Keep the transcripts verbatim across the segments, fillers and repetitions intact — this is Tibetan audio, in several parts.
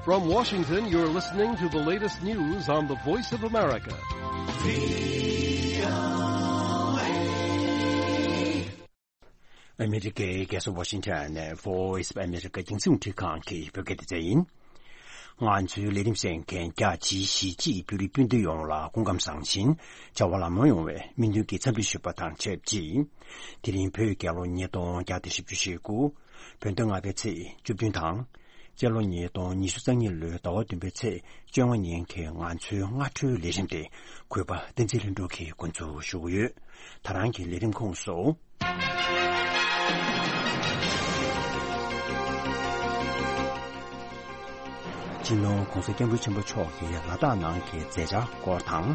From Washington, you're listening to the latest news on the Voice of America. ཨ་མི་རི་ཀའི་རྒྱལ་ས་ཝ་ཤིང་ཊོན་ནས་Voice of America་རྒྱང་སྲིང་རླུང་འཕྲིན་ཁང་གི་བོད་སྐད་སྡེ་ཚན་ཡིན། ང་ཚོའི་ལས་རིམ་གསན་མཁན་རྒྱ་ཆེའི་གཞིས་བྱེས་བོད་རིགས་སྤུན་ཟླ་ཡོངས་ལ་སྐུ་ཁམས་བཟང་ཞིང་བྱ་བ་ལམ་ལྷོང་ཡོང་བའི་སྨོན་འདུན་གྱི་འཚམས་འདྲི་ཞུ་བ་དང་ཆབས་ཅིག་དེ་རིང་བོད་རྒྱལ་ལོ་ཉིས་སྟོང་བརྒྱ་དང་བཞི་བཅུ་ཞེ་དགུ། བོད་ཟླ་ལྔ་པའི་ཚེས་བཅུ་བདུན་དང་། སྤྱི་ལོ་ཉིས་སྟོང་ཉི་ཤུ་རྩ་གཉིས་ལོའི་ཟླ་བ་བདུན་པའི་ཚེས་བཅོ་ལྔ་ཉིན་གྱི་ང་ཚོའི་སྔ་དྲོའི་ལས་རིམ་དེ་གུས་པ་བསྟན་འཛིན་ལྷུན་གྲུབ་ཀྱིས་འགོ་འཛུགས་ཞུ་གི་ཡོད། ད་རང་གི་ལས་རིམ་ཁོངས་སུ། སྤྱི་ནོར་༸གོང་ས་༸སྐྱབས་མགོན་ཆེན་པོ་མཆོག་གི་ལ་དྭགས་ནང་གི་མཛད་འཆར་སྐོར་དང་།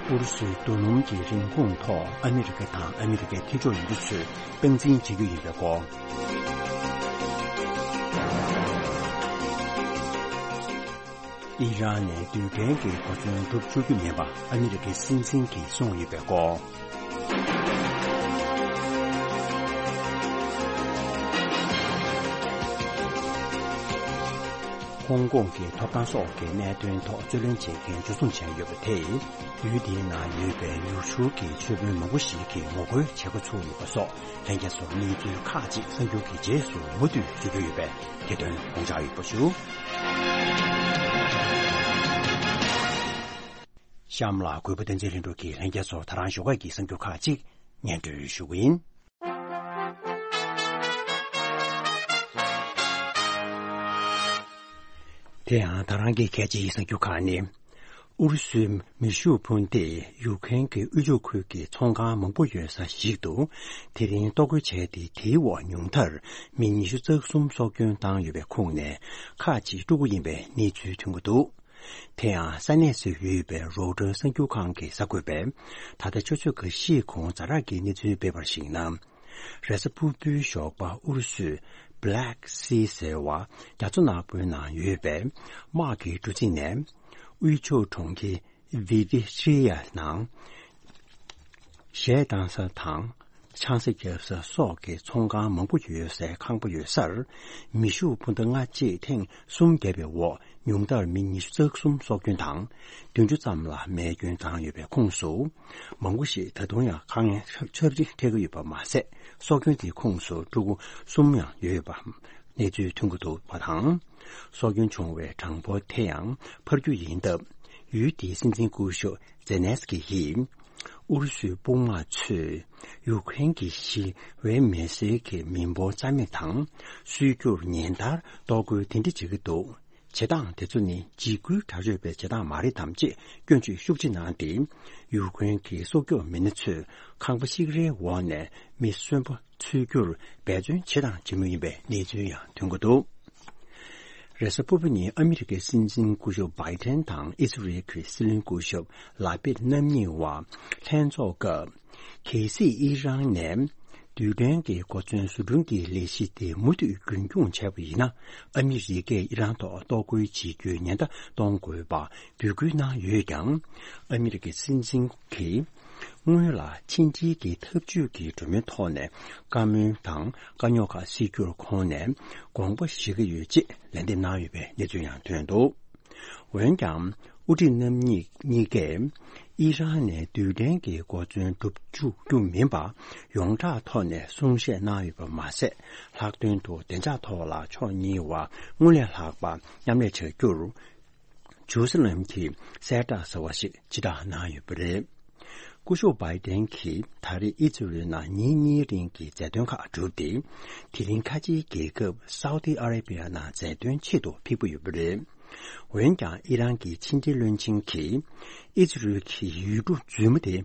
ཨུ་རུ་སུའི་རྡོ་སྣུམ་གྱི་རིན་གོང་ཐོག་ཨ་མི་རི་ཀ་དང་ཨ་མི་རི་ཀའི་མཐུན་ཕྱོགས་ཡུལ་གྲུ་ཚོས་སྟངས་འཛིན་བྱེད་རྒྱུ་ཡིན་པའི་སྐོར། ཨི་རན་ནས་རྡུལ་ཕྲན་གྱི་གོ་མཚོན་གྲུབ་བཅུག་རྒྱུ་མིན་པ་ཨ་མི་རི་ཀའི་སྲིད་འཛིན་གྱིས་གསུངས་ཡོད་པའི་སྐོར། ཧོང་ཀོང་གི་ཐོབ་ཐང་སོགས་ཀྱི་གནད་དོན་ཐོག་རྩོད་ལེན་བྱེད་མཁན་འཇུ་བཟུང་བྱས་ཡོད་པ་དེས། ཡུལ་དེའི་ནང་ཡོད་པའི་ཡུལ་ཤུལ་གྱི་ཆོས་དཔོན་མང་པོ་ཞིག་གིས་ངོ་རྒོལ་བྱེད་འགོ་ཚུགས་ཡོད་པ་སོགས་ལྷན་རྒྱས་ཚོར་གནས་ཚུལ་ཁག་ཅིག་གསར་འགྱུར་གྱི་རྗེས་སུ་མུ་མཐུད་གཟིགས་རྒྱུ་ཡོད་པས་དེ་དོན་དགོངས་འཇགས་ཡོད་པ་ཞུ། གཤམ་ལ་གུས་པ་བསྟན་འཛིན་ལྷུན་གྲུབ་ཀྱིས་ལྷན་རྒྱས་ཚོར་ད་རང་ཞོགས་ཀས་ཀྱི་གསར་འགྱུར་ཁག་ཅིག་སྙན་སྒྲོན་ཞུ་གི་ཡིན། དེ་ཡང་ད་རང་གི་གལ་ཆེའི་གསར་འགྱུར་ཁག་ནི། ཨུ་རུ་སུའི་མེ་ཤུགས་འཕུར་མདེལ་ཡུཀ་རེན་གྱི་དབུས་ཕྱོགས་ཁུལ་གྱི་ཚོང་ཁང་མང་པོ་ཡོད་ས་ཞིག་ཏུ་དེ་རིང་གཏོར་རྒོལ་བྱས་ཏེ། དེའི་འོག་ཉུང་མཐར་མི་ཉི་ཤུ་རྩ་གསུམ་སྲོག་སྐྱོན་བཏང་ཡོད་པའི་ཁོངས་ནས་ཁག་ཅིག་ཕྲུ་གུ་ཡིན་པའི་གནས་ཚུལ་ཐོན་གྱི་འདུག་དེ་ཡང་ས་གནས་སུ་ཡོད་པའི་རོའུ་ཊར་གསར་འགྱུར་ཁང་གིས་གསར་འགོད་པས། ད་ལྟ་ཆུ་ཚོད་ཁ་ཤས་གོང་ཛ་དྲག་གི་གནས་ཚུལ་སྤེལ་བར་གཞིགས་ན། རེས་གཟའ་ཕུར་བུའི་ཞོགས་པ་ཨུ་རུ་སུས་Black Sea་ཟེར་བ་རྒྱ་མཚོ་ནག་པོའི་ནང་ཡོད་པའི་དམག་གི་གྲུ་གཟིངས་ནས་དབུས་ཕྱོགས་གྲོང་ཁྱེར་Vydivkhiya་ནང་གཞས་བཏང་ས་དང་ཆང་ས་བརྒྱབ་ས་སོགས་ཀྱི་ཚོང་ཁང་མང་པོ་ཡོད་སའི་ཁང་པ་ཡོད་སར་མེ་ཤུགས་འཕུར་མདའ་སྔ་རྗེས་ཐེངས་གསུམ་བརྒྱབ་པའི་འོག་ཉུང་མཐར་མི་ཉི་ཤུ་རྩ་གསུམ་སྲོག་སྐྱོན་དང་བདུན་ཅུ་ཙམ་ལ་རྨས་སྐྱོན་བཏང་ཡོད་པའི་ཁོངས་སུ། མང་པོ་ཞིག་ད་དུང་ཡང་དཀའ་ངལ་ཆབས་ཆབས་ཅིག་འཕྲད་ཀྱི་ཡོད་པ་མ་ཟད། སྲོག་སྐྱོན་དེའི་ཁོངས་སུ་ཕྲུ་གུ་གསུམ་ཡང་ཡོད་པ་གནས་ཚུལ་ཐོན་གྱི་འདུག་པ་དང་། སྲོག་སྐྱོན་བྱུང་བའི་གྲངས་འབོར་དེ་ཡང་འཕར་རྒྱུ་ཡིན་སྟབས། ཡུལ་དེའི་སྲིད་འཛིན་སྐུ་ཞབས་ཛེ་ནེ་སི་ཀི་ཡིས། ཨུ་རུ་སུའི་དཔུང་དམག་ཚོས་ཡུཀ་རེན་གྱི་ཞི་བའི་མི་སེར་གྱི་མི་འབོར་རྩ་མེད་དང་། གསོད་རྒྱུར་ཉིན་ལྟར་གཏོར་རྒོལ་དེ་འདྲ་བྱེད་ཀྱི་འདུག་བྱེད་སྟངས་དེ་ཚོ་ནི་འཇིགས་སྐུལ་དྲག་སྤྱོད་པའི་བྱེད་སྟངས་མ་རེད་དམ་ཅེས་སྐྱོན་བརྗོད་ཤུགས་ཆེ་གནང་སྟེ། ཡུཀ་རེན་གྱི་སྲོག་སྐྱོབ་མི་སྣ་ཚོས་ཁང་པ་ཤིག་རེའི་འོག་ནས་མི་གསོན་པོ་འཚོལ་རྒྱུར་འབད་བརྩོན་བྱེད་དང་བྱེད་མུས་ཡིན་པའི་གནས་ཚུལ་ཡང་ཐོན་གྱི་འདུག་རེས་གཟའ་ཕུར་བུ་ཉིན་ཨ་མི་རི་ཀའི་སྲིད་འཛིན་སྐུ་ཞབས་བྷའི་ཏན་དང་ཨི་སི་རེལ་གྱི་སྲིད་བློན་སྐུ་ཞབས་ལ་པིད་རྣམ་གཉིས་བར་ལྷན་ཚོགས་སྐབས། གལ་སྲིད་ཨི་རན་ནས་རྡུལ་ཕྲན་གྱི་གོ་མཚོན་བཟོ་སྐྲུན་གྱི་ལས་གཞི་དེ་མུ་མཐུད་རྒྱུན་འཁྱོངས་བྱས་པ་ཡིན་ན། ཨ་མི་རི་ཀས་ཨི་རན་ཐོག་གཏོར་རྒོལ་བྱེད་རྒྱུའི་ཉེན་བརྡ་གཏོང་དགོས་པ་འབོད་སྐུལ་གནང་ཡོད་ཀྱང་། ཨ་མི་རི་ཀའི་སྲིད་འཛིན་གྱིས་སྔོན་ལ་ཕྱི་འབྲེལ་གྱི་ཐབས་ཇུས་ཀྱི་སྒྲོམ་གཞིའི་ཐོག་ནས་བཀའ་མོལ་དང་དཀའ་རྙོག་ཁག་སེལ་རྒྱུར་ཁོང་ནས་དགོངས་པ་བཞེས་ཀྱི་ཡོད་ཅེས་ལན་འདེབས་གནང་ཡོད་པའི་གནས་ཚུལ་ཡང་ཐོན་འདུག་འོན་ཀྱང་། དབུ་ཁྲིད་རྣམ་གཉིས་གཉིས་ཀས་ཨི་རན་ནས་རྡུལ་ཕྲན་གྱི་གོ་མཚོན་སྒྲུབ་བཅུག་རྒྱུ་མིན་པ་ཡོངས་གྲགས་ཐོག་ནས་གསུང་བཤད་གནང་ཡོད་པ་མ་ཟད། ལྷག་དོན་དུ་བདེ་འཇགས་ཐོག་ལ་ཕྱོགས་གཉིས་བར་སྔོན་ལས་ལྷག་པ་མཉམ་ལས་བྱ་རྒྱུར། ཇུ་ཟི་ལན་གྱིས་གསལ་བསྒྲགས་ཟེར་བ་ཞིག་ཕྱིར་བསྒྲགས་གནང་ཡོད་པ་རེད། སྐུ་ཞབས་བྷའི་ཏན་གྱིས་ད་རེས་ཨི་ཛི་རལ་ནང་ཉིན་གཉིས་རིང་གི་མཛད་དོན་ཁག་གྲུབ་སྟེ། དེ་རིང་ཁ་ཆེའི་རྒྱལ་ཁབ་སའུ་ཏི་ཨ་རེ་བི་ཡ་ནང་མཛད་དོན་ཆེད་དུ་ཕེབས་ཀྱི་ཡོད་པ་རེད། འོན་ཀྱང་ཨི་རན་གྱི་ཕྱི་འབྲེལ་བློན་ཆེན་གྱིས་ཨི་ཛི་རལ་གྱི་ཡུལ་གྲུ་རྫུན་མ་དེ་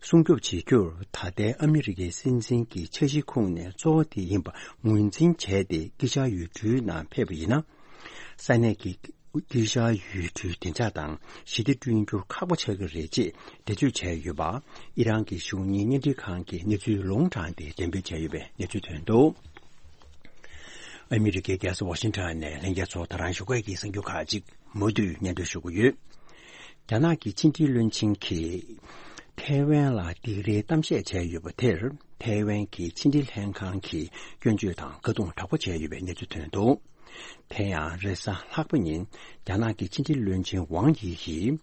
སྲུང་སྐྱོབ་བྱེད་རྒྱུར་ད་ལྟའི་ཨ་མི་རི་ཀའི་སྲིད་འཛིན་གྱི་འཆར་གཞི་ཁོངས་ནས་གཙོ་བོ་དེ་ཡིན་པ་ངོས་འཛིན་བྱས་ཏེ་དཀྱིལ་ཤར་ཡུལ་གྲུའི་ནང་ཕེབས་པ་ཡིན་ན། ས་གནས་ཀྱི་དཀྱིལ་ཤར་ཡུལ་གྲུའི་བདེ་འཇགས་དང་ཞི་བདེ་བསྐྲུན་རྒྱུར་ཁག་པོ་ཆགས་ཀྱི་རེད་ཅེས་འགྲེལ་བརྗོད་བྱས་ཡོད་པ། ཨི་རན་གྱི་གཞུང་གཉེར་བརྙན་འཕྲིན་ཁང་གིས་གནས་ཚུལ་ལུང་དྲངས་ཏེ་འགྲེམས་སྤེལ་བྱས་ཡོད་པའི་གནས་ཚུལ་ཐོན་འདུག་ཨ་མི་རི་ཀའི་རྒྱལ་ས་ཝ་ཤིང་ཊོན་ནས་ལྷན་རྒྱས་ཚོ་ད་རང་ཞོགས་ཀས་ཀྱི་གསར་འགྱུར་ཁག་ཅིག་མུ་མཐུད་སྙན་སྒྲོན་ཞུ་གི་ཡོད། རྒྱ་ནག་གི་ཕྱི་འབྲེལ་བློན་ཆེན་གྱིས། ཐེ་ ཐའེ་ཝན་ལ་སྡིགས་རའི་གཏམ་བཤད་བྱས་ཡོད་པ་དེར། ཐའེ་ཝན་གྱི་ཕྱི་འབྲེལ་ལྷན་ཁང་གིས་སྐྱོན་བརྗོད་དང་བཀའ་བསྡུར་དྲག་པོ་བྱས་ཡོད་པའི་གནས་ཚུལ་ཐོན་འདུག་དེ་ཡང་རེས་གཟའ་ལྷག་པ་ཉིན་རྒྱ་ནག་གི་ཕྱི་འབྲེལ་བློན་ཆེན་ཝང་ཡི་ཡིས་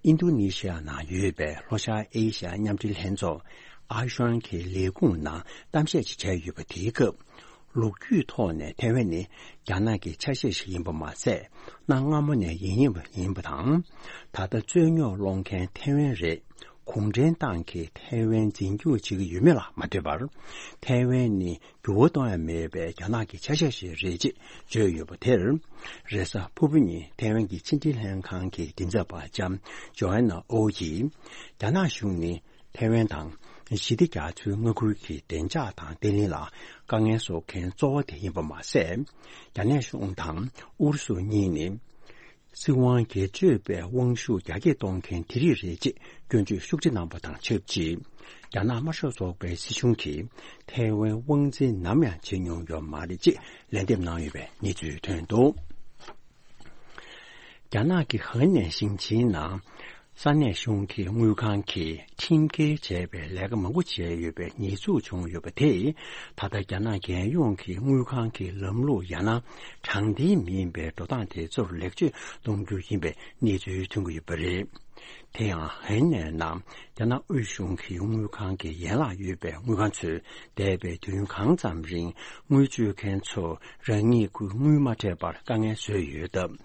ཨིན་རྡུ་ནི་ཤི་ཡ་ནང་ཡོད་པའི་ལྷོ་ཤར་ཨེ་ཤ་ཡ་མཉམ་འབྲེལ་ལྷན་ཚོགས་ཨ་ཤོན་གྱི་ལས་ཁུངས་ནང་གཏམ་བཤད་ཅིག་བྱས་ཡོད་པ་དེའི་སྐབས། ལོ་རྒྱུས་ཐོག་ནས་ཐའེ་ཝན་ནི་རྒྱ་ནག་གི་ཆ་ཤས་ཤིག་ཡིན་པ་མ་ཟད། གནའ་སྔ་མོ་ནས་ཡིན་ཡིན་པ་ཡིན་པ་དང་། ད་ལྟ་རྩོད་རྙོག་སློང་མཁན་ཐའེ་ཝན་རེད། གུང་ཁྲན་ཏང་གིས་ཐའེ་ཝན་འཛིན་སྐྱོང་བྱེད་ཀྱི་ཡོད་མེད་ལ་མ་ལྟོས་པར། ཐའེ་ཝན་ནི་འགྱུར་བ་གཏོང་ཡ་མེད་པའི་རྒྱ་ནག་གི་ཆ་ཤས་ཤིག་རེད་ཅེས་བརྗོད་ཡོད་པ་དེར། རེས་གཟའ་ཕུར་བུ་ཉིན་ཐའེ་ཝན་གྱི་ཕྱི་འབྲེལ་ལྷན་ཁང་གི་མགྲིན་ཚབ་པ་ལྕམ་ཇོ་ཨན་ན་ཨོ་ཡིས། རྒྱ་ནག་གཞུང་ནི། ཐའེ་ཝན་དང་། ཞི་བདེ་རྒྱ་མཚོའི་མངའ་ཁུལ་གྱི་བདེ་འཇགས་དང་བརྟན་ལྷིང་ལ་དཀའ་ངལ་བཟོ་མཁན་གཙོ་བོ་དེ་ཡིན་པ་མ་ཟད། རྒྱ་ནག་གཞུང་དང་ཨུ་རུ་སུ་གཉིས་ནི། སྲིད་དབང་སྒེར་གཅོད་པའི་དབང་ཤུགས་རྒྱ་སྐྱེད་གཏོང་མཁན་དེ་རིགས་རེད་ཅེས་སྐྱོན་བརྗོད་ཤུགས་ཆེ་གནང་པ་དང་ཆབས་ཅིག་རྒྱ་ནག་དམར་ཤོག་ཚོགས་པའི་སྲིད་གཞུང་གིས་ཐའེ་ཝན་དབང་འཛིན་ནམ་ཡང་བྱེད་མྱོང་ཡོད་མ་རེད་ཅེས་ལན་འདེབས་གནང་ཡོད་པའི་གནས་ཚུལ་ཐོན་འདུག་རྒྱ་ནག་གི་ཧེ་ནན་ཞིང་ཆེན་ནང་། ས་གནས་གཞུང་གི་དངུལ་ཁང་གིས་ཁྲིམས་འགལ་བྱས་པའི་ལས་ཀ་མང་པོ་བྱས་ཡོད་པའི་ཉེས་འཛུགས་བྱུང་ཡོད་པ་དེས། ད་ལྟ་རྒྱ་ནག་རྒྱལ་ཡོངས་ཀྱི་དངུལ་ཁང་གི་ལམ་ལུགས་ཡང་ན་དྲང་བདེན་མིན་པའི་འགྲོ་སྟངས་དེ་ཚུར་ལེགས་བཅོས་གཏོང་རྒྱུ་ཡིན་པའི་གནས་ཚུལ་ཐོན་གྱི་ཡོད་པ་རེད། དེ་ཡང་ཧེ་ནན་ནང་རྒྱ་ནག་དབུས་གཞུང་གི་དངུལ་ཁང་གི་ཡན་ལག་ཡོད་པའི་དངུལ་ཁང་ཚོས་འདས་པའི་དུས་ཡུན་གང་ཙམ་རིང་དངུལ་སྤྱོད་མཁན་ཚོ་རང་ཉིད་ཀྱི་དངུལ་མ་སྤྲད་པར་དཀའ་ངལ་བཟོས་ཡོད་སྟབས།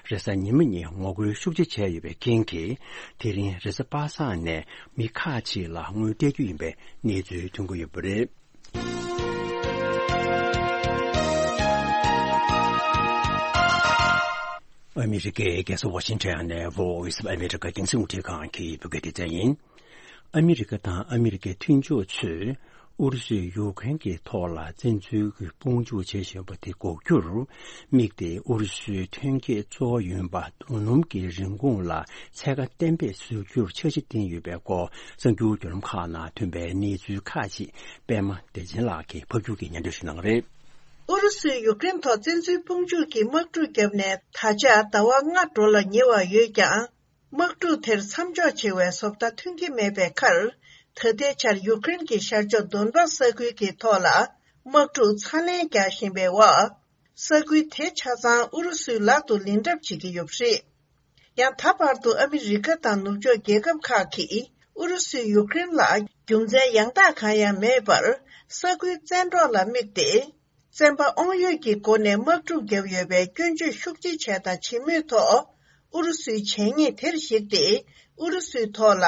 རེས་གཟའ་ཉི་མ་ཉིན་ངོ་རྒོལ་ཤུགས་ཆེ་བྱས་ཡོད་པའི་རྐྱེན་གྱིས། དེ་རིང་རེས་གཟའ་པ་སངས་ནས་མི་ཁག་ཅིག་ལ་དངུལ་སྤྲད་རྒྱུ་ཡིན་པའི་གནས་ཚུལ་ཐོན་གྱི་ཡོད་པ་རེད། ཨ་མི་རི་ཀའི་རྒྱལ་ས་ཝ་ཤིང་ཊོན་ནས་Voice of America་རྒྱང་སྲིང་རླུང་འཕྲིན་ཁང་གི་བོད་སྐད་སྡེ་ཚན་ཡིན། ཨ་མི་རི་ཀ་དང་ཨ་མི་རི་ཀའི་མཐུན་ཕྱོགས་ཚོས་ཨུ་རུ་སུས་ཡུཀ་རེན་གྱི་ཐོག་ལ་བཙན་འཛུལ་གྱི་དཔུང་འཇུག་བྱེད་བཞིན་པ་དེ་འགོག་རྒྱུར་དམིགས་ཏེ། ཨུ་རུ་སུའི་ཐོན་སྐྱེད་གཙོ་བོ་ཡིན་པ་རྡོ་སྣུམ་གྱི་རིན་གོང་ལ་ཚད་བཀག་གཏན་འབེབས་བཟོ་རྒྱུར་འཆར་གཞི་བཏིང་ཡོད་པའི་སྐོར། གསར་འགྱུར་བརྒྱུད་ལམ་ཁག་ནང་ཐོན་པའི་གནས་ཚུལ་ཁག་ཅིག་པད་མ་བདེ་ཆེན་ལགས་ཀྱིས་ཕབ་སྒྱུར་གྱིས་སྙན་སྒྲོན་ཞུ་གནང་གི་རེད། ཨུ་རུ་སུས་ཡུཀ་རེན་ཐོག་བཙན་འཛུལ་དཔུང་འཇུག་གི་དམག་འཁྲུག་བརྒྱབ་ནས་ད་ཆ་ཟླ་བ་ལྔ་འགྲོ་ལ་ཉེ་བ་ཡོད་ཀྱང་། དམག་འཁྲུག་དེར་མཚམས་འཇོག་བྱེད་པའི་བཟོ་ལྟ་ཐོན་གྱི་མེད་པའི་ཁར། ད་ལྟའི་ཆར་ཡུཀ་རེན་གྱི་ཤར་ཕྱོགས་དོན་པ་ས་ཁུལ་གྱི་ཐོག་ལ་དམག་འཁྲུག་ཚ་ལན་རྒྱག་བཞིན་པའི་འོག་ས་ཁུལ་དེ་ཆ་ཚང་ཨུ་རུ་སུའི་ལག་ཏུ་ལེན་གྲབས་བྱེད་ཀྱི་ཡོད་པ་རེད། ཡང་ད་བར་དུ་ཨ་མི་རི་ཀ་དང་ནུབ་ཕྱོགས་རྒྱལ་ཁབ་ཁག་གིས་ཨུ་རུ་སུས་ཡུཀ་རེན་ལ་རྒྱུ་མཚན་ཡང་དག་གང་ཡང་མེད་པར་ས་ཁུལ་བཙན་འཕྲོག་ལ་དམིགས་ཏེ། བཙན་པ་དབང་ཡོད་ཀྱི་སྒོ་ནས་དམག་འཁྲུག་བརྒྱབ་ཡོད་པའི་སྐྱོན་བརྗོད་ཤུགས་ཆེ་བྱས་དང་བྱེད་མུས་ཐོག་ཨུ་རུ་སུའི་བྱས་ཉེས་དེར་གཞིགས་ཏེ། ཨུ་རུ་སུའི་ཐོག་ལ་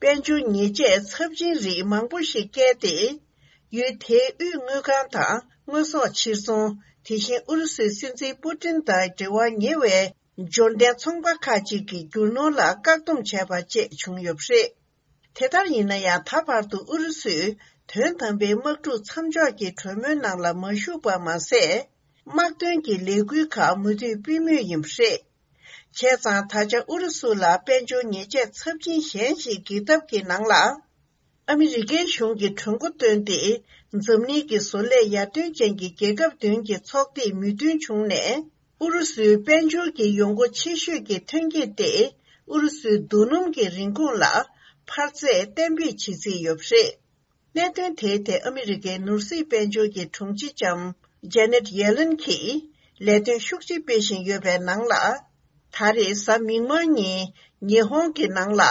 དཔལ་འབྱོར་ཉེས་ཆད་ཚབས་ཆེན་རིགས་མང་པོ་ཞིག་བཀལ་ཏེ། ཡུལ་དེའི་དབུས་དངུལ་ཁང་དང་དངོས་ཟོག་ཕྱིར་ཚོང་། དེ་བཞིན་ཨུ་རུ་སུའི་སྲིད་འཛིན་པུ་ཏིན་དང་འབྲེལ་བ་ཉེ་བའི་འབྱོར་ལྡན་ཚོང་པ་ཁག་ཅིག་གི་རྒྱུ་ནོར་ལ་བཀག་སྡོམ་བྱས་པ་བཅས་བྱུང་ཡོད་པ་རེད། དེ་ལྟར་ཡིན་ན་ཡང་། ད་བར་དུ་ཨུ་རུ་སུས་དོན་དམ་པའི་དམག་འཁྲུག་མཚམས་འཇོག་གི་གྲོས་མོལ་ནང་ལ་མ་ཞུགས་པ་མ་ཟད། དམག་དོན་གྱི་ལས་འགུལ་ཁག་མུ་མཐུད་སྤེལ་མུས་ཡིན་པ་རེད། བྱས་ཙང་། ད་ཆ་ཨུ་རུ་སུ་ལ་དཔལ་འབྱོར་ཉེས་ཆད་ཚབས་ཆེན་གཞན་ཞིག་འགེལ་ཐབས་ཀྱི་ནང་ལ། ཨ་མི་རི་ཀའི་གཞུང་གིས་གྲོས་འགོ་བཏོན་ཏེ། འཛམ་གླིང་གི་བཟོ་ལས་ཡར་ཐོན་ཅན་གྱི་རྒྱལ་ཁབ་བདུན་གྱི་ཚོགས་སྡེས་མོས་མཐུན་བྱུང་ནས། ཨུ་རུ་སུའི་དཔལ་འབྱོར་གྱི་ཡོང་སྒོ་ཆེ་ཤོས་ཀྱི་ཐོན་སྐྱེད་དེ། ཨུ་རུ་སུའི་རྡོ་སྣུམ་གྱི་རིན་གོང་ལ་འཕར་ཚད་གཏན་འབེབས་བྱེད་རྩིས་ཡོད་པ་རེད། གནད་དོན་དེའི་ཐད་ཨ་མི་རི་ཀའི་ནོར་སྲིད་དཔལ་འབྱོར་གྱི་དྲུང་ཆེ་ལྕམ་ཇེ་ནེད་ཡེ་ལེན་གྱིས་ལས་དོན་ཤུགས་ཆེ་སྤེལ་བཞིན་ཡོད་པའི་ནང་ལ། ད་རེས་གཟའ་མིག་དམར་ཉིན་ཉི་ཧོང་གི་ནང་ལ།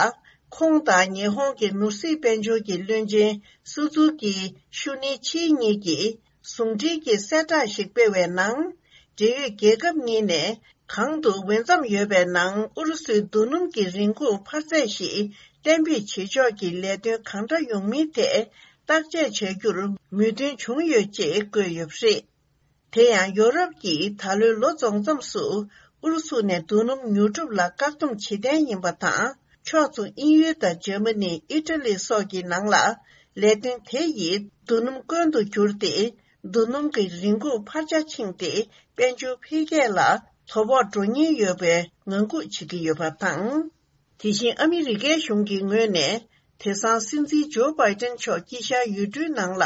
ཁོང་དང་ཉི་ཧོང་གི་ནོར་སྲིད་དཔལ་འབྱོར་གྱི་བློན་ཆེན་སུ་ཛུ་ཀི་ཤུ་ནི་ཆི་གཉིས་ཀྱིས་ཟུང་འབྲེལ་གྱི་གསལ་བསྒྲགས་ཤིག་སྤེལ་བའི་ནང་། འབྲེལ་ཡོད་རྒྱལ་ཁབ་གཉིས་ནས་གང་དུ་འོས་འཚམ་ཡོད་པའི་ནང་ཨུ་རུ་སུའི་རྡོ་སྣུམ་གྱི་རིན་གོང་འཕར་ཚད་ཞིག་གཏན་འབེབས་བྱེད་ཕྱོགས་ཀྱི་ལས་དོན་གང་འདྲ་ཡོང་མིན་ཐད་བརྟག་དཔྱད་བྱ་རྒྱུར་མོས་མཐུན་བྱུང་ཡོད་ཅེས་བཀོད་ཡོད་པ་རེད། དེ་ཡང་ཡོ་རོབ་ཀྱིས་ད་ལོའི་ལོ་རྫོགས་མཚམས་སུ་ཨུ་རུ་སུ་ནས་རྡོ་སྣུམ་ཉོ་སྒྲུབ་ལ་བཀག་སྡོམ་བྱེད་གཏན་ཡིན་པ་དང་། ཕྱོགས་མཚུངས་དབྱིན་ཡུལ་དང་འཇར་མ་ནི། ཨི་ཊ་ལི་སོགས་ཀྱི་ནང་ལ་ལས་དོན་དེ་ཡིས་རྡོ་སྣུམ་དཀོན་དུ་གྱུར་ཏེ། རྡོ་སྣུམ་གྱི་རིན་གོང་འཕར་ཆ་ཕྱིན་ཏེ། དཔལ་འབྱོར་འཕེལ་རྒྱས་ལ་དོ་ཕོག་འགྲོ་ཉེན་ཡོད་པའི་ངང་སྒུག་བྱེད་ཀྱི་ཡོད་པ་དང་། དེ་བཞིན་ཨ་མི་རི་ཀའི་གཞུང་གི་ངོས་ནས། དེང་སང་སྲིད་འཛིན་ཇོ་བྷའི་ཏན་མཆོག་དཀྱིལ་ཤར་ཡུལ་གྲུའི་ནང་ལ་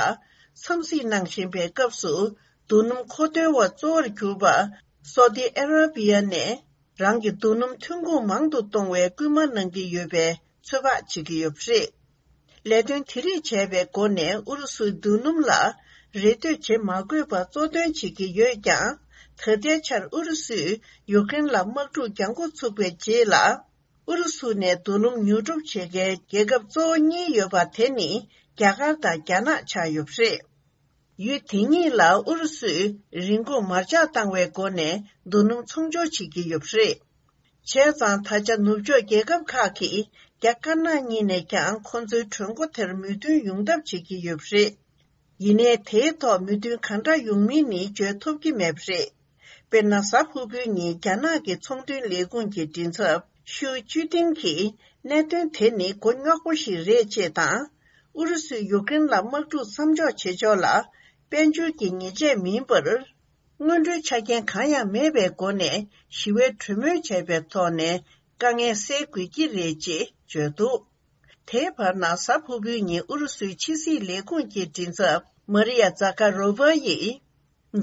འཚམས་གཟིགས་གནང་བཞིན་པའི་སྐབས་སུ། རྡོ་སྣུམ་མཁོ་འདོན་པ་གཙོ་བོར་གྱུར་པ་སོ་ཏི་ཨ་ར་བི་ཡ་ནས། རང་གི་རྡོ་སྣུམ་ཐོན་ཁུངས་མང་དུ་གཏོང་བའི་སྐུལ་མ་གནང་གི་ཡོད་པའི་ཚོད་དཔག་བྱེད་ཀྱི་ཡོད་པ་རེད། ལས་དོན་དེ་རིགས་བྱས་པའི་སྒོ་ནས་ཨུ་རུ་སུའི་མདུན་ལམ་ལ་རེ་ལྟོས་བྱེད་མ་དགོས་པར་གཙོ་འདོན་བྱེད་ཀྱི་ཡོད་ཀྱང་། ད་ལྟའི་ཆར་ཨུ་རུ་སུས་ཡུཀ་རེན་ལ་དམག་འཁྲུག་རྒྱག་འགོ་ཚུགས་པའི་རྗེས་ལ། ཨུ་རུ་སུ་ནས་མདུན་ལམ་ཉོ་སྒྲུབ་བྱེད་མཁན་རྒྱལ་ཁབ་གཙོ་བོ་གཉིས་ཡོད་པ་དེ་ནི་རྒྱ་གར་དང་རྒྱ་ནག་ཆགས་ཡོད་པ་རེད། ཡུལ་དེ་གཉིས་ལ་ཨུ་རུ་སུས་རིན་གོང་མར་ཆག་བཏང་བའི་སྒོ་ནས་མདུན་ལམ་ཚོང་སྦྱོར་བྱེད་ཀྱི་ཡོད་པ་རེད། བྱས་ཙང་ད་ཆ་ནུབ་ཕྱོགས་རྒྱལ་ཁབ་ཁག་གིས་རྒྱ་དཀར་ནག་གཉིས་ནས་ཀྱང་ཁོ་ཚོའི་གྲོས་འགོ་དེར་མོས་མཐུན་ཡོང་ཐབས་བྱེད་ཀྱི་ཡོད་པ་རེད། ཡིན་ནའི་དེའི་ཐོག་མོས་མཐུན་གང་འདྲ་ཡོང་མིན་ནི་བརྗོད་ཐུབ་ཀྱི་མེད་པ་རེད། དཔེར་ན། གཟའ་ཕུར་བུའི་ཉིན་རྒྱ་ནག་གི་ཚོང་དོན་ལས་ཁུངས་ཀྱི་མགྲིན་ཚབ་ཤུའུ་ཅུའུ་ཏིང་གིས་གནད་དོན་དེ་ནི་མགོ་རྙོག་པོ་ཞིག་རེད་ཅེས་དང་། ཨུ་རུ་སུས་ཡུཀ་རེན་ལ་དམག་འཁྲུག་མཚམས་འཇོག་བྱེད་ཕྱོགས་ལ་དཔལ་འབྱོར་གྱི་ཉེས་ཆད་མིན་པར། སྔོན་འགྲོའི་ཆ་རྐྱེན་གང་ཡང་མེད་པའི་སྒོ་ནས་ཞི་བའི་གྲོས་མོལ་བྱས་པའི་ཐོག་ནས་དཀའ་ངལ་སེལ་དགོས་ཀྱི་རེད་ཅེས་བརྗོད་འདུག་དེའི་བར་ན། གཟའ་ཕུར་བུའི་ཉིན་ཨུ་རུ་སུའི་ཕྱི་སྲིད་ལས་ཁུངས་ཀྱི་མགྲིན་ཚབ་མ་རི་ཡ་ཛ་ཀ་རོ་ཝ་ཡིས།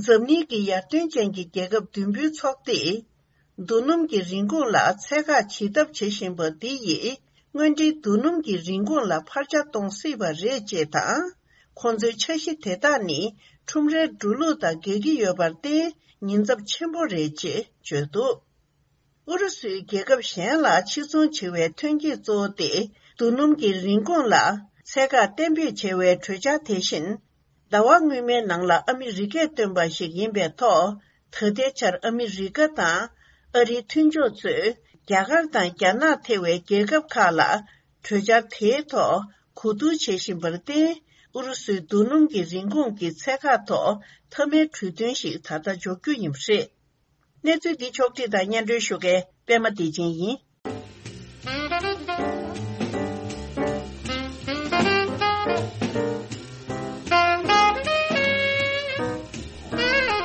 འཛམ་གླིང་གི་ཡར་ཐོན་ཅན་གྱི་རྒྱལ་ཁབ་བདུན་པོའི་ཚོགས་སྡེས། མདོ་སྣུམ་གྱི་རིན་གོང་ལ་ཚད་བཀག་བྱེད་ཐབས་བྱེད་བཞིན་པ་འདི་ཡིས། དངོས་འབྲེལ་མདོ་སྣུམ་གྱི་རིན་གོང་ལ་འཕར་ཆ་གཏོང་སྲིད་པ་རེད་ཅེས་དང་། ཁོང་ཚོའི་འཆར་གཞི་དེ་དག་ནི་ཁྲོམ་རའི་འགྲོ་ལུགས་དང་འགལ་གྱི་ཡོད་པར་བརྟེན། ཉེན་ཚབས་ཆེན་པོ་རེད་ཅེས་བརྗོད་འདུག་ཨུ་རུ་སུས་རྒྱལ་ཁབ་གཞན་ལ་ཕྱིར་ཚོང་བྱེད་པའི་ཐོན་སྐྱེད་གཙོ་བོ་སྟེ། མདོ་སྣུམ་གྱི་རིན་གོང་ལ་ཚད་བཀག་གཏན་འབེབས་བྱ་བའི་གྲོས་འཆར་དེ་བཞིན། ཟླ་བ་སྔོན་མའི་ནང་ལ་ཨ་མི་རི་ཀས་བཏོན་པ་ཞིག་ཡིན་པའི་ཐོག་ད་ལྟའི་ཆར་ཨ་མི་རི་ཀ་དང་ཨ་རིའི་མཐུན་ཕྱོགས་ཚོས་རྒྱ་གར་དང་རྒྱ་ནག་ཐེ་བའི་རྒྱལ་ཁབ་ཁག་ལ་གྲོས་འཆར་དེའི་ཐོག་གོ་བསྡུར་བྱེད་བཞིན་པར་བརྟེན། ཨུ་རུ་སུའི་མདོ་སྣུམ་གྱི་རིན་གོང་གི་ཚད་བཀག་ཐོག་མཐའ་མའི་གྲོས་མཐུན་ཞིག་ད་ལྟ་འཇོག་རྒྱུ་ཡིན་པ་རེད། གནས་ཚུལ་འདི་ཕྱོགས་བསྒྲིགས་དང་སྙན་སྒྲོན་ཞུ་མཁན་པད་མ་བདེ་ཆེན་ཡིན།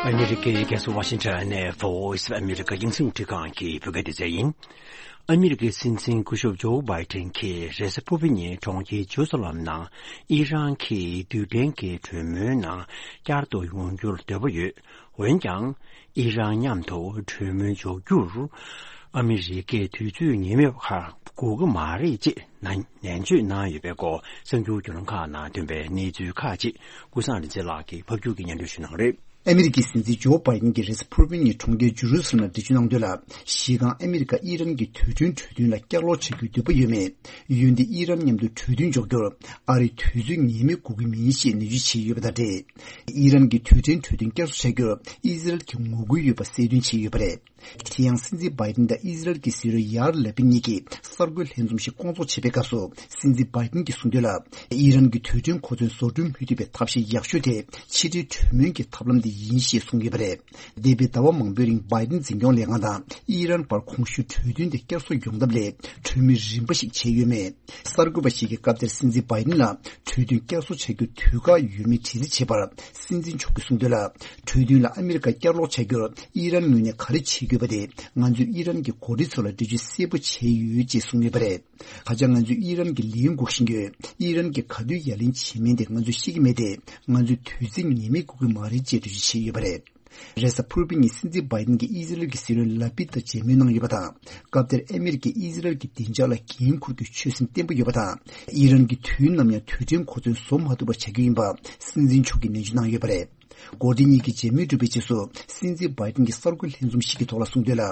ཨ་མི་རི་ཀའི་རྒྱལ་ས་ཝ་ཤིང་ཊོན་ནས་Voice of America རྒྱང་སྲིང་རླུང་འཕྲིན་ཁང་གི་བོད་སྐད་སྡེ་ཚན་ཡིན། ཨ་མི་རི་ཀའི་སྲིད་འཛིན་སྐུ་ཞབས་ཇོ་བྷའི་ཏན་གྱིས་རེས་གཟའ་ཕུར་བུའི་ཉིན་གྲོང་ཁྱེར་ཇེ་རུ་ས་ལམ་ནང་ཨི་རན་གྱིས་རྡུལ་ཕྲན་གྱི་གྲོས་མོལ་ནང་བསྐྱར་དུ་ཡོང་རྒྱུར་འདོད་པ་ཡོད། འོན་ཀྱང་། ཨི་རན་མཉམ་དུ་གྲོས་མོལ་འཇོག་རྒྱུར། ཨ་མི་རི་ཀས་དུས་ཚོད་ངེས་མེད་ཁག་དགོས་ཀྱི་མ་རེད་ཅེས་ནན་བརྗོད་གནང་ཡོད་པའི་སྐོར་གསར་འགྱུར་བརྒྱུད་ལམ་ཁག་ནང་ཐོན་པའི་གནས་ཚུལ་ཁག་ཅིག་ཀུན་བཟང་རིག་འཛིན་ལགས་ཀྱིས་ཕབ་སྒྱུར་གྱིས་སྙན་སྒྲོན་ཞུ་གནང་གི་རེད། ཨ་མི་རི་ཀའི་སྲིད་འཛིན་ཇོ་བྷའི་ཏན་གྱིས་རེས་གཟའ་ཕུར་བུའི་ཉིན་གྲོང་ཁྱེར་ཇེ་རུ་ས་ལམ་ལ་འགྲེལ་བརྗོད་གནང་དོན་ལ། གཞི་རྐང་ཨ་མི་རི་ཀ་ཨི་རན་གྱི་དུས་དྲན་གྲོས་མཐུན་ལ་བསྐྱར་ལོག་བྱ་རྒྱུའི་འདོད་པ་ཡོད་མེད། འོན་ཏེ་ཨི་རན་མཉམ་དུ་གྲོས་མཐུན་འཇོག་རྒྱུར་ཨ་རིས་དུས་ཚོད་ངེས་མེད་དགོས་ཀྱི་མིན་ཞེས་ནན་བརྗོད་བྱས་ཡོད་པ་དང་འབྲེལ། ཨི་རན་གྱི་དུས་དྲན་གྲོས་མཐུན་བསྐྱར་གསོ་བྱ་རྒྱུར་ཨི་ཟི་རལ་གྱིས་ངོ་རྒོལ་ཡོད་པ་གསལ་སྟོན་བྱས་ཡོད་པ་རེད། དེ་ཡང་སྲིད་འཛིན་བྷའི་ཏིན་དང་ཨི་ཟི་རལ་གྱི་སྲིད་བློན་ཡཱར་ལ་པིད་གཉིས་ཀྱིས་གསར་འགོད་ལྷན་འཛོམས་ཤིག་བསྐོང་ཚོགས་བྱེད་པའི་སྐབས་སུ། སྲིད་འཛིན་བྷའི་ཏིན་གྱིས་གསུངས་དོན་ལ། ཨི་རན་གྱི་དུས་དྲན་གོ་མཚོན་བཟོ་སྐྲུན་མུ་མཐུད་པའི་ཐབས་ཤེས་ཡག་ཤོས་དེ་ཕྱི་འབྲེལ་གྲོས་མོལ་གྱི་ཐབས་ལམ་དེ་ཡིན་ཞེས་གསུངས་ཡོད་པ་རེད། འདས་པའི་ཟླ་བ་མང་པོའི་རིང་བྷའི་ཏིན་འཛིན་སྐྱོང་ལས་ཁང་དང་ཨི་རན་བར་གོང་ཞུས་གྲོས་མཐུན་དེ་བསྐྱར་གསོ་ཡོང་ཐབས་ལ་གྲོས་མོལ་རིམ་པ་ཞིག་བྱས་ཡོད་མེད། གསར་འགོད་པ་ཞིག་གིས་སྐབས་དེར་སྲིད་འཛིན་བྷའི་ཏིན་ལ་གྲོས་མཐུན་བསྐྱར་གསོ་བྱ་རྒྱུར་དུས་བཀག་ཡོད་མེད་དྲི་རྩད་བྱས་པར། སྲིད་འཛིན་མཆོག་གིས་གསུངས་དོན་ལ། གྲོས་མཐུན་ལ་ཨ་མི་རི་ཀ་བསྐྱར་ལོག་བྱ་རྒྱུར་ཨི་རན་ངོས་ནས་ག་རེ་བྱེད་དགོས་པ་དེ། ང་ཚོས་ཨི་རན་གྱི་འགོ་ཁྲིད་ཚོ་ལ་འགྲེལ་བརྗོད་གསལ་པོ་བྱས་ཡོད་ཅེས་གསུངས་ཡོད་པ་རེད། ད་ཆ་ང་ཚོས་ཨི་རན་གྱི་ལན་དགོས་བཞིན་ཡོད། ཨི་རན་གྱིས་ག་དུས་ཡ་ལན་བྱེད་མིན་དེ་ང་ཚོས་ཤེས་ཀྱི་མེད་དེ། ང་ཚོས་དུས་ཚོད་ངེས་མེད་དགོས་ཀྱི་མ་རེད་ཅེས་འགྲེལ་བརྗོད་བྱས་ཡོད་པ་རེད། རེས་གཟའ་ཕུར་བུའི་ཉིན་སྲིད་འཛིན་བྷའི་ཏིན་གྱིས་ཨི་ཟི་རལ་གྱི་སྲིད་བློན་ལ་པིད་དང་མཇལ་མོལ་གནང་ཡོད་པ་དང་། སྐབས་དེར་ཨ་མི་རི་ཀས་ཨི་ཟི་རལ་གྱི་བདེ་འཇགས་ལ་འགན་འཁུར་རྒྱུའི་ཆོད་སེམས་བརྟན་པོ་ཡོད་པ་དང་། ཨི་རན་གྱིས་དུས་ནམ་ཡང་དུས་དྲན་གོ་མཚོན་བཟོ་མ་ཐུབ་པ་བྱ་རྒྱུ་ཡིན་པ་སྲིད་འཛིན་མཆོག་གིས་ནན་བརྗོད་གནང་ཡོད་པ་རེད། འགོ་ཁྲིད་གཉིས་ཀྱི་མཇལ་མོལ་གྲུབ་པའི་རྗེས་སུ། སྲིད་འཛིན་བྷའི་ཏིན་གྱིས་གསར་འགོད་ལྷན་འཛོམས་ཤིག་གི་ཐོག་ལ་གསུངས་དོན་ལ།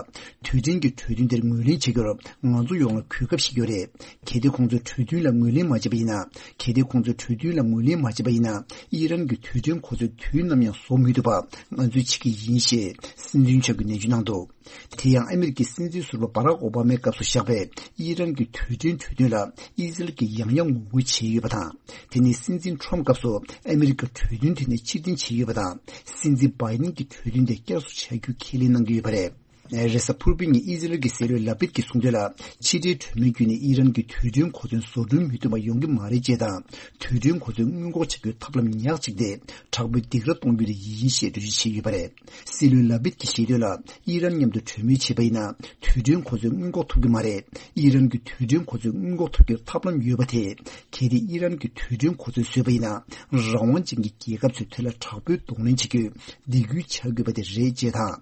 དུས་དྲན་གྱི་གྲོས་མཐུན་དེར་ངོས་ལེན་བྱ་རྒྱུར་ང་ཚོ་ཡོངས་ལ་གོ་སྐབས་ཤིག་ཡོད་རེད། གལ་ཏེ་ཁོང་ཚོས་གྲོས་མཐུན་ལ་ངོས་ལེན་མ་བྱས་པ་ཡིན་ན། གལ་ཏེ་ཁོང་ཚོས་གྲོས་མཐུན་ལ་ངོས་ལེན་མ་བྱས་པ་ཡིན་ན། ཨི་རན་གྱི་དུས་དྲན་གོ་མཚོན་དུས་ནམ་ཡང་བཟོ་མི་ཐུབ་པ་ང་ཚོས་བྱེད་ཀྱི་ཡིན་ཞེས་སྲིད་འཛིན་མཆོག་གིས་ནན་བརྗོད་གནང་འདུག་དེ་ཡང་ཨ་མི་རི་ཀའི་སྲིད་འཛིན་ཟུར་པ་བྷ་རག་ཨོ་བྷ་མའི་སྐབས་སུ་བཞག་པའི་ཨི་རན་གྱི་དུས་དྲན་གྲོས་མཐུན་ལ་ཨི་ཟི་རལ་གྱིས་ཡང་ཡང་ངོ་རྒོལ་བྱས་ཡོད་པ་དང་། དེ་ནི་སྲིད་འཛིན་ཁྲོམ་སྐབས་སུ་ཨ་མི་རི་ཀ་གྲོས་མཐུན་དེ་ནས་ཕྱིར་འཐེན་བྱས་ཡོད་པ་དང་། སྲིད་འཛིན་བྷའི་ཏིན་གྱིས་གྲོས་མཐུན་དེ་བསྐྱར་གསོ་བྱ་རྒྱུ་ཁས་ལེན་གནང་གི་ཡོད་པ་རེད། རེས་གཟའ་ཕུར་བུའི་ཉིན་ཨི་ཟི་རལ་གྱི་སྲིད་བློན་ལ་པིད་ཀྱིས་གསུངས་དོན་ལ། ཕྱི་འབྲེལ་གྲོས་མོལ་བརྒྱུད་ནས་ཨི་རན་གྱི་དུས་དྲན་གོ་མཚོན་བཟོ་སྐྲུན་མི་ཐུབ་པ་ཡོང་གི་མ་རེད་ཅེས་དང་། དུས་དྲན་གོ་མཚོན་སྔོན་འགོག་བྱ་རྒྱུའི་ཐབས་ལམ་ཉག་གཅིག་དེ་དྲག་པོའི་སྡིགས་ར་གཏོང་རྒྱུ་དེ་ཡིན་ཞེས་འགྲེལ་བརྗོད་བྱས་ཡོད་པ་རེད། སྲིད་བློན་ལ་པིད་ཀྱིས་བཤད་དོན་ལ། ཨི་རན་མཉམ་དུ་གྲོས་མོལ་བྱས་པ་ཡིན་ན། དུས་དྲན་གོ་མཚོན་སྔོན་འགོག་ཐུབ་ཀྱི་མ་རེད། ཨི་རན་གྱི་དུས་དྲན་གོ་མཚོན་སྔོན་འགོག་ཐུབ་རྒྱུར་ཐབས་ལམ་ཡོད་པ་དེ། གལ་ཏེ་ཨི་རན་གྱིས་དུས་དྲན་གོ་མཚོན་བཟོས་པ་ཡིན་ན། རང་དབང་ཅན་གྱི་རྒྱལ་ཁབ་ཚོས་དེ་ལ་དྲག་པོའི་གདོང་ལེན་བྱེད་རྒྱུས་སྡིགས་སྐུལ་བྱ་དགོས་པ་དེ་རེད་ཅེས་དང་།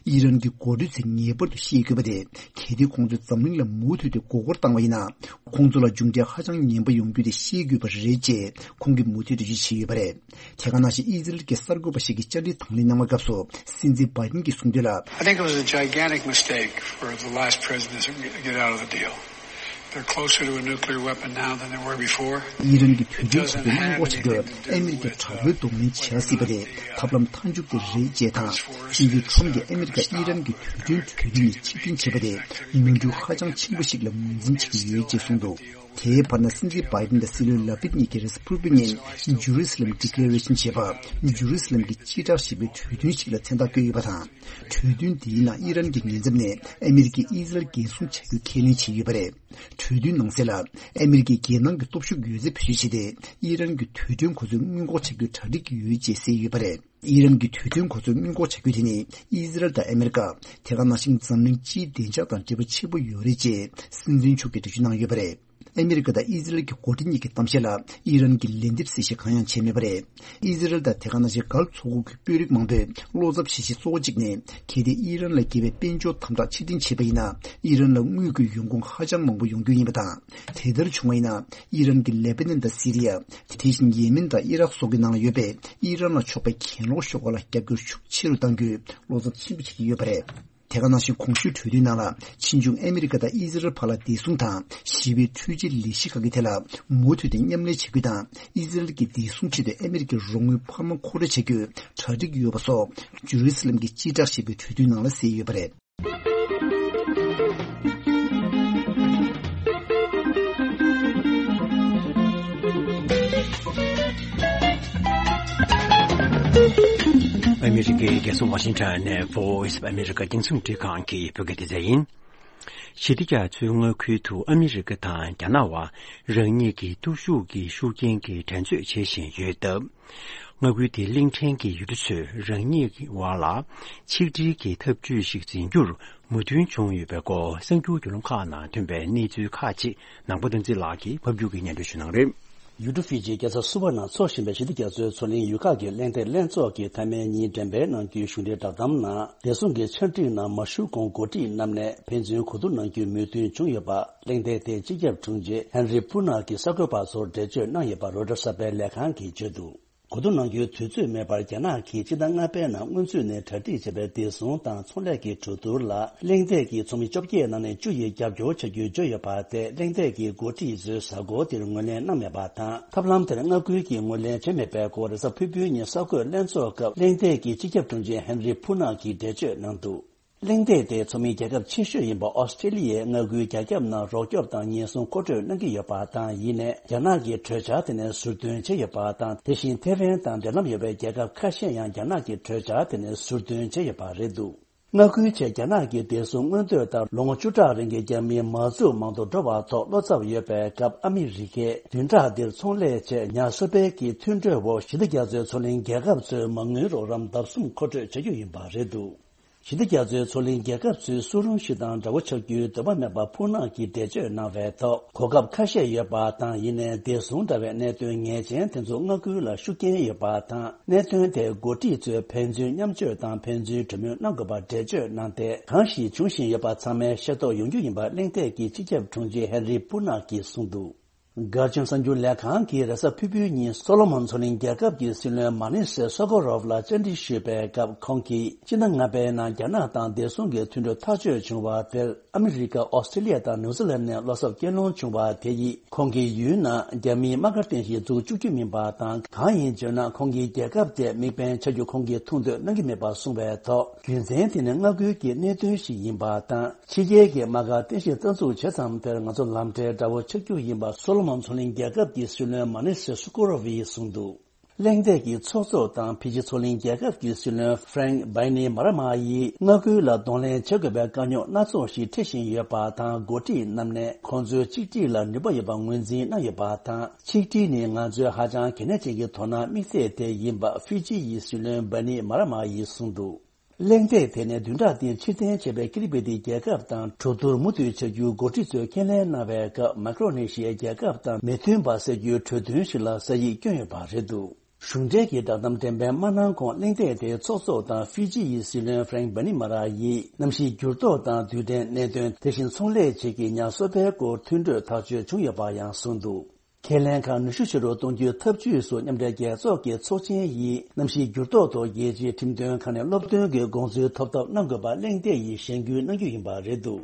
ཨི་རན་གྱི་འགོ་ཁྲིད་ ཚེ་ངེས་པར་དུ་ཤེས་དགོས་པ་དེ། གལ་ཏེ་ཁོང་ཚོས་འཛམ་གླིང་ལ་མུ་མཐུད་དེ་མགོ་སྐོར་བཏང་བ་ཡིན་ན། ཁོང་ཚོ་ལ་མཇུག་འབྲས་ཧ་ཅང་ངན་པ་ཡོང་རྒྱུ་དེ་ཤེས་དགོས་པ་རེད་ཅེས་ཁོང་གིས་མུ་མཐུད་དུ་འགྲེལ་བརྗོད་བྱས་ཡོད་པ་རེད། དེ་ག་ནང་བཞིན་ཨི་ཟི་རལ་གྱི་གསར་འགོད་པ་ཞིག་གིས་བཅར་འདྲི་དང་ལེན་གནང་བའི་སྐབས་སུ། སྲིད་འཛིན་བྷའི་ཏིན་གྱིས་གསུངས་དོན་ལ། I think it was a gigantic mistake for the last president to get out of the deal. They're closer to a nuclear weapon now than they were before. ཨི་རན་གྱི་དུས་རྒྱུན་གོ་སྐབས་སྔོན་འགོག་བྱེད་རྒྱུར་ཨ་མི་རི་ཀས་དྲག་པོའི་གདོང་ལེན་བྱེད་ཡ་སྲིད་པ་དེ་ཐབས་ལམ་མཐའ་མཇུག་དེ་རེད་ཅེས་དང་། སྲིད་འཛིན་ཁྲོམ་གྱིས་ཨ་མི་རི་ཀ་ཨི་རན་གྱི་དུས་རྒྱུན་གྲོས་མཐུན་ནས་ཕྱིར་འཐེན་བྱས་པ་དེ་ནོར་འཁྲུལ་ཧ་ཅང་ཆེན་པོ་ཞིག་ལ་ངོས་འཛིན་བྱེད་ཀྱི་ཡོད་ཅེས་གསུངས་འདུག་དེའི་བར་ན་སྲིད་འཛིན་བྷའི་ཏིན་དང་སྲིད་བློན་ལ་པིད་གཉིས་ཀྱིས་རེས་གཟའ་ཕུར་བུའི་ཉིན་ཇུ་རི་སི་ལམ་ཌི་ཀི་ལེ་རེ་ཤན་ཞེས་པ། ཇུ་རི་སི་ལམ་གྱི་སྐྱེ་བྲག་ཞེས་པའི་གྲོས་མཐུན་ཞིག་ལ་མཚན་རྟགས་བཀོད་ཡོད་པ་དང་། གྲོས་མཐུན་འདིའི་ནང་ཨི་རན་གྱི་ཉེན་ཚབས་ནས་ཨ་མི་རི་ཀས་ཨི་ཟི་རལ་འགན་སྲུང་བྱ་རྒྱུ་ཁས་ལེན་བྱས་ཡོད་པ་རེད། གྲོས་མཐུན་ནང་གསལ་ལ། ཨ་མི་རི་ཀས་རྒྱལ་ནང་གི་སྟོབས་ཤུགས་ཡོད་ཚད་བེད་སྤྱོད་བྱས་ཏེ། ཨི་རན་གྱི་དུས་མཐུན་གོ་མཚོན་སྔོན་འགོག་བྱ་རྒྱུའི་གྲ་སྒྲིག་ཡོད་ཅེས་གསལ་ཡོད་པ་རེད། ཨི་རན་གྱི་དུས་མཐུན་གོ་མཚོན་སྔོན་འགོག་བྱ་རྒྱུ་དེ་ནི། ཨི་ཟི་རལ་དང་ཨ་མི་རི་ཀ། དེ་ག་ནང་བཞིན་འཛམ་གླིང་སྤྱིའི་བདེ་འཇགས་དང་འབྲེལ་བ་ཆེན་པོ་ཡོད་རེད་ཅེས་སྲིད་འཛིན་མཆོག་གིས་འགྲེལ་བརྗོད་གནང་ཡོད་པ་རེད། ཨ་མི་རི་ཀ་དང་ཨི་ཟི་རལ་གྱི་འགོ་ཁྲིད་གཉིས་ཀྱི་གཏམ་བཤད་ལ་ཨི་རན་གྱིས་ལན་འདེབས་གསལ་བཤད་གང་ཡང་བྱས་མེད་པ་རེད། ཨི་ཟི་རལ་དང་དེ་ག་ནང་བཞིན་གྷལཕ་མཚོ་ཁུག་གི་དཔོན་རིགས་མང་པོས་བློ་འཚབ་བྱེད་གཞི་གཙོ་བོ་གཅིག་ནི། གལ་ཏེ་ཨི་རན་ལ་དགེ་བའི་དཔལ་འབྱོར་དམ་དྲག་ཕྱིར་འཐེན་བྱས་པ་ཡིན་ན། ཨི་རན་ལ་དངུལ་གྱི་ཡོང་ཁུངས་ཧ་ཅང་མང་པོ་ཡོང་རྒྱུ་ཡིན་པ་དང་། དེ་ལྟར་བྱུང་བ་ཡིན་ན། ཨི་རན་གྱིས་ལེ་པ་ནན་དང་སི་རི་ཡ། དེ་བཞིན་ཡེ་མེན་དང་ཨི་རག་སོགས་ཀྱི་ནང་ལ་ཡོད་པའི་ཨི་རན་ལ་ཕྱོགས་པའི་གྱེན་ལོག་ཤོག་ཁག་ལ་རྒྱབ་སྐྱོར་ཤུགས་ཆེ་རུ་གཏང་རྒྱུའི་བློ་འཚབ་ཆེན་པོ་བྱེད་ཀྱི་ཡོད་པ་རེད། དེ་ག་ནང་བཞིན་གོང་ཞུས་གྲོས་མཐུན་ནང་ལ། ཕྱིས་འབྱུང་ཨ་མི་རི་ཀ་དང་ཨི་ཟི་རལ་བར་ལ་བདེ་སྲུང་དང་ཞི་བའི་འཕྲུལ་ཆས་ལས་གཞི་ཁག་གི་ཐད་ལ་མུ་མཐུད་དེ་མཉམ་ལས་བྱེད་རྒྱུ་དང་། ཨི་ཟི་རལ་གྱི་བདེ་སྲུང་ཆེད་དུ་ཨ་མི་རི་ཀའི་རོགས་དངུལ་འཕར་མ་མཁོ་སྤྲོད་བྱ་རྒྱུའི་གྲ་སྒྲིག་ཡོད་པ་སོགས། ཇུ་རི་སི་ལམ་གྱི་སྤྱི་བསྒྲགས་ཞེས་པའི་གྲོས་མཐུན་ནང་ལ་གསལ་ཡོད་པ་རེད། ཨ་མི་རི་ཀའི་རྒྱལ་ས་ཝ་ཤིང་ཊོན་ནས་Voice of America རྒྱང་སྲིང་འཕྲིན་ཁང་གི་བོད་སྐད་སྡེ་ཚན་ཡིན། ཞི་བདེ་རྒྱ་མཚོའི་མངའ་ཁུལ་དུ་ཨ་མི་རི་ཀ་དང་རྒྱ་ནག་བར་རང་ཉིད་ཀྱི་སྟོབས་ཤུགས་ཀྱི་ཤུགས་རྐྱེན་གྱིས་འགྲན་རྩོད་བྱེད་བཞིན་ཡོད་སྟབས། མངའ་ཁུལ་དེའི་གླིང་ཕྲན་གྱི་ཡུལ་གྲུ་ཚོས་རང་ཉིད་ཀྱི་བར་ལ་ཆིག་སྒྲིལ་གྱི་འཐབ་ཇུས་ཤིག་འཛིན་རྒྱུར་མོས་མཐུན་བྱུང་ཡོད་པའི་སྐོར་གསར་འགྱུར་བརྒྱུད་ལམ་ཁག་ནང་ཐོན་པའི་གནས་ཚུལ་ཁག་ཅིག་ནང་པ་བསྟན་འཛིན་ལགས་ཀྱིས་ཕབ་སྒྱུར་གྱིས་སྙན་སྒྲོན་ཞུ་གནང་རེད། ཡུལ་གྲུ་ཧྥི་ཇི་རྒྱལ་ས་སུ་ཝ་ནང་འཚོགས་བཞིན་པའི་ཞི་བདེ་རྒྱ་མཚོའི་མཚོ་གླིང་ཡུལ་ཁག་གི་གླེང་སྟེགས་ལྷན་ཚོགས་ཀྱི་མཐའ་མའི་ཉིན་དྲན་པའི་ནང་རྒྱུན་གཞུང་འབྲེལ་བསྒྲགས་གཏམ་ནང་བདེ་སྲུང་གི་ཆ་འགྲིག་ནང་མ་ཞུགས་གོང་འགོ་ཁྲིད་རྣམས་ནས་ཕན་ཚུན་གོ་བསྡུར་གནང་རྒྱུའི་མོས་མཐུན་བྱུང་ཡོད་པ། གླེང་སྟེགས་དེའི་སྤྱི་ཁྱབ་དྲུང་ཆེ་ཧན་རི་པུ་ནག་གིས་གསར་འགོད་པ་ཚོར་འགྲེལ་བརྗོད་གནང་ཡོད་པ་རོའི་ཊར་གསར་པའི་ལས་ཁང་གིས་བརྗོད་འདུག། གོ་བསྡུར་གནང་རྒྱུའི་དུས་ཚོད་མེད་པར་རྒྱ་ནག་གིས་སྤྱི་ཟླ་ལྔ་པའི་ནང་སྔོན་ཚུད་ནས་གྲ་སྒྲིག་བྱས་པའི་བདེ་སྲུང་དང་ཚོང་ལས་ཀྱི་གྲོས་བསྡུར་ལ་གླེང་སྟེགས་ཀྱི་ཚོགས་མི་བཅོ་བརྒྱད་ནང་ནས་བཅུ་ཡིས་རྒྱབ་སྐྱོར་བྱ་རྒྱུའི་བརྗོད་ཡོད་པ་དེ་གླེང་སྟེགས་ཀྱི་འགོ་ཁྲིད་ཚོས་གཟའ་འཁོར་འདིར་ངོས་ལེན་གནང་མེད་པ་དང་། ཐབས་ལམ་དེར་མངའ་ཁུལ་གྱིས་ངོས་ལེན་བྱས་མེད་པའི་སྐོར་རེས་གཟའ་ཕུར་བུའི་ཉིན་གསར་འགོད་ལྷན་ཚོགས་སྐབས་གླེང་སྟེགས་ཀྱི་སྤྱི་ཁྱབ་དྲུང་ཆེ་ཧན་རི་ཕུ་ནག་གིས་འགྲེལ་བརྗོད་གནང་འདུག། གླེང་སྟེགས་དེའི་ཚོགས་མི་རྒྱལ་ཁབ་ཆེ་ཤོས་ཡིན་པ་ཨོ་སི་ཀྲི་ལི་ཡས་མངའ་ཁུལ་རྒྱ་ཁྱབ་ནང་རོགས་སྐྱོབ་དང་ཉེན་སྲུང་མཁོ་སྤྲོད་གནང་གི་ཡོད་པ་དང་། ཡིན་ནའི་རྒྱ་ནག་གིས་གྲོས་འཆར་དེ་ནས་ཟུར་འདོན་བྱས་ཡོད་པ་དང་། དེ་བཞིན་ཐེ་ཝན་དང་འབྲེལ་ལམ་ཡོད་པའི་རྒྱལ་ཁབ་ཁ་ཤས་ཡང་རྒྱ་ནག་གི་གྲོས་འཆར་དེ་ནས་ཟུར་འདོན་བྱས་ཡོད་པ་རེད་འདུག། མངའ་ཁུལ་ཆེད་རྒྱ་ནག་གི་བདེ་སྲུང་མངོན་འདོད་ལྟར་ལོ་ངོ་བཅུ་ཕྲག་རིང་གི་རྒྱ་མིའི་མ་འཛུགས་མང་དུ་འགྲོ་བ་ཐོག་བློ་འཚབ་ཡོད་པའི་སྐབས་ཨ་མི་རི་ཀས་བདུན་ཕྲག་འདིར་ཚོང་ལས་ཆེད་ཉ་གསོ་སྤེལ་གྱི་མཐུན་གྲོས་འོག་ཞི་བདེ་རྒྱ་མཚོའི་མཚོ་གླིང་རྒྱལ་ཁབ་ཚོའི་མ་དངུལ་རོགས་རམ་ལྡབ་གསུམ་མཁོ་སྤྲོད་བྱ་རྒྱུ་ཡིན་པ་རེད་འདུག། ཞི་བདེ་རྒྱ་མཚོའི་མཚོ་གླིང་རྒྱལ་ཁབ་ཚོའི་སུ་རུང་ཞིག་དང་འདྲ་བོ་ཆགས་རྒྱུའི་འདོད་པ་མེད་པ་ཕུ་ནག་གིས་འགྲེལ་བརྗོད་གནང་བའི་ཐོག་གོ་སྐབས་ཁ་ཤས་ཡོད་པ་དང་། ཡིན་ནའི་བདེ་སྲུང་འདྲ་བའི་གནད་དོན་ངེས་ཅན་དེ་ཚོ་མངའ་ཁུལ་ལ་ཤུགས་རྐྱེན་ཡོད་པ་དང་། གནད་དོན་དེ་འགོ་ཁྲིད་ཚོས་ཕན་ཚུན་མཉམ་སྤྱོད་དང་ཕན་ཚུན་གྲོས་མོལ་གནང་དགོས་པ་འགྲེལ་བརྗོད་གནང་སྟེ། གང་ཞིག་འབྱུང་བཞིན་ཡོད་པ་ཚང་མའི་ཤེས་རྟོགས་ཡོང་རྒྱུ་ཡིན་པ་གླེང་སྟེགས་ཀྱི་སྤྱི་ཁྱབ་དྲུང་ཆེ་ཧན་རི་པུ་ནག་གིས་གསུངས་འདུག། གྷར་ཇན་གསར་འགྱུར་ལས་ཁང་གིས་རེས་གཟའ་ཕུར་བུའི་ཉིན་སོ་ལོ་མོན་མཚོ་གླིང་རྒྱལ་ཁབ་ཀྱི་སྲིད་བློན་མ་ནི་སེ་སོ་ཀོ་རོབ་ལ་བཅར་འདྲི་ཞུས་པའི་སྐབས། ཁོང་གིས་སྤྱི་ཟླ་ལྔ་པའི་ནང་རྒྱ་ནག་དང་བདེ་སྲུང་གི་མཐུན་གྲོས་ཐག་གཅོད་བྱུང་བ་དེར་ཨ་མི་རི་ཀ། ཨོ་སི་ཀྲི་ལི་ཡ་དང་ནིའུ་ཛི་ལན་ནས་བློ་འཚབ་སྐྱེ་ལོང་བྱུང་བ་དེ་ཡིས་ཁོང་གི་ཡུལ་ནང་རྒྱ་མིའི་དམག་སྒར་རྟེན་གཞི་འཛུགས་བཅུག་རྒྱུ་མིན་པ་དང་། གང་ཡིན་བརྗོད་ན། ཁོང་གི་རྒྱལ་ཁབ་དེ་དམིགས་འབེན་བྱ་རྒྱུ་ཁོང་གིས་ཐུགས་འདོད་གནང་གི་མེད་པ་གསུངས་པའི་ཐོག་རྒྱུ་མཚན་དེ་ནི་མངའ་ཁུལ་གྱི་གནད་དོན་ཞིག་ཡིན་པ་དང་། ཕྱི་རྒྱལ་གྱི་དམག་སྒར་རྟེན་གཞི་རྩ་འཛུགས་བྱེད་མཚམས་དེར་ང་ཚོ་ལམ་འབྲེལ་འདྲ་བོ་ཆགས་རྒྱུ་ཡིན་པ་སོ་ལོ་མོན་མཚོ་གླིང་རྒྱལ་ཁབ་ཀྱི་སྲིད་བློན་མ་ནི་སེ་སུ་ཀོ་རོ་ཝིས་གསུངས་འདུག། གླེང་སྟེགས་ཀྱི་ཚོགས་གཙོ་དང་ཕི་ཇི་མཚོ་གླིང་རྒྱལ་ཁབ་ཀྱི་སྲིད་བློན་ཧྥ་རེང་བྷའི་ནི་མ་ར་མ་ཡིས་མངའ་ཁུལ་ལ་གདོང་ལེན་བྱེད་དགོས་པའི་དཀའ་རྙོག་སྣ་ཚོགས་ཤིག་འཕྲད་བཞིན་ཡོད་པ་དང་། འགོ་ཁྲིད་རྣམས་ནས་ཁོང་ཚོའི་ཆིག་སྒྲིལ་ལ་ནུས་པ་ཡོད་པ་ངོས་འཛིན་གནང་ཡོད་པ་དང་། ཆིག་སྒྲིལ་ནི་ང་ཚོའི་ཧ་ཅང་གལ་གནད་ཅན་གྱི་དོ་སྣང་དམིགས་ཚད་དེ་ཡིན་པ་ཧྥི་ཇི་ཡི་སྲིད་བློན་བྷའི་ནི་མ་ར་མ་ཡིས་གསུངས་འདུག། གླེང་སྟེགས་དེ་ནས་བདུན་ཕྲག་འདིར་ཕྱིར་འཐེན་བྱས་པའི་ཀི་རི་པི་ཏི་རྒྱལ་ཁབ་དང་གྲོས་བསྡུར་མུ་མཐུད་བྱ་རྒྱུའི་འགོ་ཁྲིད་ཚོས་ཁས་ལེན་གནང་བའི་སྐབས། མའི་ཀྲོ་ནེ་ཤི་ཡའི་རྒྱལ་ཁབ་དང་མི་མཐུན་པ་སེལ་རྒྱུའི་གྲོས་མཐུན་ཞིག་ལ་ས་ཡིག་བསྐྱོན་ཡོད་པ་རེད་འདུག། གཞུང་འབྲེལ་གྱི་བསྒྲགས་གཏམ་འགྲེམས་སྤེལ་མ་གནང་གོང་གླེང་སྟེགས་དེའི་ཚོགས་གཙོ་དང་ཧྥི་ཇི་ཡི་སྲིད་བློན་ཧྥ་རེང་བྷ་ནི་མ་ར་ཡིས་གནམ་གཤིས་འགྱུར་ལྡོག་དང་རྡུལ་ཕྲན་གནད་དོན། དེ་བཞིན་ཚོང་ལས་བཅས་ཀྱི་ཉ་གསོ་པའི་སྐོར་མཐུན་གྲོས་ཐག་གཅོད་བྱུང་ཡོད་པ་ཡང་གསུངས་འདུག་ཁས་ལེན་ཁག་ནུས་ཤུགས་ཆེ་རུ་གཏོང་རྒྱུའི་ཐབས་ཇུས་སུ་མཉམ་འབྲེལ་རྒྱལ་ཚོགས་ཀྱི་ཚོགས་ཆེན་ཡིས་གནམ་གཤིས་འགྱུར་ལྡོག་ཐོག་རྒྱལ་སྤྱིའི་ཁྲིམས་དོན་ཁག་ནས་སློབ་སྟོན་གྱི་དགོངས་ཚུལ་ཐོབ་ཐབས་གནང་དགོས་པ་གླེང་སྟེགས་ཡིས་གཞེན་སྐུལ་གནང་རྒྱུ་ཡིན་པ་རེད་འདུག་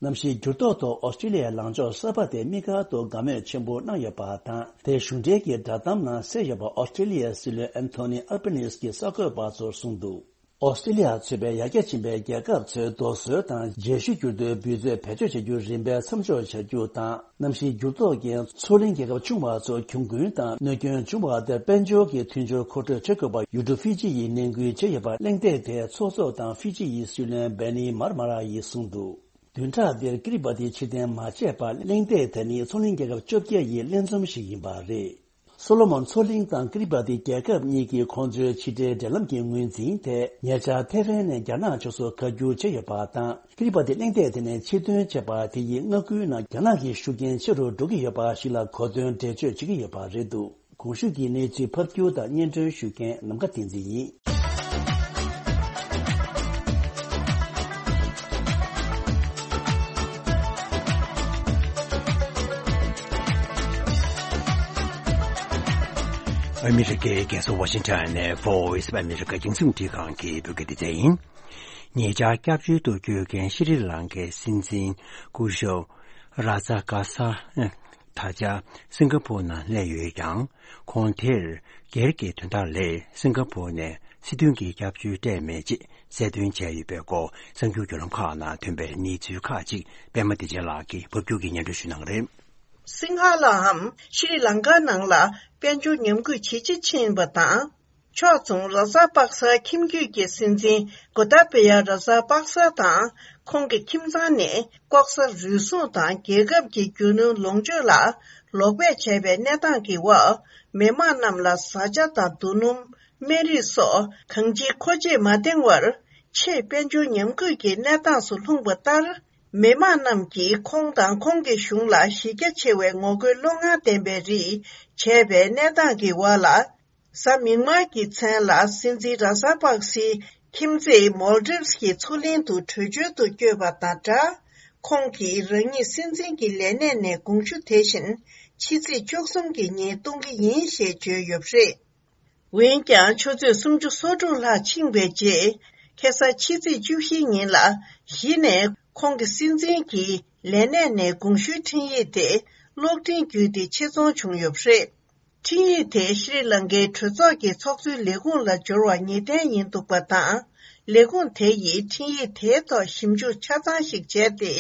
གནམ་གཤིས་འགྱུར་ལྡོག་ཐོག་ཨོ་སི་ཀྲི་ལི་ཡའི་ལངས་ཕྱོགས་གསར་པ་དེ་དམིགས་བཀར་དུ་དགའ་མོས་ཆེན་པོ་གནང་ཡོད་པ་དང་། དེ་གཞུང་འབྲེལ་གྱི་བསྒྲགས་གཏམ་ནང་གསལ་ཡོད་པ། ཨོ་སི་ཀྲི་ལི་ཡའི་སྲིད་བློན་ཨན་ཐོ་ནི་ཨལ་བྷ་ནིས་ཀྱིས་གསར་འགོད་པ་ཚོར་གསུངས་འདུག་ཨོ་སི་ཀྲི་ལི་ཡ་གཙོས་པའི་ཡར་རྒྱས་ཕྱིན་པའི་རྒྱལ་ཁབ་ཚོས་རྡོ་སོལ་དང་རྗེས་ཤུལ་འགྱུར་རྡོའི་འབུད་རྫས་བེད་སྤྱོད་བྱ་རྒྱུ་རིམ་པས་མཚམས་འཇོག་བྱ་རྒྱུ་དང་། གནམ་གཤིས་འགྱུར་ལྡོག་རྐྱེན་མཚོ་གླིང་རྒྱལ་ཁབ་ཆུང་བ་ཚོར་གྱོང་གུན་དང་གནོད་སྐྱོན་བྱུང་བ་དེར་དཔལ་འབྱོར་གྱི་མཐུན་སྦྱོར་མཁོ་སྤྲོད་བྱེད་དགོས་པར་ཡུལ་གྲུ་ཧྥི་ཇི་ཡིས་ནན་སྐུལ་བྱས་ཡོད་པ་གླེང་སྟེགས་དེའི་ཚོགས་གཙོ་དང་ཧྥི་ཇི་ཡི་སྲིད་བློན་བྷེ་ནི་མར་མ་ར་ཡིས་གསུངས་འདུག་བདུན་ཕྲག་འདིར་ཀི་རི་པ་ཏི་ཕྱིར་འཐེན་མ་བྱས་པར་གླེང་སྟེགས་དེ་ནི་མཚོ་གླིང་རྒྱལ་ཁབ་བཅོ་བརྒྱད་ཡི་ལྷན་འཛོམས་ཤིག་ཡིན་པ་རེད། སོ་ལོ་མོན་མཚོ་གླིང་དང་ཀི་རི་པ་ཏི་རྒྱལ་ཁབ་གཉིས་ཀྱིས་ཁོང་ཚོའི་ཕྱི་འབྲེལ་འབྲེལ་ལམ་གྱི་ངོས་འཛིན་དེ་ཉེ་ཆར་ཐེ་ཝན་ནས་རྒྱ་ནག་ཕྱོགས་སུ་བཀའ་བསྒྱུར་བྱས་ཡོད་པ་དང་། ཀི་རི་པ་ཏི་གླེང་སྟེགས་དེ་ནས་ཕྱིར་འདོན་བྱས་པ་དེ་ཡིས་མངའ་ཁུལ་ནང་རྒྱ་ནག་གི་ཤུགས་རྐྱེན་ཆེ་རུ་འགྲོ་གི་ཡོད་པ་ཞིག་ལ་གོ་དོན་འགྲེལ་བརྗོད་བྱེད་ཀྱི་ཡོད་པ་རེད་འདུག་གོང་ཞུས་ཀྱི་གནས་ཚུལ་ཕབ་སྒྱུར་དང་སྙན་སྒྲོན་ཞུ་མཁན་ནམ་མཁའ་བསྟན་འཛིན་ཡིན། ཨ་མི་རི་ཀའི་རྒྱལ་ས་ཝ་ཤིང་ཊོན་ནས་Voice of America རྒྱང་སྲིང་འཕྲིན་ཁང་གི་བོད་སྐད་སྡེ་ཚན་ཡིན། ཉེ་ཆར་སྐྱབས་བཅོལ་དུ་བསྐྱོད་མཁན་ཤྲི་ལང་ཀའི་སྲིད་འཛིན་སྐུ་ཞབས་ར་ཛ་ཀ་ས་ད་ཆ་སིང་ག་པོར་ནང་སླེབས་ཡོད་ཀྱང་། ཁོང་དེར་སྒེར་གྱི་དོན་དག་ལས་སིང་ག་པོར་ནས་སྲིད་དོན་གྱི་སྐྱབས་བཅོལ་སྤྲད་མེད་ཅེས་གསལ་སྟོན་བྱས་ཡོད་པའི་སྐོར་གསར་འགྱུར་བརྒྱུད་ལམ་ཁག་ནང་ཐོན་པའི་གནས་ཚུལ་ཁག་ཅིག་པད་མ་བདེ་ཆེན་ལགས་ཀྱིས་ཕབ་སྒྱུར་གྱིས་སྙན་སྒྲོན་ཞུ་གནང་གི་རེད། སིང་ཧ་ལའམ་ཤྲི་ལང་ཀ་ནང་ལ་དཔལ་འབྱོར་ཉམས་རྒུད་ཇེ་ཆེ་ཕྱིན་པ་དང་། ཕྱོགས་མཚུངས་ར་ཛ་པག་ས་ཁྱིམ་རྒྱུད་ཀྱི་སྲིད་འཛིན་གོ་ཏཱ་པ་ཡ་ར་ཛ་པག་ས་དང་ཁོང་གི་ཁྱིམ་ཚང་ནས་ལྐོག་ཟ་རུལ་སུངས་དང་རྒྱལ་ཁབ་ཀྱི་རྒྱུ་ནོར་ལོངས་སྤྱོད་ལ་ལོག་པས་བྱས་པའི་གནས་སྟངས་ཀྱི་འོག་མི་མང་རྣམས་ལ་བཟའ་བཅའ་དང་རྡོ་སྣུམ། སྨན་རིགས་སོགས་གང་ཅིའི་མཁོ་ཆས་མ་འདེང་བར་ཆེས་དཔལ་འབྱོར་ཉམས་རྒུད་ཀྱི་གནས་སྟངས་སུ་ལྷུང་པ་ལྟར། མི་མང་རྣམས་ཀྱིས་ཁོང་དང་ཁོང་གི་གཞུང་ལ་གཞི་རྒྱ་ཆེ་བའི་ངོ་རྒོལ་བློ་ངར་ལྡན་པའི་རིགས་བྱས་པའི་གནས་སྟངས་ཀྱི་འོག་ལ། གཟའ་མིག་དམར་གྱི་མཚན་ལ་སྲིད་འཛིན་ར་ཛ་པག་སིའི་ཁྱིམ་མཚེས་མོལ་ཌིབས་ཀྱི་མཚོ་གླིང་དུ་བྲོས་བྱོལ་དུ་བསྐྱོད་པ་དང་སྦྲགས། ཁོང་གིས་རང་ཉིད་སྲིད་འཛིན་གྱི་ལས་གནས་ནས་དགོངས་ཞུ་དེ་བཞིན་ཕྱི་ཚེས་བཅུ་གསུམ་གྱི་ཉིན་གཏོང་གི་ཡིན་ཞེས་བརྗོད་ཡོད་པ་རེད། འོན་ཀྱང་ཆུ་ཚོད་སུམ་ཅུ་སོ་དྲུག་ལྷག་ཕྱིན་པའི་རྗེས། ཁ་སང་ཕྱི་ཚེས་བཅུ་བཞི་ཉིན་ལ་གཞི་ནས་ཁོང་གི་སྲིད་འཛིན་གྱི་ལས་གནས་ནས་དགོངས་ཞུའི་འཕྲིན་ཡིག་དེ་གློག་འཕྲིན་བརྒྱུད་དེ་ཆེད་རྫོང་བྱུང་ཡོད་པ་རེད། འཕྲིན་ཡིག་དེ་ཤྲི་ལང་ཀའི་གྲོས་ཚོགས་ཀྱི་ཚོགས་གཙོའི་ལས་ཁུངས་ལ་འབྱོར་བ་ངེས་གཏན་ཡིན་འདུག་པ་དང་། ལས་ཁུངས་དེ་ཡིས་འཕྲིན་ཡིག་དེའི་ཐོག་ཞིབ་འཇུག་ཆ་ཚང་ཞིག་བྱས་ཏེ།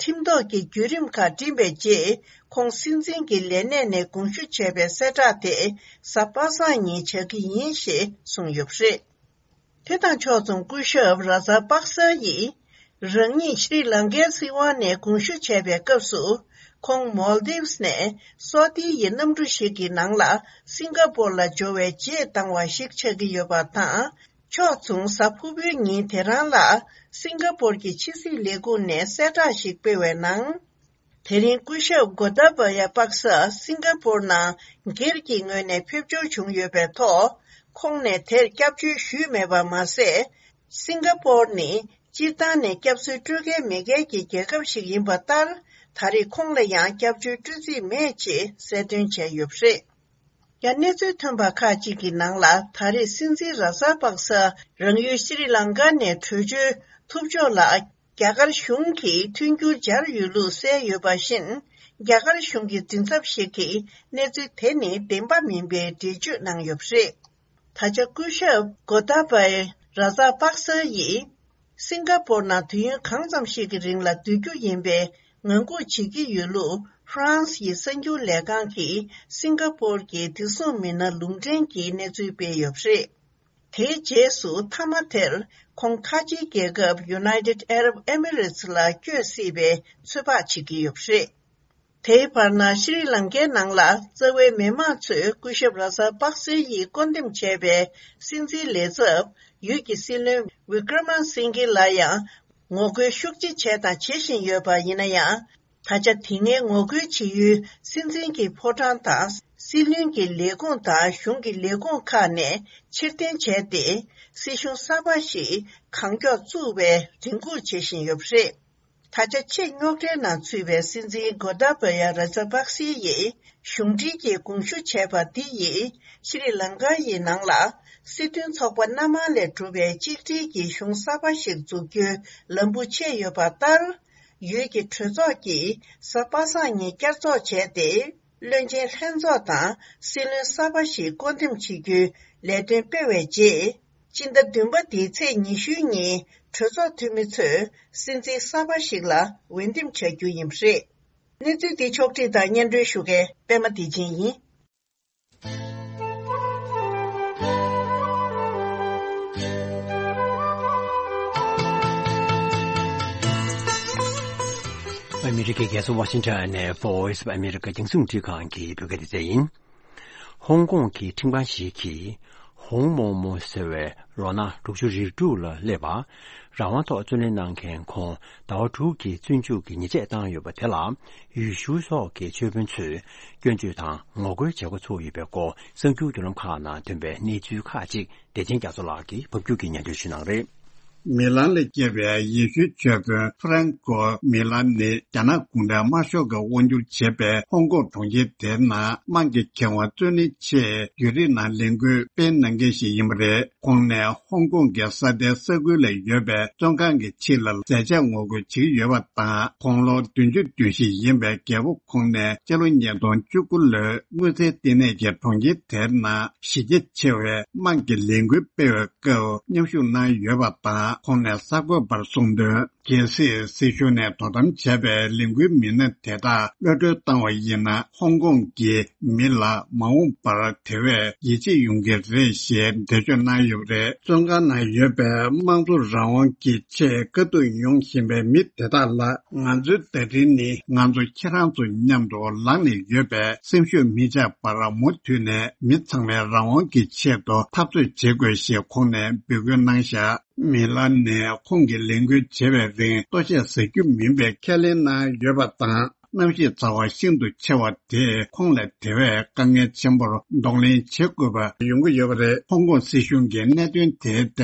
ཁྲིམས་ཐོག་གི་བརྒྱུད་རིམ་ཁག་བསྒྲིམས་པའི་རྗེས། ཁོང་སྲིད་འཛིན་གྱི་ལས་གནས་ནས་དགོངས་ཞུ་བྱས་པའི་གསལ་བསྒྲགས་དེ་གཟའ་པ་སངས་ཉིན་བྱ་གི་ཡིན་ཞེས་གསུངས་ཡོད་པ་རེད། དེ་དང་ཕྱོགས་མཚུངས་སྐུ་ཞབས་ར་ཛ་པག་ས་ཡིས་རང་ཉིད་ཤྲི་ལང་ཀའི་སྲིད་དབང་ནས་དགོངས་ཞུ་བྱས་པའི་སྐབས་སུ། ཁོང་མོལ་དིབས་ནས་སོ་ཏི་ཡི་གནམ་གྲུ་ཞིག་གི་ནང་ལ་སིང་ག་པོར་ལ་འབྱོར་བའི་རྗེས་བཏང་བ་ཞིག་ཆགས་ཀྱི་ཡོད་པ་དང་། ཕྱོགས་མཚུངས་གཟའ་ཕུར་བུའི་ཉིན་དེ་རང་ལ་སིང་ག་པོར་གྱི་ཕྱི་སྲིད་ལས་ཁུངས་ནས་གསལ་བསྒྲགས་ཤིག་སྤེལ་བའི་ནང་། དེ་རིང་སྐུ་ཞབས་གོ་ཏཱ་པ་ཡ་པག་ས་སིང་ག་པོར་ནང་སྒེར་གྱི་ངོས་ནས་ཕེབས་འབྱོར་བྱུང་ཡོད་པའི་ཐོག་ཁོང་ནས་དེར་སྐྱབས་བཅོལ་ཞུས་མེད་པ་མ་ཟད། སིང་ག་པོར་ནི་སྤྱིར་བཏང་ནས་སྐྱབས་བཅོལ་སྤྲོད་མཁན་མེད་མཁན་གྱི་རྒྱལ་ཁབ་ཞིག་ཡིན་པ་ལྟར། ད་རེས་ཁོང་ལ་ཡང་སྐྱབས་བཅོལ་སྤྲོད་རྩིས་མེད་ཅེས་གསལ་སྟོན་བྱས་ཡོད་པ་རེད། ཡང་གནས་ཚུལ་ཐོན་པ་ཁག་ཅིག་གི་ནང་ལ། ད་རེས་སྲིད་འཛིན་ར་ཛ་པག་ས་རང་ཡུལ་ཤྲི་ལང་ཀ་ནས་བྲོས་བྱོལ་ཐུབ་ཕྱོགས་ལ། རྒྱ་གར་གཞུང་གིས་མཐུན་འགྱུར་སྦྱར་ཡོད་ལུགས་གསལ་ཡོད་པ་བཞིན། རྒྱ་གར་གཞུང་གི་མགྲིན་ཚབ་ཞིག་གིས་གནས་ཚུལ་དེ་ནི་བདེན་པ་མིན་པའི་འགྲེལ་བརྗོད་གནང་ཡོད་པ་རེད། ད་ཆ་སྐུ་ཞབས་གོ་ཏཱ་པའི་ར་ཛ་པག་ས་ཡིས། སིང་ག་པོར་ནང་དུས་ཡུན་གང་ཙམ་ཞིག་གི་རིང་ལ་སྡོད་རྒྱུ་ཡིན་པའི་ངང་སྒུག་བྱེད་ཀྱི་ཡོད་ལུགས་ཧྥ་རན་སི་ཡི་གསར་འགྱུར་ལས་ཁང་གིས་སིང་ག་པོར་གྱི་བདེ་སྲུང་མི་སྣར་ལུང་འདྲེན་གྱིས་གནས་ཚུལ་སྤེལ་ཡོད་པ་རེད། དེའི་རྗེས་སུ་མཐའ་མ་དེར་ཁོང་ཁ་ཆེའི་རྒྱལ་ཁབ་United Arab Emirates ལ་བསྐྱོད་སྲིད་པའི་ཚོད་དཔག་བྱེད་ཀྱི་ཡོད་པ་རེད། དེའི་བར་ན་ཤྲི་ལང་ཀའི་ནང་ལ་རྩ་བའི་མི་མང་ཚོས་སྐུ་ཞབས་ར་ཛ་པག་སེ་ཡིས་བསྐོ་འདེམས་བྱས་པའི་སྲིད་འཛིན་ལས་ཚབ་ཡུལ་གྱི་སྲིད་བློན་ཝི་ཀྲ་མ་སིང་གྷེ་ལ་ཡང་ངོ་རྒོལ་ཤུགས་ཆེ་བྱས་དང་བྱེད་བཞིན་ཡོད་པ་ཡིན་ན་ཡང་། ད་ཆ་དེ་སྔའི་ངོ་རྒོལ་བྱེད་ཡུལ་སྲིད་འཛིན་གྱི་ཕོ་བྲང་དང་། སྲིད་བློན་གྱི་ལས་ཁུངས་དང་གཞུང་གི་ལས་ཁུངས་ཁག་ནས་ཕྱིར་འཐེན་བྱས་ཏེ། སྲིད་གཞུང་གསར་པ་ཞིག་གང་མགྱོགས་བཙུགས་པའི་རེ་སྒུག་བྱེད་བཞིན་ཡོད་པ་རེད། ད་ཆ་ཆེས་རྙོག་དྲའི་ནང་ཚུད་པའི་སྲིད་འཛིན་གོ་ཏཱ་བཱ་ཡ་ར་ཇ་པག་སེ་ཡིས་གཞུང་འབྲེལ་གྱི་དགོངས་ཞུ་བྱས་པ་འདི་ཡིས་ཤྲི་ལང་ཀ་ཡི་ནང་ལ་སྲིད་དོན་ཚོགས་པ་སྣ་མང་ལས་གྲུབ་པའི་གཅིག་སྒྲིལ་གྱི་གཞུང་གསར་པ་ཞིག་འཛུགས་རྒྱུའི་ལམ་བུ་ཕྱེ་ཡོད་པ་ལྟར། ཡུལ་གྱི་གྲོས་ཚོགས་ཀྱིས་གཟའ་པ་སངས་ཉིན་བསྐྱར་ཚོགས་བྱས་ཏེ། བློན་ཆེན་ལྷན་ཚོགས་དང་སྲིད་བློན་གསར་པ་ཞིག་བསྐོ་འདེམས་བྱེད་རྒྱུའི་ལས་དོན་སྤེལ་བའི་རྗེས། སྤྱི་ཟླ་བདུན་པ་འདིའི་ཚེས་ཉི་ཤུའི་ཉིན་གྲོས་ཚོགས་འཐུས་མི་ཚོས་སྲིད་འཛིན་གསར་པ་ཞིག་ལ་འོས་འདེམས་བྱ་རྒྱུ་ཡིན་པ་རེད། གནས་ཚུལ་འདི་ཕྱོགས་བསྒྲིགས་དང་སྙན་སྒྲོན་ཞུ་མཁན་པད་མ་བདེ་ཆེན་ཡིན། ཨ་མི་རི་ཀའི་རྒྱལ་ས་ཝ་ཤིང་ཊོན་ནས་Voice of America རྒྱང་སྲིང་རླུང་འཕྲིན་ཁང་གི་བོད་སྐད་སྡེ་ཚན་ཡིན། ཧོང་ཀོང་གི་ཁྲིམས་ཁང་ཞིག་གིས་ཧོང་མོང་མོ་ཟེར་བའི་ལོ་ན་དྲུག་ཅུ་རེ་དྲུག་ལ་སླེབས་པ། རང་དབང་ཐོག་བཙོན་ལེན་གནང་མཁན་ཁོང་ཟླ་བ་དྲུག་གི་བཙོན་འཇུག་གི་ཉེས་ཆད་བཏང་ཡོད་པ་དེ་ལ། ཡུལ་ཤུལ་སོགས་ཀྱི་ཆོས་དཔོན་ཚོས་སྐྱོན་བརྗོད་དང་ངོ་རྒོལ་བྱེད་འགོ་ཚུགས་ཡོད་པའི་སྐོར་གསར་འགྱུར་བརྒྱུད་ལམ་ཁག་ནང་ཐོན་པའི་གནས་ཚུལ་ཁག་ཅིག་བདེ་ཆེན་རྒྱ་མཚོ་ལགས་ཀྱིས་ཕབ་སྒྱུར་གྱིས་སྙན་སྒྲོན་ཞུ་གནང་རེད། མི་ལན་ལ་སྐྱེས་པའི་ཡེ་ཤུའི་ཆོས་དཔོན་ཧྥ་རན་ཀོ་མི་ལན་ནི་རྒྱ་ནག་གུང་ཁྲན་དམར་ཤོག་གིས་དབང་བསྒྱུར་བྱེད་པའི་ཧོང་ཀོང་གྲོང་ཁྱེར་དེའི་ནང་དམངས་ཀྱི་ཁེ་དབང་རྩོད་ལེན་ཆེད་བརྒྱུད་རིམ་ནང་ལས་འགུལ་སྤེལ་གནང་མཁན་ཞིག་ཡིན་པ་རེད། ཁོང་ནས་ཧོང་ཀོང་གི་ས་མཐོའི་ས་ཁུལ་ལ་ཡོད་པའི་བཙོན་ཁང་གི་ཕྱི་ལ་ཟས་བཅད་ངོ་རྒོལ་བྱེད་ཀྱི་ཡོད་པ་དང་། དགུང་ལོ་བདུན་ཅུ་དོན་བཞི་ཡིན་པའི་རྒད་པོ་ཁོང་ནས་སྤྱི་ལོ་ཉིས་སྟོང་བཅུ་དགུ་ལོའི་དངུལ་རྩའི་ལྟེ་གནས་ཀྱི་གྲོང་ཁྱེར་དེའི་ནང་གཞི་རྒྱ་ཆེ་བའི་དམངས་ཀྱི་ལས་འགུལ་སྤེལ་བའི་སྐབས་མཉམ་ཞུགས་གནང་ཡོད་པ་དང་། ཁོང་ནས་གསར་འགོད་པར་གསུངས་དོན། གལ་སྲིད་སྲིད་གཞུང་ནས་དོ་དམ་བྱས་པའི་ལས་འགུལ་མི་སྣ་དེ་དག་གློད་གྲོལ་བཏང་བ་ཡིན་ན། ཧོང་ཀོང་གི་མི་ལ་མ་འོངས་པར་དེ་བས་ཡིད་ཆེས་ཡོང་གི་རེད་ཞེས་འགྲེལ་བརྗོད་གནང་ཡོད་པ་རེད། བཙོན་ཁང་ནང་ཡོད་པའི་དམངས་གཙོ་རང་དབང་གི་ཆེད་དཀའ་སྡུག་མྱོང་བཞིན་པའི་མི་དེ་དག་ལ། ང་ཚོའི་བརྡ་འཕྲིན་ནི་ང་ཚོ་ཁྱེད་རང་ཚོ་མཉམ་དུ་ལངས་ནས་ཡོད་པས། སེམས་ཤུགས་མི་ཆག་པར་མུ་མཐུད་ནས་མི་ཚང་མའི་རང་དབང་གི་ཆེད་དུ་འཐབ་རྩོད་བྱེད་དགོས་ཞེས་ཁོང་ནས་འབོད་སྐུལ་གནང་བཞག། མི་ལ་ནས་ཁོང་གིས་ལས་འགུལ་བྱེད་པའི་རིང་ལྟོ་ཆས་ཟ་རྒྱུ་མིན་པའི་ཁས་ལེན་གནང་ཡོད་པ་དང་། གནམ་གཤིས་ཚ་བ་ཤིན་ཏུ་ཆེ་བ་དེས་ཁོང་ལ་དེ་བས་དཀའ་ངལ་ཆེན་པོར་གདོང་ལེན་བྱེད་དགོས་པ་ཡོང་གི་ཡོད་པ་རེད། ཧོང་ཀོང་སྲིད་གཞུང་གིས་གནད་དོན་དེའི་ཐད་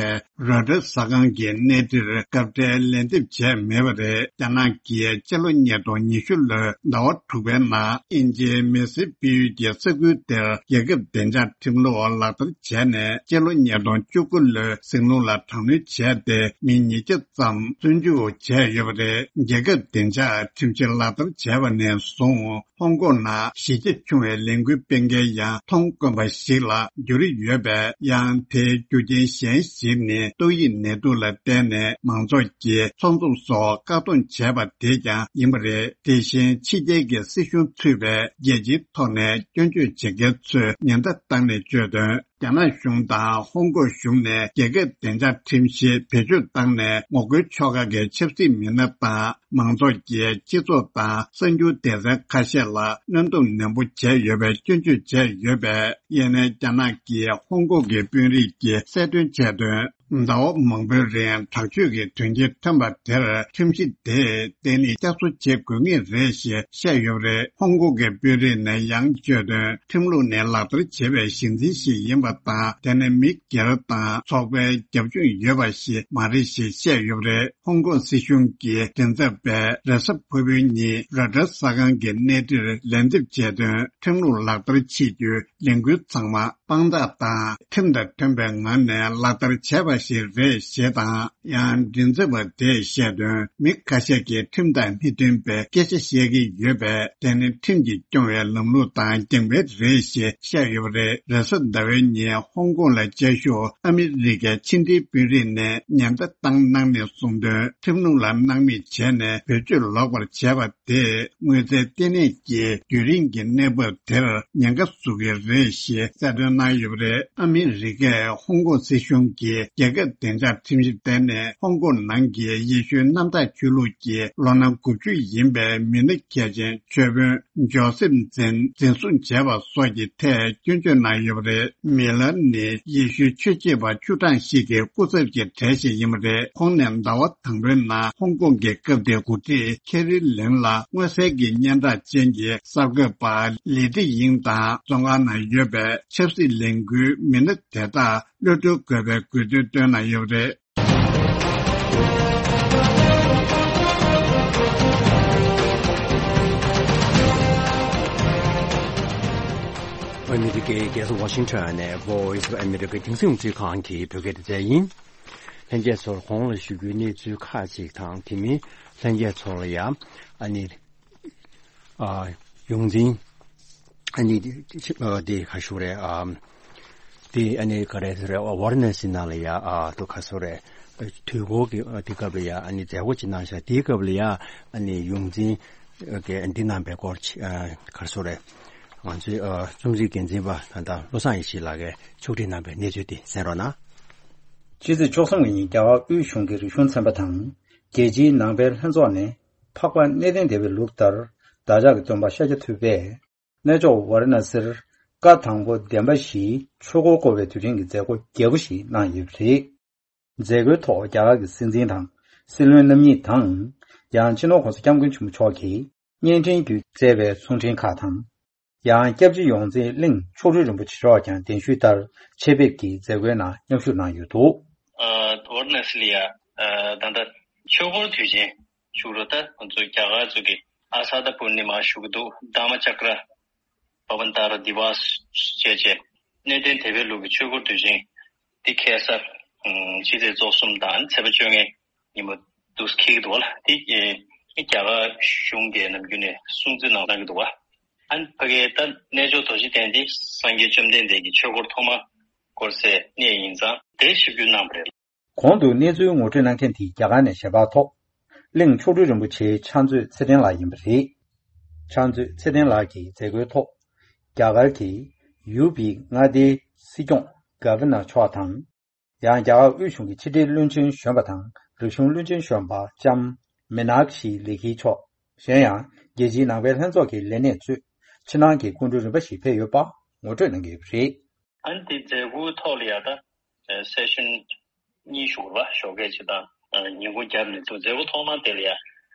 རོའི་ཊར་གསར་ཁང་གི་གནས་འདྲིར་སྐབས་འཕྲལ་ལན་འདེབས་བྱས་མེད་པ་རེད། རྒྱ་ནག་གིས་སྤྱི་ལོ་ཉིས་སྟོང་ཉི་ཤུ་ལོའི་ཟླ་བ་དྲུག་པའི་ནང་དབྱིན་ཇིའི་མེ་སིའི་དཔལ་ཡུལ་གྱི་ས་ཁུལ་དེར་རྒྱལ་ཁབ་བདེ་འཇགས་ཁྲིམས་ལུགས་ལག་བསྟར་བྱས་ནས། སྤྱི་ལོ་ཉིས་སྟོང་བཅུ་དགུ་ལོའི་ཟིང་ལུགས་ལ་དྲག་གནོན་བྱས་ཏེ། མི་ཉིས་བརྒྱ་ཙམ་བཙོན་འཇུག་བྱས་ཡོད་པ་རེད། རྒྱལ་ཁབ་བདེ་འཇགས་ཁྲིམས་གཞི་ལག་བསྟར་བྱས་པ་ནས་བཟུང་། ཧོང་ཀོང་ནང་གཞི་རྒྱ་ཆུང་བའི་ལས་འགུལ་སྤེལ་མཁན་ཡང་མཐོང་དཀོན་པ་ཞིག་ལ་གྱུར་ཡོད་པས། ཡང་དེའི་རྒྱུ་རྐྱེན་གཞན་ཞིག་ནི་ཏོག་དབྱིབས་ནད་དུག་ལ་བརྟེན་ནས་མང་ཚོགས་ཀྱིས་ཚོགས་འཛོམས་སོགས་བཀག་སྡོམ་བྱས་པ་དེ་ཀྱང་ཡིན་པ་རེད། དེ་བཞིན་ཕྱི་རྒྱལ་གྱི་སྲིད་གཞུང་ཚུད་པའི་རྒྱལ་སྤྱིའི་ཐོག་ནས་སྐྱོན་བརྗོད་བྱེད་མཁན་ཚོས་ཉེན་བརྡ་བཏང་ནས་བརྗོད་དོན། རྒྱ་ནག་གཞུང་དང་ཧོང་ཀོང་གཞུང་ནས་རྒྱལ་ཁབ་བདེ་འཇགས་ཁྲིམས་གཞི་བེད་སྤྱོད་བཏང་ནས། ངོ་རྒོལ་ཕྱོགས་ཁག་གི་ཆབ་སྲིད་མི་སྣ་དང་མང་ཚོགས་ཀྱི་སྤྱི་ཚོགས་དང་གསར་འགྱུར་སྡེ་ཚན་ཁ་ཤས་ལ་གནོན་སྡོམ་ནན་པོ་བྱས་ཡོད་པའི་སྐྱོན་བརྗོད་བྱས་ཡོད་པས། ཡིན་ནའི་རྒྱ་ནག་གིས་ཧོང་ཀོང་གི་དཔོན་རིགས་ཀྱིས་གསལ་སྟོན་བྱས་དོན། ཟླ་བ་མང་པོའི་རིང་དྲག་སྤྱོད་ཀྱི་དོན་རྐྱེན་ཐོན་པ་དེར་ཁྲིམས་གཞི་དེས་བརྟན་ལྷིང་བསྐྱར་གསོ་བྱེད་དགོས་ངེས་རེད་ཞེས་བཤད་ཡོད་པ་རེད། ཧོང་ཀོང་གི་དཔོན་རིགས་ནས་ཡང་བརྗོད་དོན། ཁྲིམས་ལུགས་ནི་ལག་བསྟར་བྱེད་པའི་གཞི་འཛིན་ཞིག་ཡིན་པ་དང་། དེ་ནི་མི་སྒེར་དང་ཚོགས་པའི་རྒྱབ་ལྗོངས་ཡོད་པ་ཞིག་མ་རེད་ཞེས་བཤད་ཡོད་པ་རེད། ཧོང་ཀོང་སྲིད་གཞུང་གི་མགྲིན་ཚབ་པས་རེས་གཟའ་ཕུར་བུའི་ཉིན་རོའི་ཊར་གསར་ཁང་གི་གནས་འདྲིར་ལན་འདེབས་བྱས་དོན། ཁྲིམས་ལུགས་ལག་བསྟར་བྱེད་རྒྱུའི་ལས་འགུལ་ཚང་མ་དཔང་རྟགས་དང་ཁྲིམས་དང་མཐུན་པའི་ངང་ནས་ལག་བསྟར་བྱས་པ་ཞིག་རེད་ཞེས་དང་། ཡང་མགྲིན་ཚབ་པ་དེས་བཤད་དོན། མི་ཁ་ཤས་ཀྱིས་ཁྲིམས་དང་མི་མཐུན་པའི་སྐད་ཆ་བཤད་ཀྱི་ཡོད་པས། དེ་ནི་ཁྲིམས་ཀྱིས་སྐྱོང་བའི་ལམ་ལུགས་དང་འགལ་བ་རེད་ཞེས་བཤད་ཡོད་པ་རེད། རེས་གཟའ་ཟླ་བའི་ཉིན་ཧོང་ཀོང་ལ་བཅའ་བཞུགས་ཨ་མི་རི་ཀའི་ཕྱི་འབྲེལ་དཔོན་རིགས་ནས་ཉེན་བརྡ་བཏང་གནང་ནས་གསུངས་དོན། ཁྲིམས་ལུགས་ལ་སྣང་མེད་བྱས་ནས་བེད་སྤྱོད་ལོག་པར་བྱས་པ་དེས་དངུལ་རྩའི་ལྟེ་གནས་ཀྱི་རྒྱུན་རིང་གི་གནས་བབ་དེར་ཉེན་ཁ་བཟོ་གི་རེད་ཞེས་གསལ་སྟོན་གནང་ཡོད་པ་རེད། ཨ་མི་རི་ཀས་ཧོང་ཀོང་སྲིད་གཞུང་གིས་རྒྱ། རྒྱལ་ཁབ་བདེ་འཇགས་ཁྲིམས་ཞིབ་ལྟེ་གནས་ཧོང་ཀོང་ནང་གི་ཡེ་ཤུའི་གནམ་བདག་ཆོས་ལུགས་ཀྱི་ལོ་ན་དགུ་བཅུ་ཡིན་པའི་མི་སྣ་གལ་ཆེན་ཆོས་དཔོན་ཇོ་སེབ་འཛིན་འཛིན་བཟུང་བྱས་པ་སོགས་ཀྱི་ཐད་སྐྱོན་བརྗོད་གནང་ཡོད་པ་རེད། མི་ལར་ནི་ཡེ་ཤུའི་ཆོས་བྱེད་པ་བཅུ་གྲངས་ཤིག་གི་སྐུ་ཚབ་ཀྱི་གྲས་ཤིག་ཡིན་པ་རེད། ཁོང་ནས་ཟླ་བ་དང་པོའི་ནང་ཧོང་ཀོང་གི་སྐབས་དེའི་འགོ་ཁྲིད་ཁེ་རི་ལེམ་ལ་མངོན་གསལ་གྱི་སྙན་གྲགས་ཅན་གྱི་གསར་འགོད་པ་ལི་ཏི་ཡིང་དང་བཙོན་ཁང་ནང་ཡོད་པའི་ཆབ་སྲིད་ལས་འགུལ་མི་སྣ་དེ་དག་གློད་གྲོལ་དགོས་པའི་དགོས་འདུན་བཏོན་གནང་ཡོད་པ་རེད། ཨ་མི་རི་ཀའི་རྒྱལ་ས་ཝ་ཤིང་ཊོན་ནས་Voice of America་རྒྱང་སྲིང་རླུང་འཕྲིན་ཁང་གི་བོད་སྐད་སྡེ་ཚན་ཡིན། ལྷན་རྒྱས་ཚོར་གོང་ལ་ཞུ་རྒྱུའི་གནས་ཚུལ་ཁག་ཅིག་དང་དེ་མིན་ལྷན་རྒྱས་ཚོ་ལ་ཡང་ཨ་ནི་ཨ་ཡོངས་འཛིན་ཨ་ནི་ཨ་དེ་ག་ཞུ་རེད། ཨ་དེ་ཨ་ནི་ག་རེ་ཟེར་རེད། ཝ་ར་ཎ་སི་ནང་ལ་ཡ་ཨ་དུ་ག་ཟེར་རེད། དུས་འཁོར་གྱི་ཨ་དེ་སྐབས་ལ་ཡ་ཨ་ནི་མཛད་སྒོ་ཅིག་གནང་ཤག་དེའི་སྐབས་ལ་ཡ་ཨ་ནི་ཡོངས་འཛིན་གྱི་འདི་གནང་པའི་སྐོར་ཨ་ག་རེ་ཟེར་རེད། ང་ཚོའི་ཨ་རྩོམ་སྒྲིག་འགན་འཛིན་པ་ད་ལྟ་བློ་བཟང་ཡེ་ཤེས་ལགས་ཀྱིས་ཕྱོགས་སྒྲིག་གནང་པའི་གནས་ཚུལ་དེ་གསན་རོགས་གནང་། ཕྱི་ཚེས་བཅུ་གསུམ་ཉིན་རྒྱ་གར་དབུས་གཞུང་གི་རིག་གཞུང་ཚན་པ་དང་རྒྱལ་སྤྱིའི་ནང་པའི་ལྷན་ཚོགས་ནས་འཕགས་པ་གནས་བརྟན་སྡེ་པའི་ལུགས་ལྟར་བདག་ཅག་གི་སྟོན་པ་ཤཱཀྱ་ཐུབ་པས་གནས་མཆོག་ཝཱ་ར་ཎ་སིར་བཀའ་དང་པོ་བདེན་པ་བཞིའི་ཆོས་འཁོར་བསྐོར་བའི་དུས་དྲན་གྱི་མཛད་སྒོ་རྒྱས་པོ་ཞིག་གནང་ཡོད་པ་རེད། མཛད་སྒོའི་ཐོག་རྒྱ་གར་གྱི་སྲིད་འཛིན་དང་སྲིད་བློན་རྣམ་གཉིས་དང་། ཡང་སྤྱི་ནོར་༸གོང་ས་༸སྐྱབས་མགོན་ཆེན་པོ་མཆོག་གིས་བརྙན་འཕྲིན་བརྒྱུད་བསྩལ་བའི་གསུང་འཕྲིན་ཁག་དང་། ཡང་སྐྱབས་རྗེ་ཡོངས་འཛིན་གླིང་མཆོག་སྤྲུལ་རིན་པོ་ཆེ་མཆོག་ཀྱང་གདན་ཞུས་ལྟར་ཆེད་ཕེབས་ཀྱིས་མཛད་སྒོའི་ནང་མཉམ་ཞུགས་གནང་ཡོད་འདུག། ཨ་ཝཱ་ར་ཎ་སི་ལ་ཡ་ཨ་ད་ལྟ་ཆོས་འཁོར་དུས་ཆེན་བཞུགས་རོགས། ད་ང་ཚོ་རྒྱ་གར་ཚོ་གི་ཨ་ས་ད་པུར་ནི་མ་བཞུགས་ཀྱི་འདུག། དྷརྨ་ཅཀྲ་པ་བན་ཏཱ་ར་དི་ཝཱ་སི་བྱས་བྱས་གནས་བརྟན་སྡེ་པའི་ལུགས་ཀྱི་ཆོས་འཁོར་དུས་ཆེན་འདི་ཁ་སང་ཕྱི་ཚེས་བཅུ་གསུམ་དང་ཚེས་པ་བཅོ་ལྔའི་ཉིན་མོ་འདུག་འཁེལ་གྱི་འདུག་བ་ལ། འདི་རྒྱ་གར་གཞུང་གིས་ནམ་རྒྱུན་ནས་སྲུང་བརྩི་གནང་གནང་གི་འདུག་བ། ཨ་ནི་ཕ་གིའི་ད་གནས་མཆོག་རྡོ་རྗེ་གདན་འདི་སངས་རྒྱས་བཅོམ་ལྡན་འདས་ཀྱི་ཆོས་འཁོར་ཐོག་མ་བསྐོར་སའི་གནས་ཡིན་ཙང་དེ་ཞིབ་འཇུག་གནང་བ་རེད། གོང་དུ་གནས་ཚུལ་ངོ་སྤྲོད་གནང་མཁན་དེ་རྒྱ་གར་ནས་ཞལ་པར་ཐོག་གླིང་མཆོག་སྤྲུལ་རིན་པོ་ཆེ་ཕྱག་མཛོད་ཚེ་བརྟན་ལགས་ཡིན་པ་རེད། ཕྱག་མཛོད་ཚེ་བརྟན་ལགས་ཀྱིས་མཛད་སྒོའི་ཐོག་རྒྱ་གར་གྱི་ཡུ་པི་མངའ་སྡེའི་སྲིད་སྐྱོང་ག་ཝར་ནར་མཆོག་དང་། ཡང་རྒྱ་གར་དབུས་གཞུང་གི་ཕྱི་དྲིལ་བློན་ཆེན་གཞོན་པ་དང་རིག་གཞུང་བློན་ཆེན་གཞོན་པ་ལྕམ་མི་ནག་ཤི་ལེ་ཁི་མཆོག། གཞན་ཡང་རྒྱལ་སྤྱིའི་ནང་པའི་ལྷན་ཚོགས་ཀྱི་ལས་སྣེ་གཙོས་ཕྱི་ནང་གི་སྐུ་མགྲོན་རིམ་པ་ཞིག་ཕེབས་ཡོད་པ་ངོ་སྤྲོད་གནང་གི་ཡོད་པ་རེད། ཨ་ནི་དེ་མཛད་སྒོའི་ཐོག་ལ་ཡ་ད་སེ་ཤན་གཉིས་ཞུགས་པ་ཞོགས་ཀས་ཅིག་དང་ཉིན་གུང་རྒྱབ་ནས་འདུག། མཛད་སྒོ་ཐོག་མ་དེ་ལ་ཡ་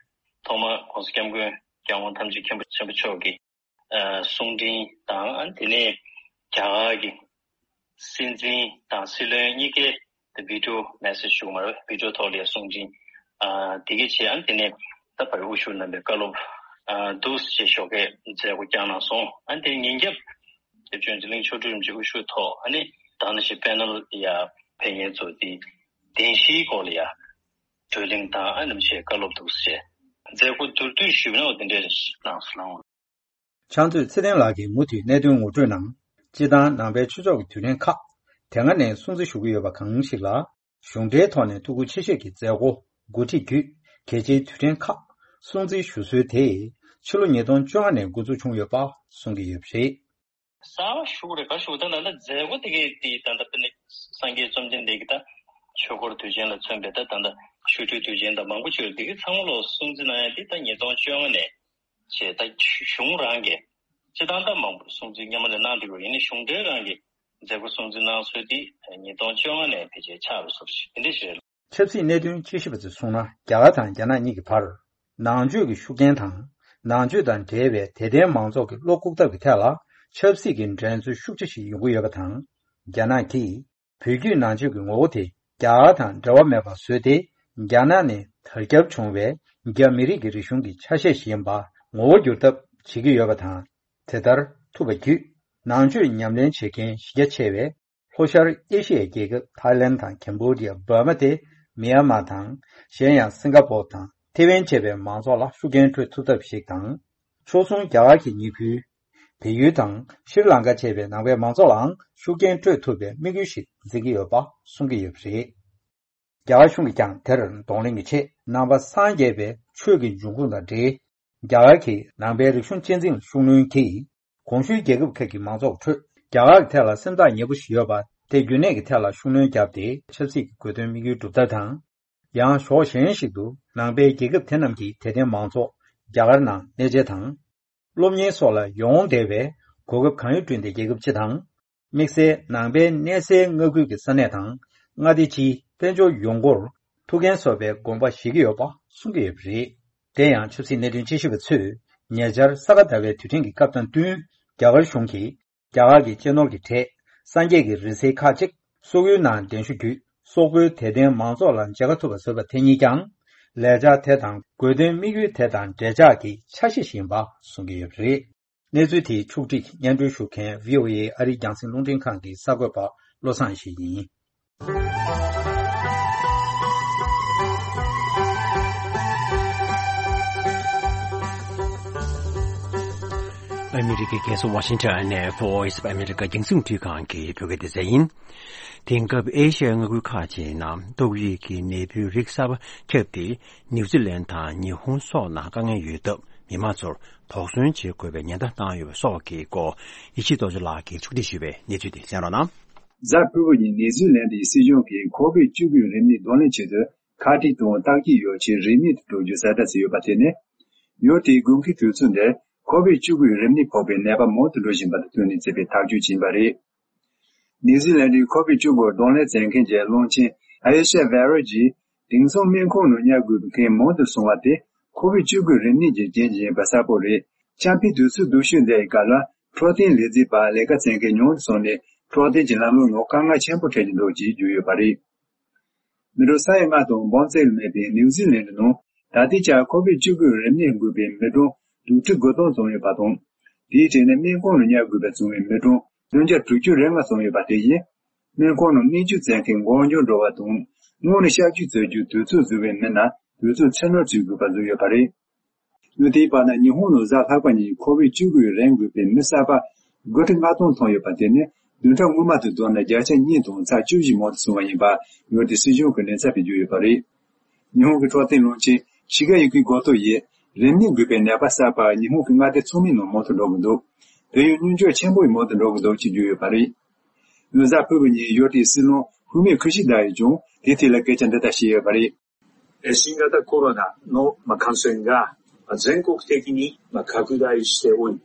ཐོག་མ་༸གོང་ས་༸སྐྱབས་མགོན་༸སྐྱབས་མགོན་ཐམས་ཅད་མཁྱེན་པ་ཆེན་པོ་མཆོག་གི་གསུང་འཕྲིན་དང་། ཨ་ནི་དེ་ནས་རྒྱ་གར་གྱི་སྲིད་འཛིན་དང་སྲིད་བློན་གཉིས་ཀའི་video message ཞུ་མ་རེད། video་ཐོག་ལ་གསུང་འཕྲིན་ཨ་དེ་གའི་ཆེད། ཨ་ནི་དེ་ནས་ད་བར་དབུ་བཞུགས་རྣམ་པའི་བཀའ་སློབ་ཨ་འདུག་ཅེས་ཞོགས་ཀས་མཛད་སྒོ་བསྐྱངས་གནང་སོང་། ཨ་ནི་དེ་ཉིན་རྒྱབ་དེ་བྱོན་ཅིག་གླིང་མཆོག་སྤྲུལ་རིན་པོ་ཆེ་དབུ་བཞུགས་ཐོག་ཨ་ནི་དང་ནང་བཞིན་པེ་ནལ་ཡ་ཕེབས་མཁན་ཚོ་དེ་བདེན་བཞིའི་སྐོར་ལ་ཡ་བགྲོ་གླེང་དང་ཨ་ནི་བྱས་བཀའ་སློབ་འདུག་ཅེས་མཛད་སྒོ་མདོར་བསྡུས་ཞུས་ན་འོ་དེ་འདྲས་གནང་སོང་། ཕྱག་མཛོད་ཚེ་བརྟན་ལགས་ཀྱིས་མུ་མཐུད་གནད་དོན་ངོ་སྤྲོད་གནང་། སྤྱིར་བཏང་ནང་པའི་ཆོས་ཕྱོགས་ཀྱི་དུས་དྲན་ཁག་དེ་སྔ་ནས་སྲུང་བརྩི་ཞུ་གི་ཡོད་པ་གང་ཞིག་ལ་གཞུང་འབྲེལ་ཐོག་ནས་ཐུགས་ཁུར་ཆེ་བཞེས་ཀྱིས་མཛད་སྒོ་འགོ་ཁྲིད་བརྒྱུད་གལ་ཆེའི་དུས་དྲན་ཁག་སྲུང་བརྩི་ཞུ་སྲོལ་དེ་ཕྱི་ལོ་ཉིས་སྟོང་བཅོ་ལྔ་ནས་འགོ་འཛུགས་བྱུང་ཡོད་པ་གསུང་གི་ཡོད་པ་རེད། གསར་པ་ཞུ་རེ་ག་ཞུ་ད་ད་ལྟ་མཛད་སྒོ་དེ་གའི་དེ་ད་ལྟ་དཔེར་ན་སངས་རྒྱས་བཅོམ་ལྡན་འདས་ཀྱི་ད་ཆོས་འཁོར་དུས་ཆེན་ལ་མཚོན་པའི་ད་ད་ལྟ་ཆོ་འཕྲུལ་དུས་ཆེན་དང་མང་པོ་ཞིག་རེད། དེ་གའི་ཚང་མ་ལོ་སྲུང་བརྩི་གནང་ཡ་དེ་ད་ཉིས་སྟོང་བཅོ་ལྔ་ནས་བྱས། ད་གཞུང་རང་གིས་སྤྱིར་བཏང་ད་མང་པོ་སྲུང་བརྩི་སྔོན་མ་ལས་གནང་བསྡད་ཡོད། ཡིན་ནའི་གཞུང་འབྲེལ་རང་གིས་མཛད་སྒོ་སྲུང་བརྩི་གནང་སྲོལ་དེ་ཉིས་སྟོང་བཅོ་ལྔ་ནས་ཕལ་ཆེར་ཆགས་པའི་བཟོ་ཞིག་དེ་འདྲ་ཞིག་རེད། ཆབ་སྲིད་གནད་དོན་དཔྱད་ཞིབ་པ་ཚོས་གསུངས་ན། རྒྱ་གར་དང་རྒྱ་ནག་གཉིས་ཀྱི་བར་ནང་ཆོས་ཀྱི་ཤུགས་རྐྱེན་དང་། ནང་ཆོས་དང་འབྲེལ་བའི་དད་ལྡན་མང་ཚོགས་ཀྱི་བློ་བཀུག་ཐབས་ཀྱི་ཐད་ལ་ཆབ་སྲིད་ཀྱི་འགྲན་རྩོད་ཤུགས་ཆེ་ཞིག་ཡོང་གི་ཡོད་པ་དང་། རྒྱ་ནག་གིས་བོད་བརྒྱུད་ནང་ཆོས་ཀྱི་ངོ་བོ་དེ་རྒྱ་གར་དང་འབྲེལ་བ་མེད་པར་བཟོས་ཏེ། རྒྱ་ནག་ནས་དར་ཁྱབ་བྱུང་བའི་རྒྱ་མི་རིགས་ཀྱི་རིག་གཞུང་གི་ཆ་ཤས་ཤིག་ཡིན་པ་ངོ་བོ་འགྱུར་ཐབས་བྱེད་ཀྱི་ཡོད་པ་དང་། དེ་ལྟར་ཐུབ་པ་བརྒྱུད་ནང་ཆོས་ཉམས་ལེན་བྱེད་མཁན་གཞི་རྒྱ་ཆེ་བའི་ལྷོ་ཤར་ཨེ་ཤི་ཡའི་རྒྱལ་ཁབ་ཐའི་ལེན་དང་ཁེམ་བྷོ་ཌི་ཡ། འབར་མ་སྟེ་མི་ཡན་མ་དང་། གཞན་ཡང་སིང་ག་པོར་དང་ཐེ་ཝན་བཅས་པའི་མང་ཚོགས་ལ་ཤུགས་རྐྱེན་སྤྲོད་ཐུབ་ཐབས་ཤིག་དང་། ཕྱོགས་མཚུངས་རྒྱ་གར་གྱི་ཉེ་ཁུལ་བལ་ཡུལ་དང་ཤྲི་ལང་ཀ་བཅས་པའི་ནང་པའི་མང་ཚོགས་ལའང་ཤུགས་རྐྱེན་སྤྲོད་ཐུབ་པའི་དམིགས་ཡུལ་ཞིག་འཛིན་གྱི་ཡོད་པ་གསུང་གི་ཡོད་པ་རེད། རྒྱ་གར་གཞུང་གིས་ཀྱང་དེར་གདོང་ལེན་གྱི་ཆེད་ནང་པ་སངས་རྒྱས་པའི་ཆོས་ཀྱི་འབྱུང་ཁུངས་དང་འབྲེལ། རྒྱ་གར་གྱི་ནང་པའི་རིག་གཞུང་གཅེས་འཛིན་ལ་ཤུགས་སྣོན་གྱིས། གོང་ཞུས་རྒྱལ་ཁབ་ཁག་གི་མང་ཚོགས་ཁྲོད་རྒྱ་གར་གྱི་ཐད་ལ་སེམས་ཐག་ཉེ་པོ་ཞིག་ཡོད་པ་ དེ་རྒྱུན་གནས་ཀྱི་ཐད་ལ་ཤུགས་སྣོན་བརྒྱབ་སྟེ། ཆབ་སྲིད་ཀྱི་དགོས་དོན་དམིགས་ཡུལ་སྒྲུབ་ཐབས་དང་། ཡང་ཕྱོགས་གཞན་ཞིག་ཏུ་ནང་པའི་རྒྱལ་ཁབ་དེ་རྣམས་ཀྱི་དད་ལྡན་མང་ཚོགས་རྒྱ་གར་ནང་གནས་མཇལ་དང་། སློབ་གཉེར་སོགས་ལ་ཡོང་བདེ་བའི་གོ་སྐབས་གང་ཡོད་བསྐྲུན་ཏེ། རྒྱལ་ཁབ་སྤྱི་དང་། དམིགས་བསལ་ནང་པའི་གནས་སའི་མངའ་ཁུལ་གྱི་ས་གནས་དང་། མངའ་སྡེ་སྤྱིའི་དཔལ་འབྱོར་ཡོང་སྒོར་ཐུགས་འགན་གསོ་བའི་དགོངས་པ་བཞེས་ཀྱི་ཡོད་པ་གསུང་གི་ཡོད་པ་རེད། དེ་ཡང་ཆབ་སྲིད་གནད་དོན་དཔྱད་ཞིབ་པ་ཚོས་ཉེ་ཆར་ས་ག་ཟླ་བའི་དུས་དྲན་གྱི་སྐབས་དང་བསྟུན། རྒྱ་གར་གཞུང་གིས་རྒྱ་གར་གྱི་གཅེས་ནོར་གྱི་གྲས་སངས་རྒྱས་ཀྱི་རིང་བསྲེལ་ཁག་ཅིག་སོག་ཡུལ་ནང་འགྲེམས་ཞུ་བརྒྱུད། སོག་པོའི་དད་ལྡན་མང་ཚོགས་ལ་མཇལ་ཁ་ཐོབ་པ་བཟོས་པ་དེ་ཉིད་ཀྱང་། ལས་འཆར་དེ་དང་དགོས་དོན་དམིགས་ཡུལ་དེ་དང་འབྲེལ་ཆགས་ཀྱི་ཆ་ཤས་ཤིག་ཡིན་པ་གསུང་གི་ཡོད་པ་རེད། གནས་ཚུལ་དེའི་ཕྱོགས་བསྒྲིགས་སྙན་སྒྲོན་ཞུ་མཁན། བྷི་ཨོ་ཨེ་ཨ་རིའི་རྒྱང་སྲིང་རླུང་འཕྲིན་ཁང་གི་གསར་འགོད་པ་བློ་བཟང་ཡེ་ཤེས་ཡིན། ཨ་མི་རི་ཀའི་རྒྱལ་ས་ཝ་ཤིང་ཊོན་ནས་Voice of America་རྒྱང་སྲིང་རླུང་འཕྲིན་ཁང་གི་བོད་སྐད་སྡེ་ཚན་ཡིན། དེང་སྐབས་ཨེ་ཤི་ཡའི་མངའ་ཁུལ་ཁག་ཅིག་ནང་ཏོག་དབྱིབས་ཀྱི་ནད་འབུའི་རིགས་གསར་པ་ཁྱབ་སྟེ། ནིའུ་ཛི་ལན་དང་ཉི་ཧོང་སོགས་ནང་དཀའ་ངལ་ཡོད་སྟབས། མི་མང་ཚོར་དོགས་ཟོན་བྱེད་དགོས་པའི་ཉེན་བརྡ་བཏང་ཡོད་པ་སོགས་ཀྱི་སྐོར། ཡེ་ཤེས་རྡོ་རྗེ་ལགས་ཀྱིས་ཕྱོགས་སྒྲིག་ཞུས་པའི་གནས་ཚུལ་དེ་གསན་རོགས་གནང་། གཟའ་ཕུར་བུ་ཉིན་ནིའུ་ཛི་ལན་གྱི་སྲིད་གཞུང་གིས་ཁོ་བིད་བཅུ་དགུ་རིམས་ནད་གདོང་ལེན་ཆེད་དུ་ཁ་ཁྲིད་དང་བརྟག་དཔྱད་ཡོ་ཆས་རིན་མེད་དུ་སྤྲོད་རྒྱུ་གསལ་བསྒྲགས་བྱས་ཡོད་པ་དེ་ནི། ཡུལ་དེའི་དགུན་ཁའི་དུས་ཚོད་འདིར་ཁོ་བིད་བཅུ་དགུའི་རིམས་ནད་ཕོག་པའི་ནད་པ་མང་དུ་འགྲོ་བཞིན་པ་དང་བསྟུན་ནས་བྱས་པའི་ཐག་གཅོད་ཅིག་ཡིན་པ་རེད། ནིའུ་ཛི་ལན་གྱི་ཁོ་བིད་བཅུ་དགུ་གདོང་ལེན་མཛད་མཁན་གྱི་བློན་ཆེན་ཨ་ཡེ་ཤ་བྷེ་རོ་གྱིས། དེང་སང་སྨན་ཁང་ནང་ཉར་དགོས་པའི་མཁན་མང་དུ་སོང་བ་དེ་ཁོ་བིད་བཅུ་དགུའི་རིམས་ནད་ཀྱི་རྐྱེན་གྱིས་ཡིན་པ་གསལ་པོ་རེད། ཆར་པའི་དུས་ཚོད་སྡུག་ཤོས་འདིའི་སྐབས་ལ་འཕྲོད་བསྟེན་ལས་བྱེད་པ་ལས་ཀ་བྱེད་མཁན་ཉུང་དུ་སོང་ནས། འཕྲོད་བསྟེན་གྱི་ལམ་ལུགས་ནང་དཀའ་ངལ་ཆེན་པོ་འཕྲད་ཀྱི་འདུག་ཅེས་བརྗོད་ཡོད་པ་རེད། མི་རབས་ས་ཡ་ལྔ་དང་འབུམ་གཅིག་ལས་མེད་པའི་ནིའུ་ཛི་ལན་ནང་ད་ལྟའི་ཆར་ཁོ་བིད་བཅུ་དགུའི་རིམས་ནད་འགོས་པའི་མི་གྲངས་དྲུག་ཁྲི་དགུ་སྟོང་ཙམ་ཡོད་པ་དང་། དེའི་གྲས་ནས་སྨན་ཁང་ནང་ཉར་དགོས་པའི་བྱུང་བའི་མི་གྲངས་བདུན་བརྒྱ་དྲུག་ཅུ་རེ་ལྔ་ཙམ་ཡོད་པ་དེ་བཞིན། སྨན་ཁང་ནང་སྨན་བཅོས་བྱེད་མཁན་འགོར་འགྱངས་འགྲོ་བ་དང་། སྔོན་ནས་གཤག་བཅོས་བྱ་རྒྱུའི་དུས་ཚོད་བཟོས་པའི་མི་སྣ་དུས་ཚོད་ཕྱིར་ནུར་བྱེད་དགོས་པ་བཟོས་ཡོད་པ་རེད། ཡང་དེའི་བར་ན་ཉི་ཧོང་ནང་གཟའ་ལྷག་པ་ཉིན་ཁོ་བིད་བཅུ་དགུའི་རིམས་འགོས་པའི་མི་གསར་པ་དགུ་ཁྲི་ལྔ་སྟོང་ཐོན་ཡོད་པ་དེ་ནི་བདུན་ཕྲག་སྔོན་མ་དང་བསྡུར་ན་བརྒྱ་ཆ་གཉིས་དང་ཚེག་བཅུ་བཞི་མང་དུ་སོང་བ་ཡིན་པ་ཡུལ་དེའི་སྲིད་གཞུང་གི་ལས་ཚབ་པས་བརྗོད་ཡོད་པ་རེད། ཉི་ཧོང་གི་འཕྲོད་བསྟེན་བློན་ཆེན་ཤི་ག་ཡུ་ཀི་གོ་ཏོ་ཡིས་རིམས་ནད་འགོས་པའི་ནད་པ་གསར་པ་ཉི་ཧོང་གི་མངའ་སྡེ་ཚང་མའི་ནང་མང་དུ་འགྲོ་གི་འདུག་དེ་ཡང་སྙོམས་འཇུག་ཆེན་པོ་ཡིས་མང་དུ་འགྲོ་གི་འདུག་ཅེས་བརྗོད་ཡོད་པ་རེད། ཡང་གཟའ་ཕུར་བུ་ཉིན་ཡུལ་དེའི་སྲིད་བློན་ཧུ་མི་ཁུ་ཤི་ད་ཡིས་ཀྱང་དེའི་ཐད་ལ་སྐད་ཆ་འདི་ལྟར་བཤད་ཡོད་པ་རེད། 新型コロナの感染が全国的に拡大しており、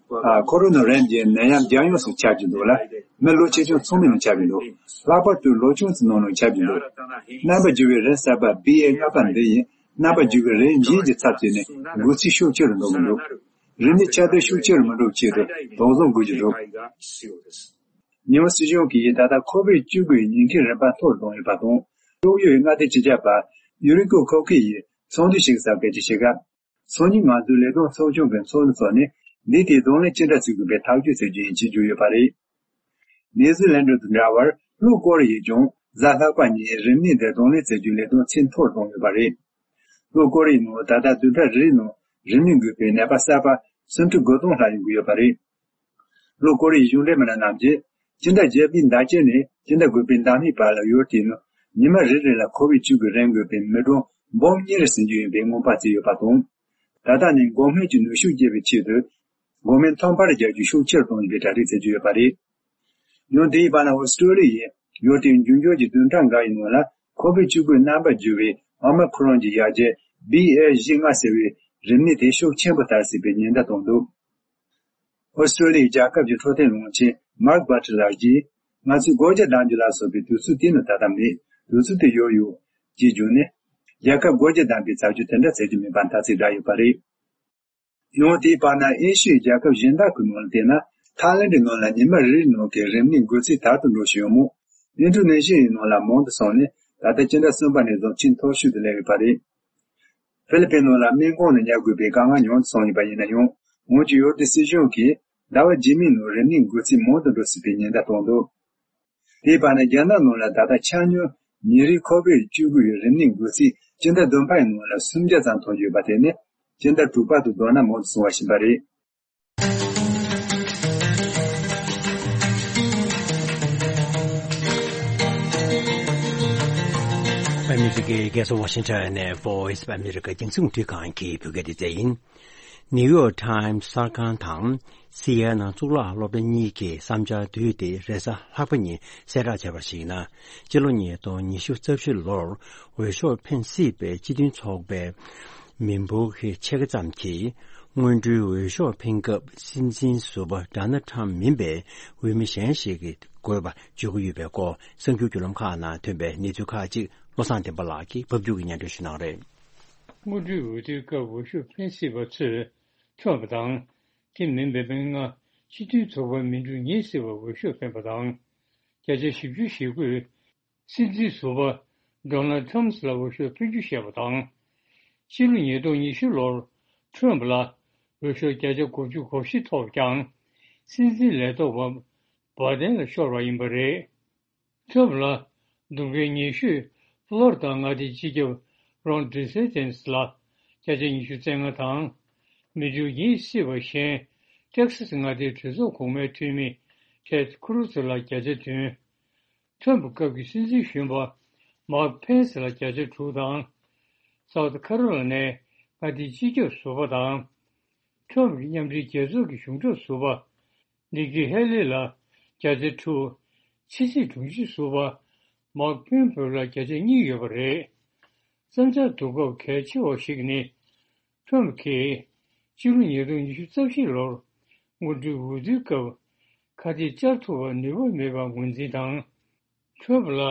ཁོ་རོ་ན་རིམས་ཀྱི་ནད་ཡམས་རྒྱལ་ཡོངས་སུ་ཁྱབ་ཀྱི་འདུག་ལ། མི་ལོ་ཆེ་ཆུང་ཚང་མའི་ནང་ཁྱབ་ཀྱི་འདུག་ལྷག་པར་དུ་ལོ་ཆུང་ཚོའི་ནང་ནང་ཁྱབ་ཀྱི་འདུག་རྣམ་པར་འགྱུར་བའི་རིམས་གསར་པ་བྷི་ཨེ་ལྔ་པ་འདི་ཡིས་རྣམ་པར་འགྱུར་བའི་རིམས་གཞན་གྱི་ཚབ་བྱས་ནས་འགོས་ཚད་ཤུགས་ཆེ་རུ་འགྲོ་གི་འདུག་རིམས་ནད་ཁྱབ་གདལ་ཤུགས་ཆེ་རུ་མི་འགྲོ་བའི་ཆེད་དུ་དོགས་ཟོན་དགོས་ཀྱི་འདུག་ཉི་ཧོང་སྲིད་གཞུང་གིས་ད་ལྟ་ཁོ་བིད་བཅུ་དགུའི་ཉེན་ཁའི་རིམ་པ་མཐོ་རུ་བཏང་ཡོད་པ་དང་། ཏོག་དབྱིབས་མངའ་སྡེ་སྤྱི་ཁྱབ་པ་ཡུ་རི་ཀོ་ཁོ་ཁེ་ཡིས་ཚོགས་འདུ་ཞིག་གི་སྐད་ཆ་བཤད་སྐབས། སང་ཉིན་ང་ཚོའི་ལས་དོན་ཚོགས་ཆུང་གི་ཚོགས་མི་ཚོ་ནས་འདི་དེའི་གདོང་ལེན་ཅི་འདྲ་བྱེད་དགོས་པའི་ཐག་གཅོད་བྱེད་རྒྱུ་ཡིན་ཅེས་བརྗོད་ཡོད་པ་རེད། ནིའུ་ཛི་ལན་དང་འདྲ་བར་ལྷོ་ཀོ་རི་ཡས་ཀྱང་གཟའ་ལྷག་པ་ཉིན་རིམས་ནད་འདི་གདོང་ལེན་བྱེད་རྒྱུའི་ལས་དོན་ཚད་མཐོ་རུ་བཏང་ཡོད་པ་རེད། ལྷོ་ཀོ་རི་ཡའི་ནང་ད་ལྟ་བདུན་ཕྲག་རེའི་ནང་རིམས་ནད་འགོས་པའི་ནད་པ་གསར་པ་སུམ་ཁྲི་དགུ་སྟོང་ལྷག་ཡོང་གི་ཡོད་པ་རེད། ལྷོ་ཀོ་རི་ཡའི་གཞུང་འབྲེལ་མི་སྣ་རྣམས་ཀྱིས་སྤྱི་ཟླ་བརྒྱད་པའི་ཟླ་དཀྱིལ་ནས་སྤྱི་ཟླ་དགུ་པའི་ཟླ་སྨད་བར་ལ་ཡུལ་དེའི་ནང་ཉི་མ་རེ་རེ་ལ་ཁོ་བིད་བཅུ་དགུའི་རིམས་འགོས་པའི་མི་གྲངས་འབུམ་གཉིས་རེ་ཟིན་རྒྱུ་ཡིན་པའི་སྔོན་དཔག་བྱས་ཡོད་པ་དང་། ད་ལྟ་ནས་འགོག་སྨན་གྱི་ནུས་ཤུགས་སྐྱེད་པའི་ཆེད་དུ་འགོག་སྨན་ཐོག་མར་རྒྱག་རྒྱུ་ཤུགས་ཆེར་གཏོང་བཞིན་པའི་གྲ་སྒྲིག་བྱེད་ཀྱི་ཡོད་པ་རེད། ཡང་དེའི་བར་ན་ཨོ་སི་ཀྲོ་ལི་ཡས་ཡུལ་དེའི་འབྱུང་འགྱུར་གྱི་བདུན་ཕྲག་འགའ་ཡི་ནང་ལ་ཁོ་བིད་བཅུ་དགུའི་རྣམ་པར་འགྱུར་བའི་ཨོ་མི་ཁོ་རོན་གྱི་ཡར་རྒྱས་བྷི་ཨེ་བཞི་ལྔ་ཟེར་བའི་རིམས་ནད་དེ་ཤུགས་ཆེན་པོ་དར་སྲིད་པའི་ཉེན་བརྡ་བཏང་འདུག་ཨོ་སི་ཀྲོ་ལི་ཡའི་རྒྱལ་ཁབ་ཀྱི་འཕྲོད་བསྟེན་བློན་ཆེན་མཱརྐ་བྷ་ཊི་ལགས་ཀྱིས། ང་ཚོས་སྒོ་རྒྱ་བསྡམ་རྒྱུ་ལ་སོགས་པའི་དུས་ཚོད་དེ་ནི་ད་ལྟ་མེད། དུས་ཚོད་དེ་ཡོལ་ཡོད། ཅེས་བརྗོད་ནས། རྒྱལ་ཁབ་སྒོ་རྒྱ་བསྡམ་པའི་བྱ་སྤྱོད་དེ་འདྲ་བྱེད་རྒྱུ་མིན་པ་ཐ་ཚིག་བསྒྲགས་ཡོད་པ་རེད། ཡང་དེའི་བར་ན་ཨེ་ཤི་ཡའི་རྒྱལ་ཁབ་གཞན་དག་གི་ནང་ལ་བལྟས་ན། ཐའི་ལེན་ཌི་ནང་ལ་ཉི་མ་རེ་རེའི་ནང་གི་རིམས་ནད་འགོས་ཚད་དལ་དུ་འགྲོ་བཞིན་ཡོད་མོད། ཨིན་ཌོ་ནེ་ཤི་ཡའི་ནང་ལ་མང་དུ་སོང་ནས་ད་ལྟ་སྤྱི་ཟླ་གསུམ་པ་ནས་བཟུང་ཆེས་མཐོ་ཤོས་སུ་སླེབས་ཡོད་པ་རེད། ཧྥི་ལི་པིན་ནང་ལ་སྨན་ཁང་ནང་ཉར་དགོས་པའི་དཀའ་ངལ་ཉུང་དུ་སོང་ཡོད་པ་ཡིན་ན་ཡང་། འོན་ཀྱང་ཡུལ་དེའི་སྲིད་གཞུང་གིས་ཟླ་བ་རྗེས་མའི་ནང་རིམས་ནད་འགོས་ཚད་མང་དུ་འགྲོ་སྲིད་པའི་ཉེན་བརྡ་བཏང་འདུག་དེའི་བར་ན་རྒྱ་ནག་ནང་ལ་ད་ལྟ་ཆ་སྙོམས་ཉིན་རེའི་ཁོ་བིད་བཅུ་དགུ་ཡི་རིམས་ནད་འགོས་ཚད་སྤྱི་ཟླ་བདུན་པའི་ནང་ལ་སུམ་བརྒྱ་ཙམ་ཐོན་ཡོད་པ་དེ་ནི་སྤྱི་ཟླ་དྲུག་པ་དང་བསྡུར་ན་མང་དུ་སོང་བ་ཞིག་ཡིན་པ་རེད། ཨ་མི་རི་ཀའི་རྒྱལ་ས་ཝ་ཤིང་ཊོན་ནས་Voice of America་རྒྱང་སྲིང་རླུང་འཕྲིན་ཁང་གི་བོད་སྐད་སྡེ་ཚན་ཡིན། ནིའུ་ཡོག་ཊའིམ་གསར་ཁང་དང་སི་ཨེན་ཨེན་གཙུག་ལག་སློབ་གྲྭ་གཉིས་ཀྱི་བསམ་འཆར་བསྡུས་ཏེ་རེས་གཟའ་ལྷག་པ་ཉིན་གསལ་བསྒྲགས་བྱས་པར་གཞིགས་ན། སྤྱི་ལོ་ཉིས་སྟོང་ཉི་ཤུ་རྩ་བཞི་ལོར་འོས་ཤོག་འཕེན་སྲིད་པའི་སྤྱི་མཐུན་ཚོགས་པའི་མི་འབོར་གྱི་ཕྱེད་ཀ་ཙམ་གྱིས་སྔོན་འགྲོའི་འོས་ཤོག་འཕེན་སྐབས་སྲིད་འཛིན་ཟུར་པ་ཌོ་ནལ་ཊམ་མིན་པའི་འོས་མི་གཞན་ཞིག་གིས་དགོས་པ་བརྗོད་ཀྱི་ཡོད་པའི་སྐོར་གསར་འགྱུར་བརྒྱུད་ལམ་ཁག་ནང་ཐོན་པའི་གནས་ཚུལ་ཁག་ཅིག་བློ་བཟང་བསྟན་པ་ལགས་ཀྱིས་ཕབ་སྒྱུར་གྱིས་སྙན་སྒྲོན་ཞུ་གནང་རེད། སྔོན་འགྲོའི་འོས་བསྡུའི་སྐབས་འོས་ཤོག་འཕེན་སྲིད་པ་ཚོས་ཁྲོམ་དང་། དེ་མིན་པའི་མི་ལྔ་སྤྱི་མཐུན་ཚོགས་པའི་མི་འགྲུལ་ཉེས་སྲིད་པར་འོས་ཤོག་འཕེན་པ་དང་། བརྒྱ་ཆ་བཞི་བཅུ་ཞེ་དགུས་སྲིད་འཛིན་ཟུར་པ་ཌོ་ནལ་ཊམ་ལ་འོས་ཤོག་ཕུལ་རྒྱུ་བཤད་པ་དང་། ཕྱི་ལོ་ཉིས་སྟོང་ཉི་ཤུ་ལོར་ཁྲོམ་ལ་འོས་ཤོག་བརྒྱ་ཆ་དགུ་བཅུ་གོ་བཞི་ཐོབ་ཀྱང་། སྲིད་འཛིན་ལས་ཐོག་པ་བྷ་དན་ལ་ཤོར་བ་ཡིན་པ་རེད། ཁྲོམ་ལ་གདོང་རྒན་ཉེ་ཤོས་ཕློ་རི་ཌ་མངའ་སྡེའི་སྤྱི་ཁྱབ་རོན་ཌི་སེ་ཊེན་སི་ལ་བརྒྱ་ཆ་ཉི་ཤུ་རྩ་ལྔ་དང་། མི་འགྲུལ་ཉེས་སྲིད་པ་གཞན་ཊེག་སཱ་སི་མངའ་སྡེའི་གྲོས་ཚོགས་གོང་མའི་འཐུས་མི་ཊེད་ཁུ་རུ་ཛི་ལ་བརྒྱ་ཆ་བདུན། ཁྲོམ་སྐབས་ཀྱི་སྲིད་འཛིན་གཞོན་པ་མཱག་ཕེན་སི་ལ་བརྒྱ་ཆ་དྲུག་དང་། སའུ་ཐི་ཁ་རོ་ལ་ནའི་མངའ་སྡེའི་སྤྱི་ཁྱབ་ཟུར་པ་དང་། ཁྲོམ་གྱི་མཉམ་འབྲེལ་རྒྱལ་ཚོགས་ཀྱི་གཞུང་སྒྲུབ་ཟུར་པ་ནི་ཀི་ཧེ་ལི་ལ་བརྒྱ་ཆ་དྲུག་ཕྱི་སྲིད་དྲུང་ཆེ་ཟུར་པ་མཱག་ཕེན་པོ་ལ་བརྒྱ་ཆ་གཉིས་ཡོད་པ་རེད། བསམ་འཆར་བསྡུ་སྐབས་གལ་ཆེ་བ་ཞིག་ནི། ཁྲོམ་གྱིས་ཕྱི་ལོ་ཉིས་སྟོང་ཉི་ཤུ་རྩ་བཞི་ལོར་སྔོན་འགྲོའི་འོས་བསྡུའི་སྐབས་ཁ་གཏད་བཅར་ཐུབ་པར་ནུས་པ་མེད་པར་ངོས་འཛིན་དང་། ཁྲོམ་ལ་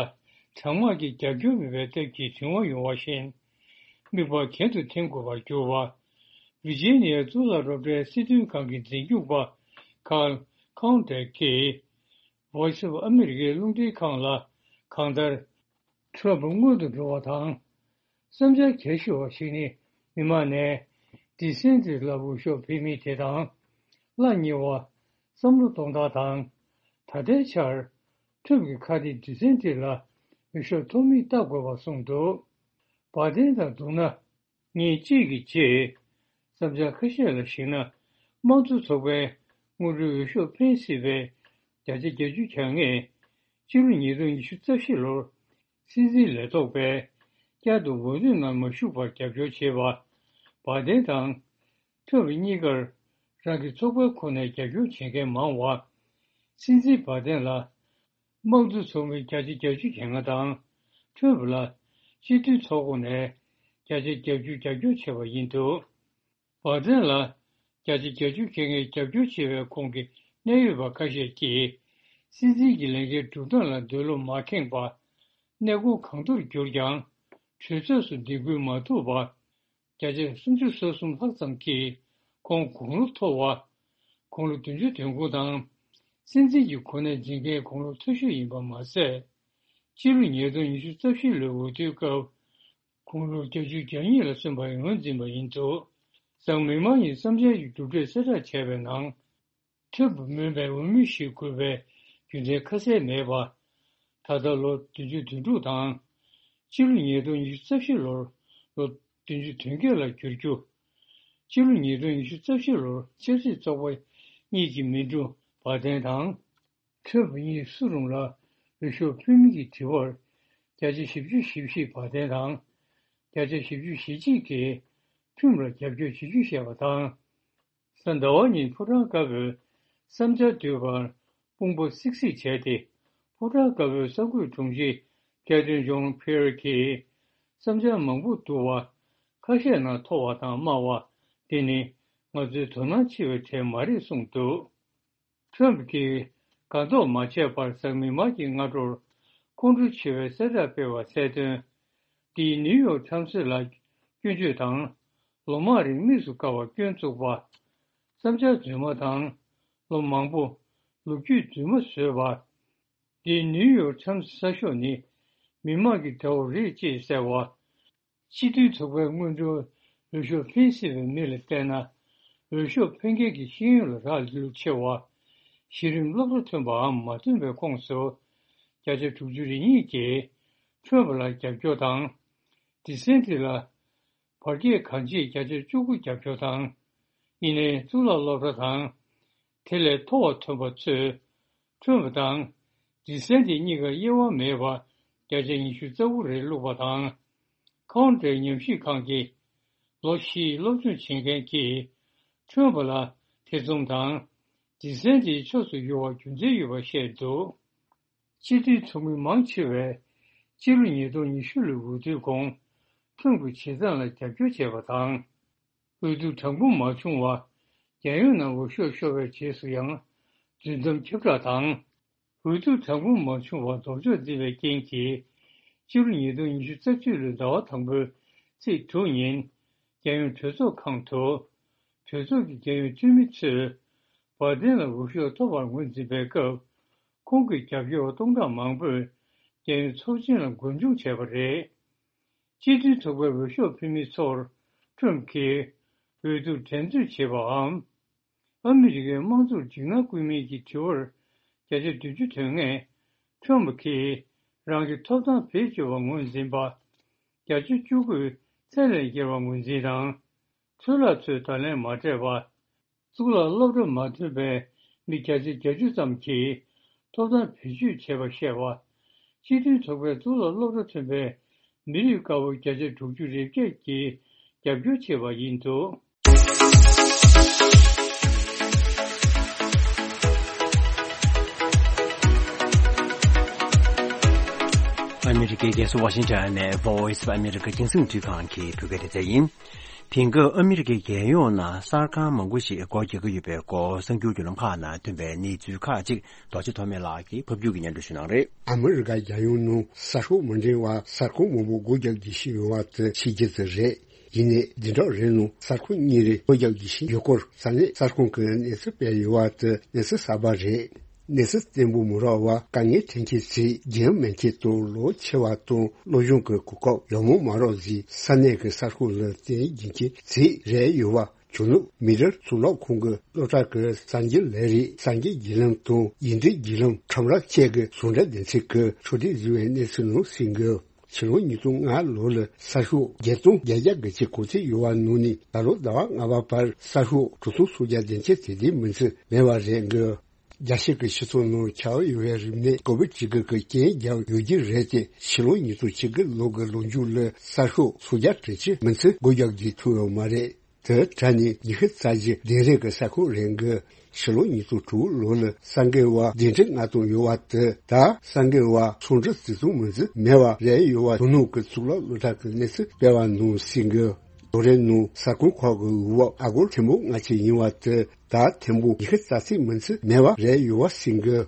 གྲང་དམག་གི་རྒྱབ་སྐྱོར་མེད་པའི་སྟབས་ཀྱིས་དོན་དབང་ཡོང་བ་བཞིན། དམིགས་པ་གྱེན་དུ་འཐེན་དགོས་པར་གྱུར་པ། ཝི་ཇི་ནི་ཡ་གཙུག་ལག་སློབ་གྲྭའི་སྲིད་དོན་ཁང་གི་འཛིན་སྐྱོང་པ་ཀཱརལ་ཁོང་ཏེ་ཀྱིས་Voice of America རླུང་འཕྲིན་ཁང་ལ་གང་ལྟར། ཁྲོམ་སྔོན་དུ་འགྲོ་བ་དང་། བསམ་འཆར་གལ་ཆེ་བ་ཞིག་ནི། མི་མང་ནས་ཌི་སེན་ཊིས་ལ་འོས་ཤོག་འཕེན་མིན་དེ་དང་། གླ་ཉེ་བ། བསམ་བློ་གཏོང་སྟངས་དང་། ད་ལྟའི་ཆར། ཁྲོམ་གྱི་ཁ་གཏད་ཌི་སེན་ཊིས་ལ་འོས་ཤོག་ཐོབ་མིན་བལྟ་དགོས་པ་གསུངས་འདུག་བ་དན་དང་བསྡུར་ན། ཉིན་གཅིག་གི་རྗེས། བསམ་འཆར་ཁ་ཤས་ལ་གཞིགས་ན། དམངས་གཙོ་ཚོགས་པའི་སྔོན་འགྲོའི་འོས་ཤོག་འཕེན་སྲིད་པའི་བརྒྱ་ཆ་བརྒྱད་ཅུ་གྱ་ལྔས། སྤྱི་ལོ་ཉིས་སྟོང་ཉི་ཤུ་རྩ་བཞི་ལོར། སྲིད་འཛིན་ལས་ཐོག་པས། བསྐྱར་དུ་འོས་བསྡུ་ནང་མ་ཞུགས་པར་རྒྱབ་སྐྱོར་བྱས་པ། བ་དན་དང་། ཁྲོམ་རི་གཉིས་ཀར། རང་གི་ཚོགས་པའི་ཁོངས་ནས་རྒྱབ་སྐྱོར་བྱེད་མཁན་མང་བ། སྲིད་འཛིན་བ་དན་ལ། དམངས་གཙོ་ཚོགས་མི་བརྒྱ་ཆ་བརྒྱད་ཅུ་གྱ་ལྔ་དང་། ཁྲོམ་ལ་སྤྱི་འཐུས་ཚོགས་ཁོངས་ནས་བརྒྱ་ཆ་བརྒྱད་ཅུ་རྒྱབ་སྐྱོར་བྱས་པ་ཡིན་འདུག་བ་དན་ལ་བརྒྱ་ཆ་བརྒྱད་ཅུ་གྱ་ལྔས་རྒྱབ་སྐྱོར་བྱས་པའི་ཁོངས་ཀྱི་གནད་ཡོད་པ་ཁ་ཤས་ཀྱིས། སྲིད་འཛིན་གྱི་ལས་འགན་སྒྲུབ་སྟངས་ལ་འདོད་བློ་མ་ཁེངས་པ། གནས་སྐོར་གང་ཐུབ་གྱུར་ཀྱང་། གྲོས་ཚོགས་སུ་འདེམས་ཁུལ་མ་ཐུབ་པ། བརྒྱ་ཆ་སུམ་ཅུ་སོ་གསུམ་ལྷག་ཙམ་གྱིས་ཁོང་དགུང་ལོ་མཐོ་བ། དགུང་ལོ་བདུན་ཅུ་དོན་དགུ་དང་། སྲིད་འཛིན་གྱི་གོ་གནས་འཛིན་མཁན་དགུང་ལོ་མཐོ་ཤོས་ཡིན་པ་མ་ཟད། སྤྱི་ལོ་ཉིས་སྟོང་ཉི་ཤུ་རྩ་བཞི་ལོའི་འོས་བསྡུའི་སྐབས། དགུང་ལོ་བརྒྱད་ཅུ་གྱ་གཉིས་ལ་སོན་པར་ངོས་འཛིན་པ་ཡིན་འདུག་གཟའ་མིག་དམར་ཉིན་བསམ་འཆར་གྱི་གྲུབ་འབྲས་གསལ་བསྒྲགས་བྱས་པའི་ནང་། ཁྲོམ་རི་མིན་པའི་འོས་མི་ཞིག་དགོས་པའི་རྒྱུ་མཚན་ཁ་གསལ་མེད་པ། ད་ལྟ་ལོ་བདུན་ཅུ་དོན་དྲུག་དང་། སྤྱི་ལོ་ཉིས་སྟོང་ཉི་ཤུ་རྩ་བཞི་ལོར་ལོ་བདུན་ཅུ་དོན་བརྒྱད་ལ་འགྱུར་རྒྱུ། སྤྱི་ལོ་ཉིས་སྟོང་ཉི་ཤུ་རྩ་བཞི་ལོར་ཆབ་སྲིད་བཙོག་པ་གཉིས་ཀྱི་མི་འགྲོ་བ་དན་དང་། ཁྲོམ་རི་གཉིས་སུ་རུང་ལ་འོས་ཤོག་ཕུལ་མིན་གྱི་དྲི་བར། བརྒྱ་ཆ་བཞི་བཅུ་ཞེ་བཞི་བ་དན་དང་། བརྒྱ་ཆ་བཞི་བཅུ་ཞེ་གཅིག་གིས་ཁྲོམ་རིར་རྒྱབ་སྐྱོར་བྱེད་རྒྱུ་བཤད་པ་དང་། གཟའ་ཟླ་བ་ཉིན་ཕོ་བྲང་དཀར་པོའི་བསམ་འཆར་བསྡུས་པར་དཔུང་པ་སིག་སིག་བྱས་ཏེ། ཕོ་བྲང་དཀར་པོའི་གསར་འགོད་དྲུང་ཆེ་ཀེ་ཐི་རིན་ཇོན་ཕི་ཡར་གྱིས། བསམ་འཆར་མང་པོ་བསྡུ་བ། ཁ་ཤས་ནང་མཐོ་བ་དང་དམའ་བ། འདི་ནི་ང་ཚོའི་དོ་སྣང་ཆེ་བའི་གྲས་མ་རེད་གསུངས་འདུག་ཁྲོམ་གྱིས་གང་ཐོག་མ་བྱས་པར་གཟའ་མིག་དམར་གྱི་སྔ་དྲོར་ཁོང་ཁྲོ་ཆེ་བའི་གསལ་བསྒྲགས་སྤེལ་བ་གསལ་དོན། འདིས་ནིའུ་ཡོག་ཊའིམ་སི་ལ་སྐྱོན་བརྗོད་དང་། ལོ་མང་རིང་དམིགས་སུ་བཀར་བར་སྐྱོན་བཙུགས་པ། བསམ་འཆར་རྫུན་མ་དང་། ལོ་མང་པོ་ལོ་རྒྱུས་རྫུན་མ་བཟོས་པ། འདིས་ནིའུ་ཡོག་ཊའིམ་སི་གསར་ཤོག་ནི་མི་དམངས་ཀྱི་དགྲ་བོ་རེད་ཅེས་གསལ་བ། སྤྱི་མཐུན་ཚོགས་པའི་སྔོན་འགྲོའི་འོས་ཤོག་འཕེན་སྲིད་པའི་མི་ལ་བལྟས་ན། འོས་ཤོག་འཕེན་མཁན་གྱི་ཤེས་ཡོན་ལ་རག་ལས་ལུགས་ཆེ་བ། གཞི་རིམ་སློབ་གྲྭ་ཐོན་པའམ་མ་ཐོན་པའི་ཁོངས་སུ་བརྒྱ་ཆ་དྲུག་ཅུ་རེ་གཉིས་ཀྱིས་ཁྲོམ་རི་ལ་རྒྱབ་སྐྱོར་དང་། ཌི་སེན་ཊི་ལ་བར་བརྒལ་གང་ཆེ་བརྒྱ་ཆ་བཅུ་དགུ་རྒྱབ་སྐྱོར་དང་། ཡིན་ནའི་གཙུག་ལག་སློབ་གྲྭ་དང་། དེ་ལས་མཐོ་བ་ཐོན་པ་ཚོས་ཁྲོམ་རི་དང་ཌི་སེན་ཊི་གཉིས་ཀར་དབྱེ་བ་མེད་པར་བརྒྱ་ཆ་ཉི་ཤུ་རྩ་དགུ་རེ་བླུགས་པ་དང་། ཁོང་ཊེ་ཉམས་ཞིབ་ཁང་གི་ལོ་བཞིའི་སློབ་སྦྱོང་བྱེད་མཁན་གྱིས་ ཁྲོམ་པ་ལ་ཐེ་ཚོམ་དང་། སྡེ་ཚན་དེའི་ཕྱོགས་སུ་ཡུར་བར་རྒྱུ་མཚན་ཡོད་པ་བཤད་འདུག་སྤྱི་མཐུན་ཚོགས་མི་མང་ཆེ་བས་སྤྱི་ལོ་ཉིས་སྟོང་ཉི་ཤུ་ལོའི་འོས་བསྡུའི་གོང་ཁྲོམ་གྱི་བྱེད་སྟངས་ལ་རྒྱབ་སྐྱོར་བྱས་པ་དང་། འོས་བསྡུ་གྲངས་འབོར་མ་བྱུང་བར་རྒྱལ་ཡོངས་ནང་འོས་ཤོག་ཤོར་བའི་རྗེས་སུ་ཡང་རྫུན་གཏམ་ཁྱབ་བསྒྲགས་དང་། འོས་བསྡུ་གྲངས་འབོར་མ་བྱུང་བར་ལྡོག་ཕྱོགས་འཛིན་པའི་རྐྱེན་གྱིས། སྤྱི་ལོ་ཉིས་སྟོང་ཉི་ཤུ་རྩ་གཅིག་ལོའི་ཟླ་བ་དང་པོའི་ཚེས་དྲུག་ཉིན། རྒྱལ་ཡོངས་གྲོས་ཚོགས་ཁང་དུ། གྲོས་ཚོགས་ཀྱི་རྒྱལ་ཡོངས་འཐུས་མི་ཚོས་བར་དན་ལ་འོས་ཤོག་ཐོབ་པར་ངོས་འཛིན་པའི་སྐབས། ཁོང་གི་རྒྱབ་སྐྱོར་བ་སྟོང་ཕྲག་མང་པོས་རྒྱལ་ཡོངས་ཚོགས་ཆེན་ལ་མགོ་མཇུག་བྱས་པ་རེད། སྤྱི་མཐུན་ཚོགས་པའི་འོས་ཤོག་ཕུལ་མི་ཚོར་ཁྲོམ་གྱིས་འོས་བསྡུར་འགྲན་རྩོད་བྱེད་པའམ། ཨ་མི་རི་ཀའི་དམངས་གཙོར་འཇིགས་སྣང་སྐུལ་མིན་གྱི་དྲི་བར་བརྒྱ་ཆ་བདུན་ཅུ་ཐོན་མཁན་ཁྲོམ་གྱིས་རང་གི་ཐོབ་ཐང་བེད་སྤྱོད་པར་ངོས་འཛིན་པ་བརྒྱ་ཆ་བཅུ་དགུས་ཚད་ལས་བརྒལ་བར་ངོས་འཛིན་དང་། ཚོད་ལྟ་ཚོས་བརྡ་ལན་མ་སྤྲད་པ། གཙུག་ལག་སློབ་གྲྭ་མ་ཐོན་པའི་མི་བརྒྱ་ཆ་བརྒྱད་ཅུ་ཙམ་གྱིས་ཐོབ་ཐང་བེད་སྤྱོད་བྱས་པ་བཤད་པ། སྤྱི་མཐུན་ཚོགས་པའི་གཙུག་ལག་སློབ་གྲྭ་ཐོན་པའི་མི་རིགས་དཀར་པོ་བརྒྱ་ཆ་དྲུག་ཅུ་རེ་བརྒྱད་ཀྱིས་རྒྱབ་སྐྱོར་བྱས་པ་ཡིན་འདུག་ཨ་མི་རི་ཀའི་རྒྱལ་ས་ཝ་ཤིང་ཊོན་ནས་Voice of America་རྒྱང་སྲིང་རླུང་འཕྲིན་ཁང་གི་བོད་སྐད་སྡེ་ཚན་ཡིན། དེང་སྐབས་ཨ་མི་རི་ཀའི་རྒྱལ་ཡོངས་ནང་གསར་ཁང་མང་པོ་ཞིག་སྒོ་རྒྱག་གི་ཡོད་པའི་སྐོར་གསར་འགྱུར་བརྒྱུད་ལམ་ཁག་ནང་ཐོན་པའི་གནས་ཚུལ་ཁག་ཅིག་རྡོ་རྗེ་ཐོགས་མེད་ལགས་ཀྱིས་ཕབ་སྒྱུར་གྱིས་སྙན་སྒྲོན་ཞུ་གནང་རེད། ཨ་མི་རི་ཀ་རྒྱལ་ཡོངས་ནང་གསར་ཤོག་མ་འབྲེལ་བར་གསར་ཁང་མང་པོ་སྒོ་རྒྱག་རྒྱུ་ཞིག་ཡོད་པ་དེ་ཕྱི་རྒྱལ་དུ་རེད། ཡིན་ནའི་འདི་འདྲ་རེད་ནོ། གསར་ཁང་གཉིས་རེ་སྒོ་རྒྱག་རྒྱུ་ཞིག་ཡོད་སྐོར་ས་གནས་གསར་ཁང་གི་གནས་ཚུལ་སྤེལ་ཡོད་པ་དེ་གནས་ཚུལ་གསར་པ་རེད། གནས་ཚུལ་བརྟན་པོ་མ་རག་པར་དཀའ་ངལ་འཕྲད་མཁན་ཚོས་རྒྱུས་མེད་མཁན་དང་ལོ་ཆེ་བ་དང་སློབ་སྦྱོང་གི་གོ་སྐབས་ཡག་མོ་མ་རག་ཚེ་ས་གནས་ཀྱི་གསར་ཤོག་ལ་བརྟེན་རྒྱུ་མཁན་ཚོས་རེད་ཡོད་པ། ཇོ་ནང་མི་རིགས་གཙུག་ལག་ཁང་གི་སློབ་གྲྭ་གི་གསར་འགྱུར་ལས་རིགས་གསར་འགྱུར་བརྒྱུད་ལམ་དང་ཡིག་འབྲེལ་བརྒྱུད་ལམ་ཁྲོམ་ར་བཅས་ཀྱི་ཟུང་འབྲེལ་སྡེ་ཚན་གྱིས་ཕྱོགས་སྒྲིག་བཟོས་པའི་གནས་ཚུལ་ནང་གསུངས་ཡོད། ཕྱི་ལོ་ཉིས་སྟོང་ལྔ་ལོ་ལ་གསར་ཤོག་བརྒྱད་སྟོང་བརྒྱད་བརྒྱ་གི་ཆེད་གོ་ཚད་ཡོད་པ་ནང་ནས་ད་ལོ་ཟླ་བ་ལྔ་པ་བར་གསར་ཤོག་དྲུག་སྟོང་སུམ་བརྒྱ་དེ་ཅན་དེ་དེའི་མིང་ཚིག་མེད་པ་རེད་འགོད། རྒྱལ་སྤྱི་གི་སྤྱི་ཚོགས་ནང་ཁྱབ་ཡོད་པའི་རིམས་ནད་ཀོ་བིད་བཅུ་དགུ་གི་རྐྱེན་བརྒྱབ་ཡོད་རྒྱུ་རེད་དེ། ཕྱི་ལོ་ཉིས་སྟོང་བཅུ་དགུ་ལོ་གི་ལོ་མཇུག་ལ་གསར་ཤོག་སུམ་བརྒྱ་དྲུག་ཅུ་མིང་ཚིག་སྒོ་རྒྱག་རྒྱུ་ཐུབ་ཡོད་མ་རེད། དེ་གྲས་ནས་ཉི་ཤུ་རྩ་བཞི་དེང་རབས་ཀྱི་གསར་ཁང་རེད་འགོད། ཕྱི་ལོ་ཉིས་སྟོང་དྲུག་ལོ་ལ་གསར་འགོད་པ་བདུན་ཁྲི་ལྔ་སྟོང་ཡོད་པ་དེ་ད་གསར་འགོད་པ་སུམ་ཁྲི་བཞི་སྟོང་མིན་ཚད་མེད་པ་རེད་ཡོད་པ། ཇོ་ནང་གི་གཙུག་ལག་སློབ་གྲྭ་གི་གནས་ཚུལ་སྤེལ་བ་ནང་གསུངས་འགོད། ལོ་རེ་ནང་གསར་ཁང་ཁག་གི་འོས་འབབ་ཨ་སྒོར་ཐེར་འབུམ་ལྔ་བཅུ་ཡིན་པ་དེ་ད་ཐེར་འབུམ་ཉི་ཤུ་རྩ་གཅིག་མིན་ཚད་མེད་པ་རེད་ཡོད་པ་གསུངས་འགོད།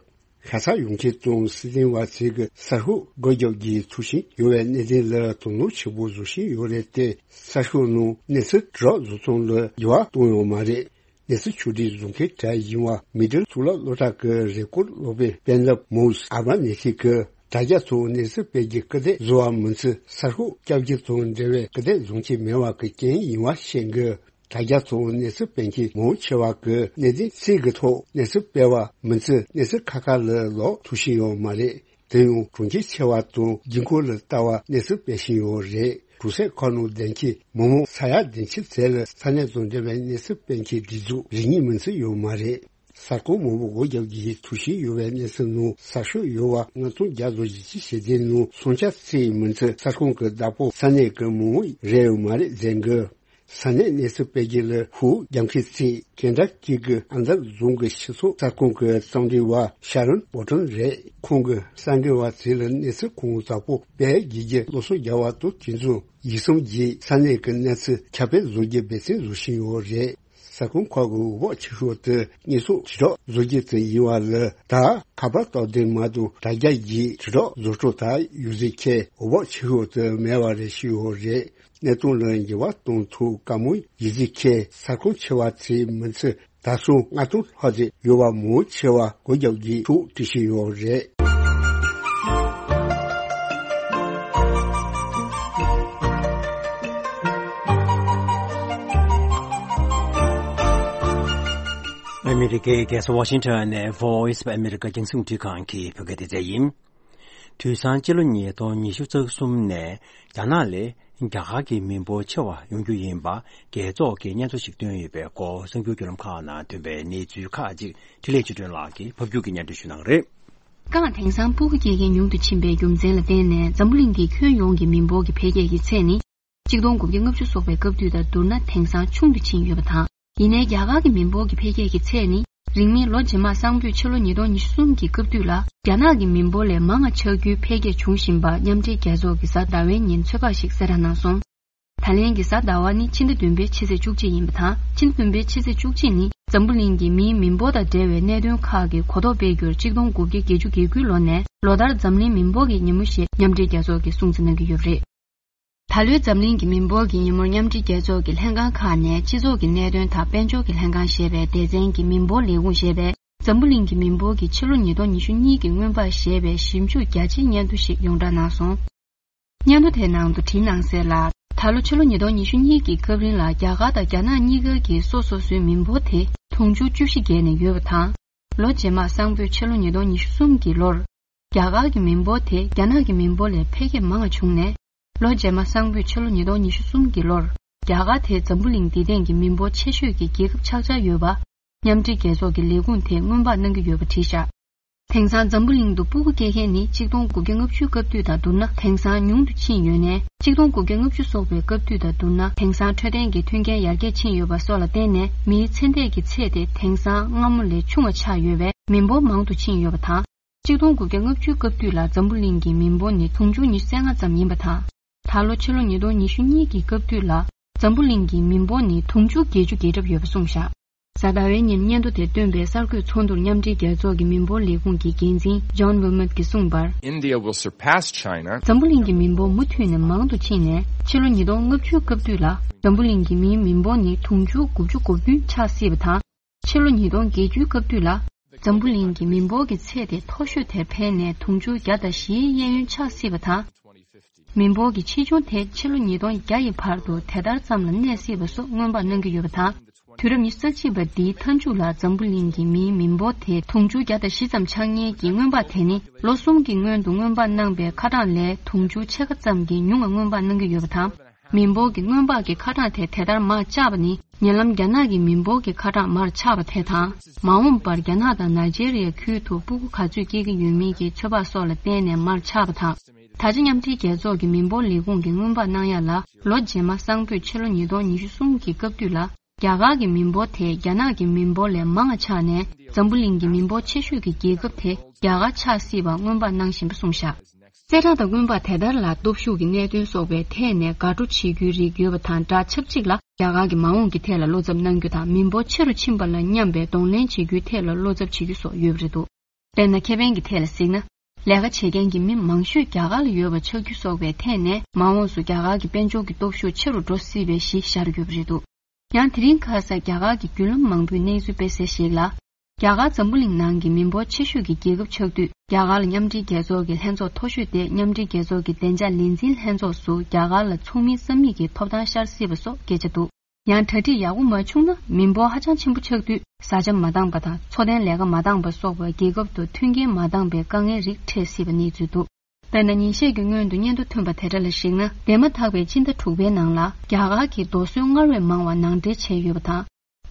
ཁ་ཚ་ཡོང་མཁན་དང་སྲིད་དོན་བ་ཚོས་ཀྱི་གསར་ཤོག་སྒོ་རྒྱག་རྒྱུའི་ཐུགས་བཞེད་ཡོད་པའི་གནད་དོན་ལ་དོ་སྣང་ཆེན་པོ་བཟོ་བཞིན་ཡོད་རེད་དེ། གསར་ཤོག་ནང་གནས་ཚུལ་དྲིལ་བསྒྲགས་བཟོ་སྟངས་ལ་འགྱུར་བ་གཏོང་ཡོད་མ་རེད། གནས་ཚུལ་ཕྱོགས་སྒྲིག་བཟོ་མཁན་གྲས་ཡིན་པ་མི་ཌལ་གཙུག་ལག་སློབ་གྲྭ་གི་རེས་སྐོར་སློབ་དཔོན་སྤེན་ལབ་མོས་ཨལ་མ་ནེ་ཤི་གིས་དྲ་རྒྱ་ཐོག་གནས་ཚུལ་སྤེལ་རྒྱུ་སྐུལ་འདེད་བཟོ་བ་མིན་ཚད་གསར་ཤོག་སྐྱབས་རྒྱུ་དང་འབྲེལ་བའི་སྐུལ་འདེད་བཟོ་མཁན་མེད་པ་གི་རྐྱེན་ཡིན་པ་བཤད་འགོད། དྲ་རྒྱ་ཐོག་གནས་ཚུལ་སྤེལ་མཁན་མང་ཆེ་བ་གིས་གནད་དོན་གསར་གྱི་ཐོག་གནས་ཚུལ་སྤེལ་བ་མིན་ཚད་གནས་ཚུལ་ཁ་ཁ་ལ་ལོག་ཐུབ་བཞིན་ཡོད་མ་རེད། དེ་ཡང་གྲོང་ཁྱེར་ཆེ་བ་དང་རྒྱུན་འཁོར་ལ་ལྟ་བ་གནས་ཚུལ་སྤེལ་བཞིན་ཡོད་རེད། གྲོང་གསེབ་ཁག་ནང་བསྡད་མཁན་མི་མང་ས་ཡ་བདུན་ཅུ་ཙམ་ལ་ས་གནས་དང་འབྲེལ་བའི་གནས་ཚུལ་སྤེལ་མཁན་སྒྲིག་འཛུགས་རེ་གཉིས་མིན་ཚད་ཡོད་མ་རེད། གསར་ཁང་མང་པོ་སྒོ་རྒྱག་རྒྱུའི་ཐུགས་བཞེད་ཡོད་པའི་གནས་ཚུལ་ནང་གསར་ཤོག་ཡོད་པ་ལྔ་སྟོང་བརྒྱ་དང་བཞི་བཅུ་ཞེ་བདུན་ནང་སུམ་ཆ་གཅིག་མིན་ཚད་གསར་ཁང་གི་བདག་པོ་ས་གནས་ཀྱི་མི་མང་རེད་ཡོད་མ་རེད་ཟེར་འགོད། ས་གནས་གནས་ཚུལ་སྤེལ་རྒྱུ་ལ་ཤུགས་རྒྱག་མཁན་གཅིག་ཀེན་ཊ་ཀི་གི་ཨན་ཌར་རྫོང་གི་སྤྱི་ཚོགས་གསར་ཁང་གི་གཙང་སྦྲའི་བ་ཤ་རོན་བོ་ཊོན་རེད། ཁོང་གིས་གསར་འགོད་པ་ཚོ་ལ་གནས་ཚུལ་གང་དག་པོ་སྤེལ་དགོས་རྒྱུ་སློབ་གསོ་རྒྱག་པ་དང་དུས་མཚུངས་ཡིག་ཟམ་བརྒྱུད་ས་གནས་ཀྱི་གནས་ཚུལ་ཁྱབ་སྤེལ་བཟོ་རྒྱུའི་འབད་བརྩོན་བཟོ་བཞིན་ཡོད་རེད། གསར་ཁང་ཁག་གི་འོས་འབབ་ཆེ་ཤོས་དེ་དངོས་སུ་དྲིལ་བསྒྲགས་བཟོ་རྒྱུ་དེ་ཡིན་པ་ལ་ད་ཁ་པར་སྟབས་བདེ་མ་གཏོགས་དྲ་རྒྱ་བརྒྱུད་དྲིལ་བསྒྲགས་བཟོ་སྤྲོ་ད་ཡོད་ཚད་ཁྱད་འོས་འབབ་ཆེ་ཤོས་དེ་མེད་པ་རེད་ཞུས་ཡོད་རེད། གནས་སྟངས་ལ་འགྱུར་བ་གཏོང་ཐུབ་དཀའ་མོ་ཡིན་ཚད་ཁྱད་གསར་ཁང་ཆེ་བ་ཚོའི་མིང་ཚིག་ད་སོང་ལྔ་སྟོང་ལྷག་ཙམ་ཡོད་པ་མང་ཆེ་བ་སྒོ་རྒྱག་རྒྱུའི་ཐུགས་བྲེལ་བཞིན་ཡོད་རེད། ཨ་མི་རི་ཀའི་རྒྱལ་ས་ཝ་ཤིང་ཊོན་ནས་Voice of America་རྒྱང་སྲིང་རླུང་འཕྲིན་ཁང་གི་བོད་སྐད་སྡེ་ཚན་ཡིན། དུས་སང་སྤྱི་ལོ་ཉིས་སྟོང་ཉི་ཤུ་རྩ་གསུམ་ནས་རྒྱ་ནག་ལས་རྒྱ་གར་གྱི་མི་འབོར་ཆེ་བ་ཡོང་རྒྱུ་ཡིན་པ་རྒྱལ་ཚོགས་ཀྱི་སྙན་ཐོ་ཞིག་བཏོན་ཡོད་པའི་སྐོར་གསར་འགྱུར་བརྒྱུད་ལམ་ཁག་ནང་ཐོན་པའི་གནས་ཚུལ་ཁག་ཅིག་འཕྲིན་ལས་ཆོས་སྒྲོན་ལགས་ཀྱིས་ཕབ་སྒྱུར་གྱིས་སྙན་སྒྲོན་ཞུ་གནང་གི་རེད། རྐང་དེང་སང་སྤུ་གུ་སྐྱེ་མཁན་ཉུང་དུ་ཕྱིན་པའི་རྒྱུ་མཚན་ལ་བརྟེན་ནས་འཛམ་བུ་གླིང་གི་ཁྱོན་ཡོངས་ཀྱི་མི་འབོར་གྱི་འཕེལ་རྒྱས་ཀྱི་ཚད་ནི་གཅིག་སྟོང་དགུ་བརྒྱ་ལྔ་བཅུ་སོགས་པའི་སྐབས་དུས་དང་བསྡུར་ན་དེང་སང་ཆུང་དུ་ཕྱིན་ཡོད་པ་དང་ ཡིན་ནའི་རྒྱ་གར་གྱི་མི་འབོར་གྱི་འཕེལ་རྒྱས་ཀྱི་ཚད་ནི། རིང་མིན་ལོ་རྗེས་མ་སང་ཕོད་ཕྱི་ལོ་ཉིས་སྟོང་ཉི་ཤུ་གསུམ་གྱི་སྐབས་དུས་ལ། རྒྱ་ནག་གི་མི་འབོར་ལས་མང་བ་ཆགས་རྒྱུའི་འཕེལ་རྒྱས་འབྱུང་བཞིན་པ་མཉམ་འབྲེལ་རྒྱལ་ཚོགས་ཀྱིས་གཟའ་ཟླ་བའི་ཉིན་ཚོད་དཔག་ཞིག་གསལ་བསྒྲགས་གནང་སོང་། ད་ལན་གྱི་གཟའ་ཟླ་བ་ནི་ཕྱི་ཟླ་བདུན་པའི་ཕྱི་ཚེས་བཅུ་གཅིག་ཡིན་པ་དང་། ཕྱི་ཟླ་བདུན་པའི་ཕྱི་ཚེས་བཅུ་གཅིག་ནི་འཛམ་བུ་གླིང་གི་མིའི་མི་འབོར་དང་འབྲེལ་བའི་གནད་དོན་ཁག་གི་གོ་རྟོགས་སྤེལ་རྒྱུར་གཅིག་སྟོང་དགུ་བརྒྱ་བརྒྱད་ཅུ་གྱ་དགུའི་ལོ་ནས་ལོ་ལྟར་འཛམ་གླིང་མི་འབོར་གྱི་ཉིན་མོ་ཞེས་མཉམ་འབྲེལ་རྒྱལ་ཚོགས་ཀྱིས་སྲུང་བརྩི་གནང་གི་ཡོད་པ་རེད། ད་ལོའི་འཛམ་གླིང་གི་མི་འབོར་གྱི་ཉིན་མོར་མཉམ་འབྲེལ་རྒྱལ་ཚོགས་ཀྱི་ལྷན་ཁང་ཁག་ནས་སྤྱི་ཚོགས་ཀྱི་གནད་དོན་དང་དཔལ་འབྱོར་གྱི་ལྷན་ཁང་ཞེས་པའི་སྡེ་ཚན་གྱི་མི་འབོར་ལས་ཁུངས་ཞེས་པས་འཛམ་བུ་གླིང་གི་མི་འབོར་གྱི་ཕྱི་ལོ་ཉིས་སྟོང་ཉི་ཤུ་གཉིས་ཀྱི་སྔོན་དཔག་ཞེས་པའི་ཞིབ་འཇུག་རྒྱ་ཆེའི་སྙན་ཐོ་ཞིག་ཡོངས་བསྒྲགས་གནང་སོང་། སྙན་ཐོ་དེའི་ནང་དུ་བྲིས་གནང་གསལ་ལ། ད་ལོ་ཕྱི་ལོ་ཉིས་སྟོང་ཉི་ཤུ་གཉིས་ཀྱི་སྐབས་རིང་ལ་རྒྱ་གར་དང་རྒྱ་ནག་གཉིས་ཀ་གི་སོ་སོ་སོའི་མི་འབོར་དེ་དུང་ཕྱུར་བཅུ་བཞི་བརྒལ་ནས་ཡོད་པ་དང་། ལོ་རྗེས་མ་སང་ཕོད་ཕྱི་ལོ་ཉིས་སྟོང་ཉི་ཤུ་གསུམ་གྱི་ལོར། རྒྱ་གར་གྱི་མི་འབོར་དེ་རྒྱ་ནག་གི་མི་འབོར་ལས་འཕེལ་རྒྱས་མང་བ་བྱུང་ནས། ལོ་རྗེས་མ་སང་ཕོད་ཕྱི་ལོ་ཉིས་སྟོང་ཉི་ཤུ་གསུམ་གྱི་ལོར། རྒྱ་གར་དེ་འཛམ་བུ་གླིང་འདི་སྟེང་གི་མི་འབོར་ཆེ་ཤོས་ཀྱི་རྒྱལ་ཁབ་ཆགས་འཆར་ཡོད་པ། མཉམ་འབྲེལ་རྒྱལ་ཚོགས་ཀྱི་ལས་ཁུངས་དེས་སྔོན་དཔག་གནང་གི་ཡོད་པ་བྲིས་བཞག་དེང་སང་འཛམ་བུ་གླིང་དུ་སྤུ་གུ་སྐྱེ་མཁན་ནི་གཅིག་སྟོང་དགུ་བརྒྱ་ལྔ་བཅུ་སྐབས་དུས་དང་བསྡུར་ན་དེང་སང་ཉུང་དུ་ཕྱིན་ཡོད་ནས། གཅིག་སྟོང་དགུ་བརྒྱ་ལྔ་བཅུ་སོགས་པའི་སྐབས་དུས་དང་བསྡུར་ན་དེང་སང་འཕྲོད་བསྟེན་གྱི་མཐུན་རྐྱེན་ཡར་རྒྱས་ཕྱིན་ཡོད་པ་སོགས་ལ་བརྟེན་ནས་མིའི་ཚེ་འདས་ཀྱི་ཚད་དེ་དེང་སང་སྔ་མོ་ལས་ཆུང་བ་ཆགས་ཡོད་པས་མི་འབོར་མང་དུ་ཕྱིན་ཡོད་པ་དང་། གཅིག་སྟོང་དགུ་བརྒྱ་ལྔ་བཅུའི་སྐབས་དུས་ལ་འཛམ་བུ་གླིང་གི་མི་འབོར་ནི་དུང་ཕྱུར་ཉི་ཤུ་རྩ་ལྔ་ཙམ་ཡིན་པ་དང་། ད་ལོ་ཕྱི་ལོ་ཉིས་སྟོང་ཉི་ཤུ་གཉིས་ཀྱི་སྐབས་དུས་ལ་འཛམ་བུ་གླིང་གི་མི་འབོར་ནི་དུང་ཕྱུར་བརྒྱད་ཅུ་བརྒལ་གྲབས་ཡོད་པ་གསུངས་བཞག་གཟའ་ཟླ་བའི་ཉིན་སྙན་ཐོ་དེ་བཏོན་པའི་གསར་འགོད་ཚོགས་འདུར་མཉམ་འབྲེལ་རྒྱལ་ཚོགས་ཀྱི་མི་འབོར་ལས་ཁུངས་ཀྱི་འགན་འཛིན་John Wilmot གྱིས་གསུངས་པར། India will surpass China. འཛམ་བུ་གླིང་གི་མི་འབོར་མུ་མཐུད་ནས་མང་དུ་ཕྱིན་ནས་ཕྱི་ལོ་ཉིས་སྟོང་ལྔ་བཅུའི་སྐབས་དུས་ལ་འཛམ་བུ་གླིང་གི་མིའི་མི་འབོར་ནི་དུང་ཕྱུར་དགུ་བཅུ་གོ་བདུན་ཆགས་སྲིད་པ་དང་། ཕྱི་ལོ་ཉིས་སྟོང་བརྒྱད་ཅུའི་སྐབས་དུས་ལ་འཛམ་བུ་གླིང་གི་མི་འབོར་གྱི་ཚད་དེ་མཐོ་ཤོས་དེར་འཕེལ་ནས་དུང་ཕྱུར་བརྒྱ་དང་བཞིའི་གཡས་གཡོན་ཆགས་སྲིད་པ་དང་། མི་འབོར་གྱི་ཆེ་ཆུང་དེ་ཕྱི་ལོ་ཉིས་སྟོང་བརྒྱ་ཡི་བར་དུ་དེ་ལྟར་ཙམ་ལ་གནས་སྲིད་པ་སོགས་སྔོན་དཔག་གནང་གི་ཡོད་པ་དང་། དུས་རབས་ཉི་ཤུ་རྩ་གཅིག་པ་འདིའི་མཐའ་མཇུག་ལ་འཛམ་བུ་གླིང་གི་མིའི་མི་འབོར་དེ་དུང་ཕྱུར་བརྒྱ་དང་བཞི་ཙམ་ཆགས་ཉེན་གྱི་སྔོན་དཔག་དེ་ནི་ལོ་གསུམ་གྱི་སྔོན་དུ་སྔོན་དཔག་གནང་པའི་ཁ་གྲངས་ལས་དུང་ཕྱུར་ཕྱེད་ཀ་ཙམ་གྱིས་ཉུང་བ་སྔོན་དཔག་གནང་གི་ཡོད་པ་དང་། མི་འབོར་གྱི་སྔོན་དཔག་གི་ཁ་གྲངས་དེ་དེ་ལྟར་མར་བཅག་པ་ནི་ཉེ་ལམ་རྒྱ་ནག་གི་མི་འབོར་གྱི་ཁ་གྲངས་མར་ཆག་པ་དེ་དང་། མ་འོངས་པར་རྒྱ་ནག་དང་ནཱི་ཇེ་རི་ཡ་ཁུལ་དུ་སྤུ་གུ་ག་ཚོད་སྐྱེ་གི་ཡོད་མིན་གྱི་ཚོད་དཔག་སོགས་ལ་བརྟེན་ནས་མར་ཆག་པ་དང་། ད་ཆ་མཉམ་འབྲེལ་རྒྱལ་ཚོགས་ཀྱི་མི་འབོར་ལས་ཁུངས་ཀྱིས་སྔོན་དཔག་གནང་ཡ་ལ་ལོ་རྗེས་མ་སང་ཕོད་ཕྱི་ལོ་ཉིས་སྟོང་ཉི་ཤུ་གསུམ་གྱི་སྐབས་དུས་ལ་རྒྱ་གར་གྱི་མི་འབོར་དེ་རྒྱ་ནག་གི་མི་འབོར་ལས་མང་བ་ཆགས་ནས་འཛམ་བུ་གླིང་གི་མི་འབོར་ཆེ་ཤོས་ཀྱི་རྒྱལ་ཁབ་དེ་རྒྱ་གར་ཆགས་སྲིད་པ་སྔོན་དཔག་གནང་བཞིན་པ་གསུངས་བཞག་གསལ་བསྒྲགས་དང་སྔོན་དཔག་དེ་ལྟར་ལ་སྟོབས་ཤུགས་ཀྱི་གནད་དོན་སོགས་པའི་ཐད་ནས་དགའ་སྤྲོ་བྱེད་རྒྱུའི་རིགས་ཡོད་པ་དང་སྦྲགས་ཆབས་ཅིག་ལ་རྒྱ་གར་གྱི་མ་འོངས་ཀྱི་ཐད་ལ་བློ་འཚབ་གནང་རྒྱུ་དང་མི་འབོར་ཆེ་རུ་ཕྱིན་པ་ལ་མཉམ་པའི་གདོང་ལེན་བྱེད་རྒྱུའི་ཐད་ལ་བློ་འཚབ་བྱེད་རྒྱུ་སོགས་ཡོད་པ་རེད་འདུག་དཔེར་ན་ཁེ་ཕན་གྱི་ཐད་ལ་གཟིགས་ན། ལས་ཀ་བྱེད་མཁན་གྱི་མི་མང་ཤོས་རྒྱ་གར་ལ་ཡོད་པ་ཆགས་རྒྱུ་སོགས་པའི་ཐད་ནས་མ་འོངས་སུ་རྒྱ་གར་གྱི་དཔལ་འབྱོར་གྱི་སྟོབས་ཤུགས་ཆེ་རུ་འགྲོ་སྲིད་པའི་གཞི་བཞག་ཡོད་པ་རེད་འདུག་ཡང་དེ་རིང་ཁ་སང་རྒྱ་གར་གྱི་བརྒྱུད་ལམ་མང་པོས་གནས་ཚུལ་སྤེལ་གསལ་ཞིག་ལ། རྒྱ་གར་འཛམ་བུ་གླིང་ནང་གི་མི་འབོར་ཆེ་ཤོས་ཀྱི་རྒྱལ་ཁབ་ཆགས་དུས་རྒྱ་གར་ལ་མཉམ་འབྲེལ་རྒྱལ་ཚོགས་ཀྱི་ལྷན་ཚོགས་མཐོ་ཤོས་ཏེ་མཉམ་འབྲེལ་རྒྱལ་ཚོགས་ཀྱི་བདེ་འཇགས་ལས་འཛིན་ལྷན་ཚོགས་སུ་རྒྱ་གར་ལ་ཚོགས་མི་རྩ་མེད་ཀྱི་ཐོབ་ཐང་ཤར་སྲིད་པ་སོགས་སྐད་ཆ་འདུག་ཡང་གྲ་སྒྲིག་ཡག་པོ་མ་བྱུང་ན་མི་འབོར་ཧ་ཅང་ཆེན་པོ་ཆགས་དུས་བཟའ་བཅའ་མ་འདང་པ་དང་འཚོ་རྟེན་ལས་ཀ་མ་འདང་པ་སོགས་པ་རྒྱལ་ཁབ་ཏུ་མཐུན་རྐྱེན་མ་འདང་པའི་དཀའ་ངལ་རིགས་འཕྲད་སྲིད་པ་གནས་ཚུལ་འདུག་དཔེར་ན་ཉིན་ཤས་ཀྱི་སྔོན་དུ་སྙན་ཐོ་ཐོན་པ་དེ་འདྲ་ལ་གཞིགས་ན། འདས་མ་ཐག་པའི་སྤྱི་ཟླ་དྲུག་པའི་ནང་ལ་རྒྱ་གར་གྱིས་རྡོ་སོལ་སྔར་བས་མང་བ་ནང་འདྲེན་བྱས་ཡོད་པ་དང་།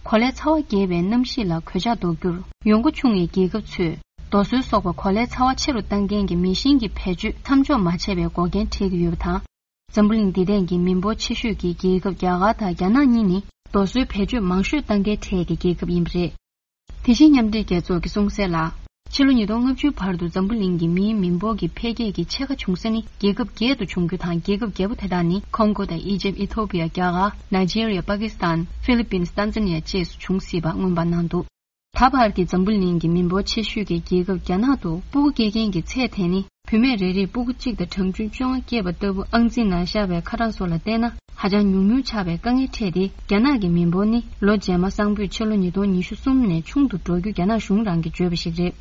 གོ་ལའི་ཚ་བ་རྒྱས་པའི་གནམ་གཤིས་ལ་གོད་ཆག་ཟློག་རྒྱུར་ཡོང་སྒོ་ཆུང་བའི་རྒྱལ་ཁབ་ཚོས་རྡོ་སོལ་སོགས་པ་གོ་ལའི་ཚ་བ་ཆེ་རུ་གཏང་མཁན་གྱི་མེ་ཤིང་གི་བེད་སྤྱོད་མཚམས་འཇོག་མ་བྱས་པའི་འགོག་རྐྱེན་འཕྲད་ཀྱི་ཡོད་པ་དང་། འཛམ་བུ་གླིང་འདི་སྟེང་གི་མི་འབོར་ཆེ་ཤོས་ཀྱི་རྒྱལ་ཁབ་རྒྱ་གར་དང་རྒྱ་ནག་གཉིས་ནི་རྡོ་སོལ་བེད་སྤྱོད་མང་ཤོས་གཏང་མཁན་གྲས་ཀྱི་རྒྱལ་ཁབ་ཡིན་པ་རེད། དེ་བཞིན་མཉམ་འབྲེལ་རྒྱལ་ཚོགས་ཀྱིས་གསུངས་གསལ་ལ། ཕྱི་ལོ་ཉིས་སྟོང་ལྔ་བཅུའི་བར་དུ་འཛམ་བུ་གླིང་གི་མིའི་མི་འབོར་གྱི་འཕེལ་རྒྱས་ཀྱི་ཕྱེད་ཀ་བྱུང་ས་ནི་རྒྱལ་ཁབ་བརྒྱད་དུ་བྱུང་རྒྱུ་དང་། རྒྱལ་ཁབ་བརྒྱད་པོ་དེ་དག་ནི་ཁོང་གོ་དང་ཨི་ཇིབ། ཨི་ཐོ་པི་ཡ། རྒྱ་གར། ནཱི་ཇེ་རི་ཡ། པ་ཀི་སི་ཐན། ཧྥི་ལི་པིན། ཏན་ཛ་ནི་ཡ་བཅས་སུ་འབྱུང་སྲིད་པ་སྔོན་དཔག་གནང་འདུག་ད་བར་གྱི་འཛམ་བུ་གླིང་གི་མི་འབོར་ཆེ་ཤོས་ཀྱི་རྒྱལ་ཁབ་རྒྱ་ནག་ཏུ་སྤུ་གུ་སྐྱེ་མཁན་གྱི་ཚད་དེ་ནི་བུད་མེད་རེ་རེས་སྤུ་གུ་གཅིག་དང་གྲངས་ཆུང་བཅོ་ལྔ་སྐྱེས་པ་ལྟ་བུ་ཨང་རྩིས་ནང་བཞག་པའི་ཁ་གྲངས་སོགས་ལ་བལྟས་ན་ཧ་ཅང་ཉུང་ཉུང་ཆགས་པའི་དཀའ་ངལ་འཕྲད་དེ། རྒྱ་ནག་གི་མི་འབོར་ནི་ལོ་རྗེས་མ་སང་ཕོད་ཕྱི་ལོ་ཉིས་སྟོང་ཉི་ཤུ་གསུམ་ནས་ཆུང་དུ་འགྲོ་རྒྱུ་རྒྱ་ནག་གཞུང་རང་གིས་བརྗོད་པ་ཞིག་རེད།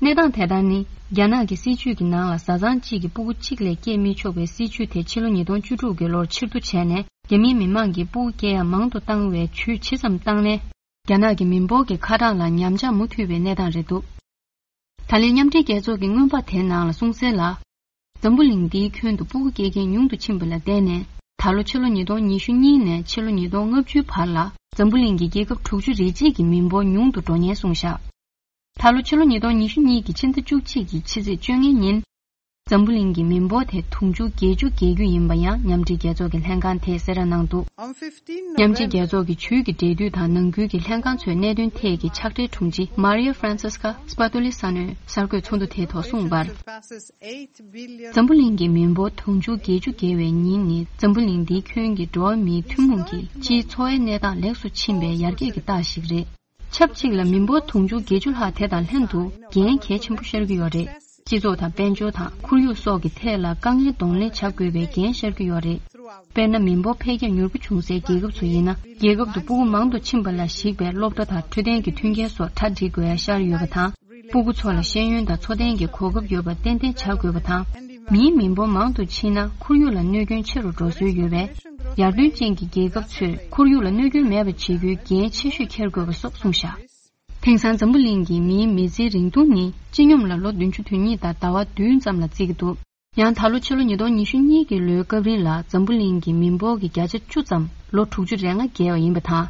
གནས་སྟངས་དེ་ལྟར་ནི། རྒྱ་ནག་གི་སྲིད་ཇུས་ཀྱི་ནང་ལ་བཟའ་ཚང་གཅིག་གིས་སྤུ་གུ་གཅིག་ལས་སྐྱེས་མི་ཆོག་པའི་སྲིད་ཇུས་དེ་ཕྱི་ལོ་ཉིས་སྟོང་བཅུ་དྲུག་གི་ལོར་ཕྱིར་བསྡུ་བྱས་ནས། རྒྱ་མིའི་མི་མང་གིས་སྤུ་གུ་སྐྱེ་ཡག་མང་དུ་བཏང་བའི་ཇུས་ཇི་ཙམ་བཏང་ནའི། རྒྱ་ནག་གི་མི་འབོར་གྱི་ཁ་གྲངས་ལ་ཉམས་ཆག་མུ་མཐུད་པའི་གནས་སྟངས་རེད་འདུག་ད་ལན་མཉམ་འབྲེལ་རྒྱལ་ཚོགས་ཀྱི་སྔོན་དཔག་དེའི་ནང་ལ་གསུངས་གསལ་ལ། འཛམ་བུ་གླིང་འདིའི་ཁྱོན་དུ་སྤུ་གུ་སྐྱེ་མཁན་ཉུང་དུ་ཕྱིན་པ་ལ་བརྟེན་ནས། ད་ལོ་ཕྱི་ལོ་ཉིས་སྟོང་ཉི་ཤུ་གཉིས་ནས་ཕྱི་ལོ་ཉིས་སྟོང་ལྔ་བཅུའི་བར་ལ་འཛམ་བུ་གླིང་གི་རྒྱལ་ཁབ་དྲུག་ཅུ་རེ་གཅིག་གི་མི་འབོར་ཉུང་དུ་འགྲོ་ཉེན་གསུངས་བཞག་ད་ལོ་ཕྱི་ལོ་ཉིས་སྟོང་ཉི་ཤུ་གཉིས་ཀྱི་ཕྱི་ཟླ་བཅུ་གཅིག་གི་ཕྱི་ཚེས་བཅོ་ལྔའི་ཉིན། འཛམ་བུ་གླིང་གི་མི་འབོར་དེ་དུང་ཕྱུར་བརྒྱད་ཅུ་བརྒལ་རྒྱུ་ཡིན་པ་ཡང་མཉམ་འབྲེལ་རྒྱལ་ཚོགས་ཀྱི་ལྷན་ཁང་དེས་གསལ་བསྒྲགས་གནང་འདུག། མཉམ་འབྲེལ་རྒྱལ་ཚོགས་ཀྱི་ཇུས་ཀྱི་འབྲེལ་མཐུད་དང་ནང་ཁུལ་གྱི་ལྷན་ཁང་ཚོའི་གནད་དོན་ཐད་ཀྱི་ཕྱག་སྦྲེལ་དྲུང་ཆེ་Maria Francesca Spadoli་ས་གནས་གསར་འགོད་ཚོགས་འདུ་དེའི་ཐོག་གསུངས་པར། འཛམ་བུ་གླིང་གི་མི་འབོར་དུང་ཕྱུར་བརྒྱད་ཅུ་བརྒལ་བའི་ཉིན་ནི་འཛམ་བུ་གླིང་འདིའི་ཁྱོན་གྱི་འགྲོ་བ་མིའི་ཐུན་མོང་གི་སྤྱིའི་འཚོ་བའི་གནས་སྟངས་ལེགས་སུ་ཕྱིན་པའི་ཡར་རྒྱས་ཀྱི་རྟགས་ཤིག་རེད། ཆབས་ཅིག་ལ་མི་འབོར་དུང་ཕྱུར་བརྒྱད་ཅུ་ལྷག་དེ་དང་ལྷན་དུ་འགན་གལ་ཆེན་པོ་ཤར་གྱི་ཡོད་རེད། སྤྱི་ཚོགས་དང་དཔལ་འབྱོར་དང་ཁོར་ཡུག་སོགས་ཀྱི་ཐད་ལ་དཀའ་ངལ་གདོང་ལེན་བྱ་དགོས་པའི་འགན་ཤར་གྱི་ཡོད་རེད། དཔེར་ན། མི་འབོར་འཕེལ་རྒྱས་མྱུར་པོ་བྱུང་སའི་རྒྱལ་ཁབ་ཚོ་ཡིན་ན། རྒྱལ་ཁབ་ཏུ་སྤུ་གུ་མང་དུ་ཕྱིན་པ་ལ་གཞིགས་པའི་སློབ་གྲྭ་དང་འཕྲོད་བསྟེན་གྱི་མཐུན་རྐྱེན་སོགས་གྲ་སྒྲིག་དགོས་ཡ་ཤར་ཡོད་པ་དང་། སྤུ་གུ་ཚོ་ལ་ཤེས་ཡོན་དང་འཚོ་རྟེན་གྱི་གོ་སྐབས་ཡོད་པ་ཏན་ཏན་བྱ་དགོས་པ་དང་། མིའི་མི་འབོར་མང་དུ་ཕྱིན་ན་ཁོར་ཡུག་ལ་གནོད་སྐྱོན་ཆེ་རུ་འགྲོ་སྲོལ་ཡོད་པས། ཡར་ཐོན་ཅན་གྱི་རྒྱལ་ཁབ་ཚོས་ཁོར་ཡུག་ལ་གནོད་སྐྱོན་མེད་པ་བྱེད་རྒྱུའི་འགན་ཆེ་ཤོས་འཁྱེར་དགོས་པ་སོགས་གསུངས་བཞག། དེང་སང་འཛམ་བུ་གླིང་གི་མིའི་མི་ཚེའི་རིང་ཐུང་ནི་སྤྱི་སྙོམས་ལ་ལོ་བདུན་ཅུ་དོན་གཉིས་དང་ཟླ་བ་བདུན་ཙམ་ལ་བརྩི་གི་འདུག། ཡང་ད་ལོ་ཕྱི་ལོ་ཉིས་སྟོང་ཉི་ཤུ་གཉིས་ཀྱི་ལོའི་སྐབས་རིང་ལ་འཛམ་བུ་གླིང་གི་མི་འབོར་གྱི་བརྒྱ་ཆ་བཅུ་ཙམ་ལོ་དྲུག་ཅུ་རེ་ལྔ་བརྒལ་བ་ཡིན་པ་དང་།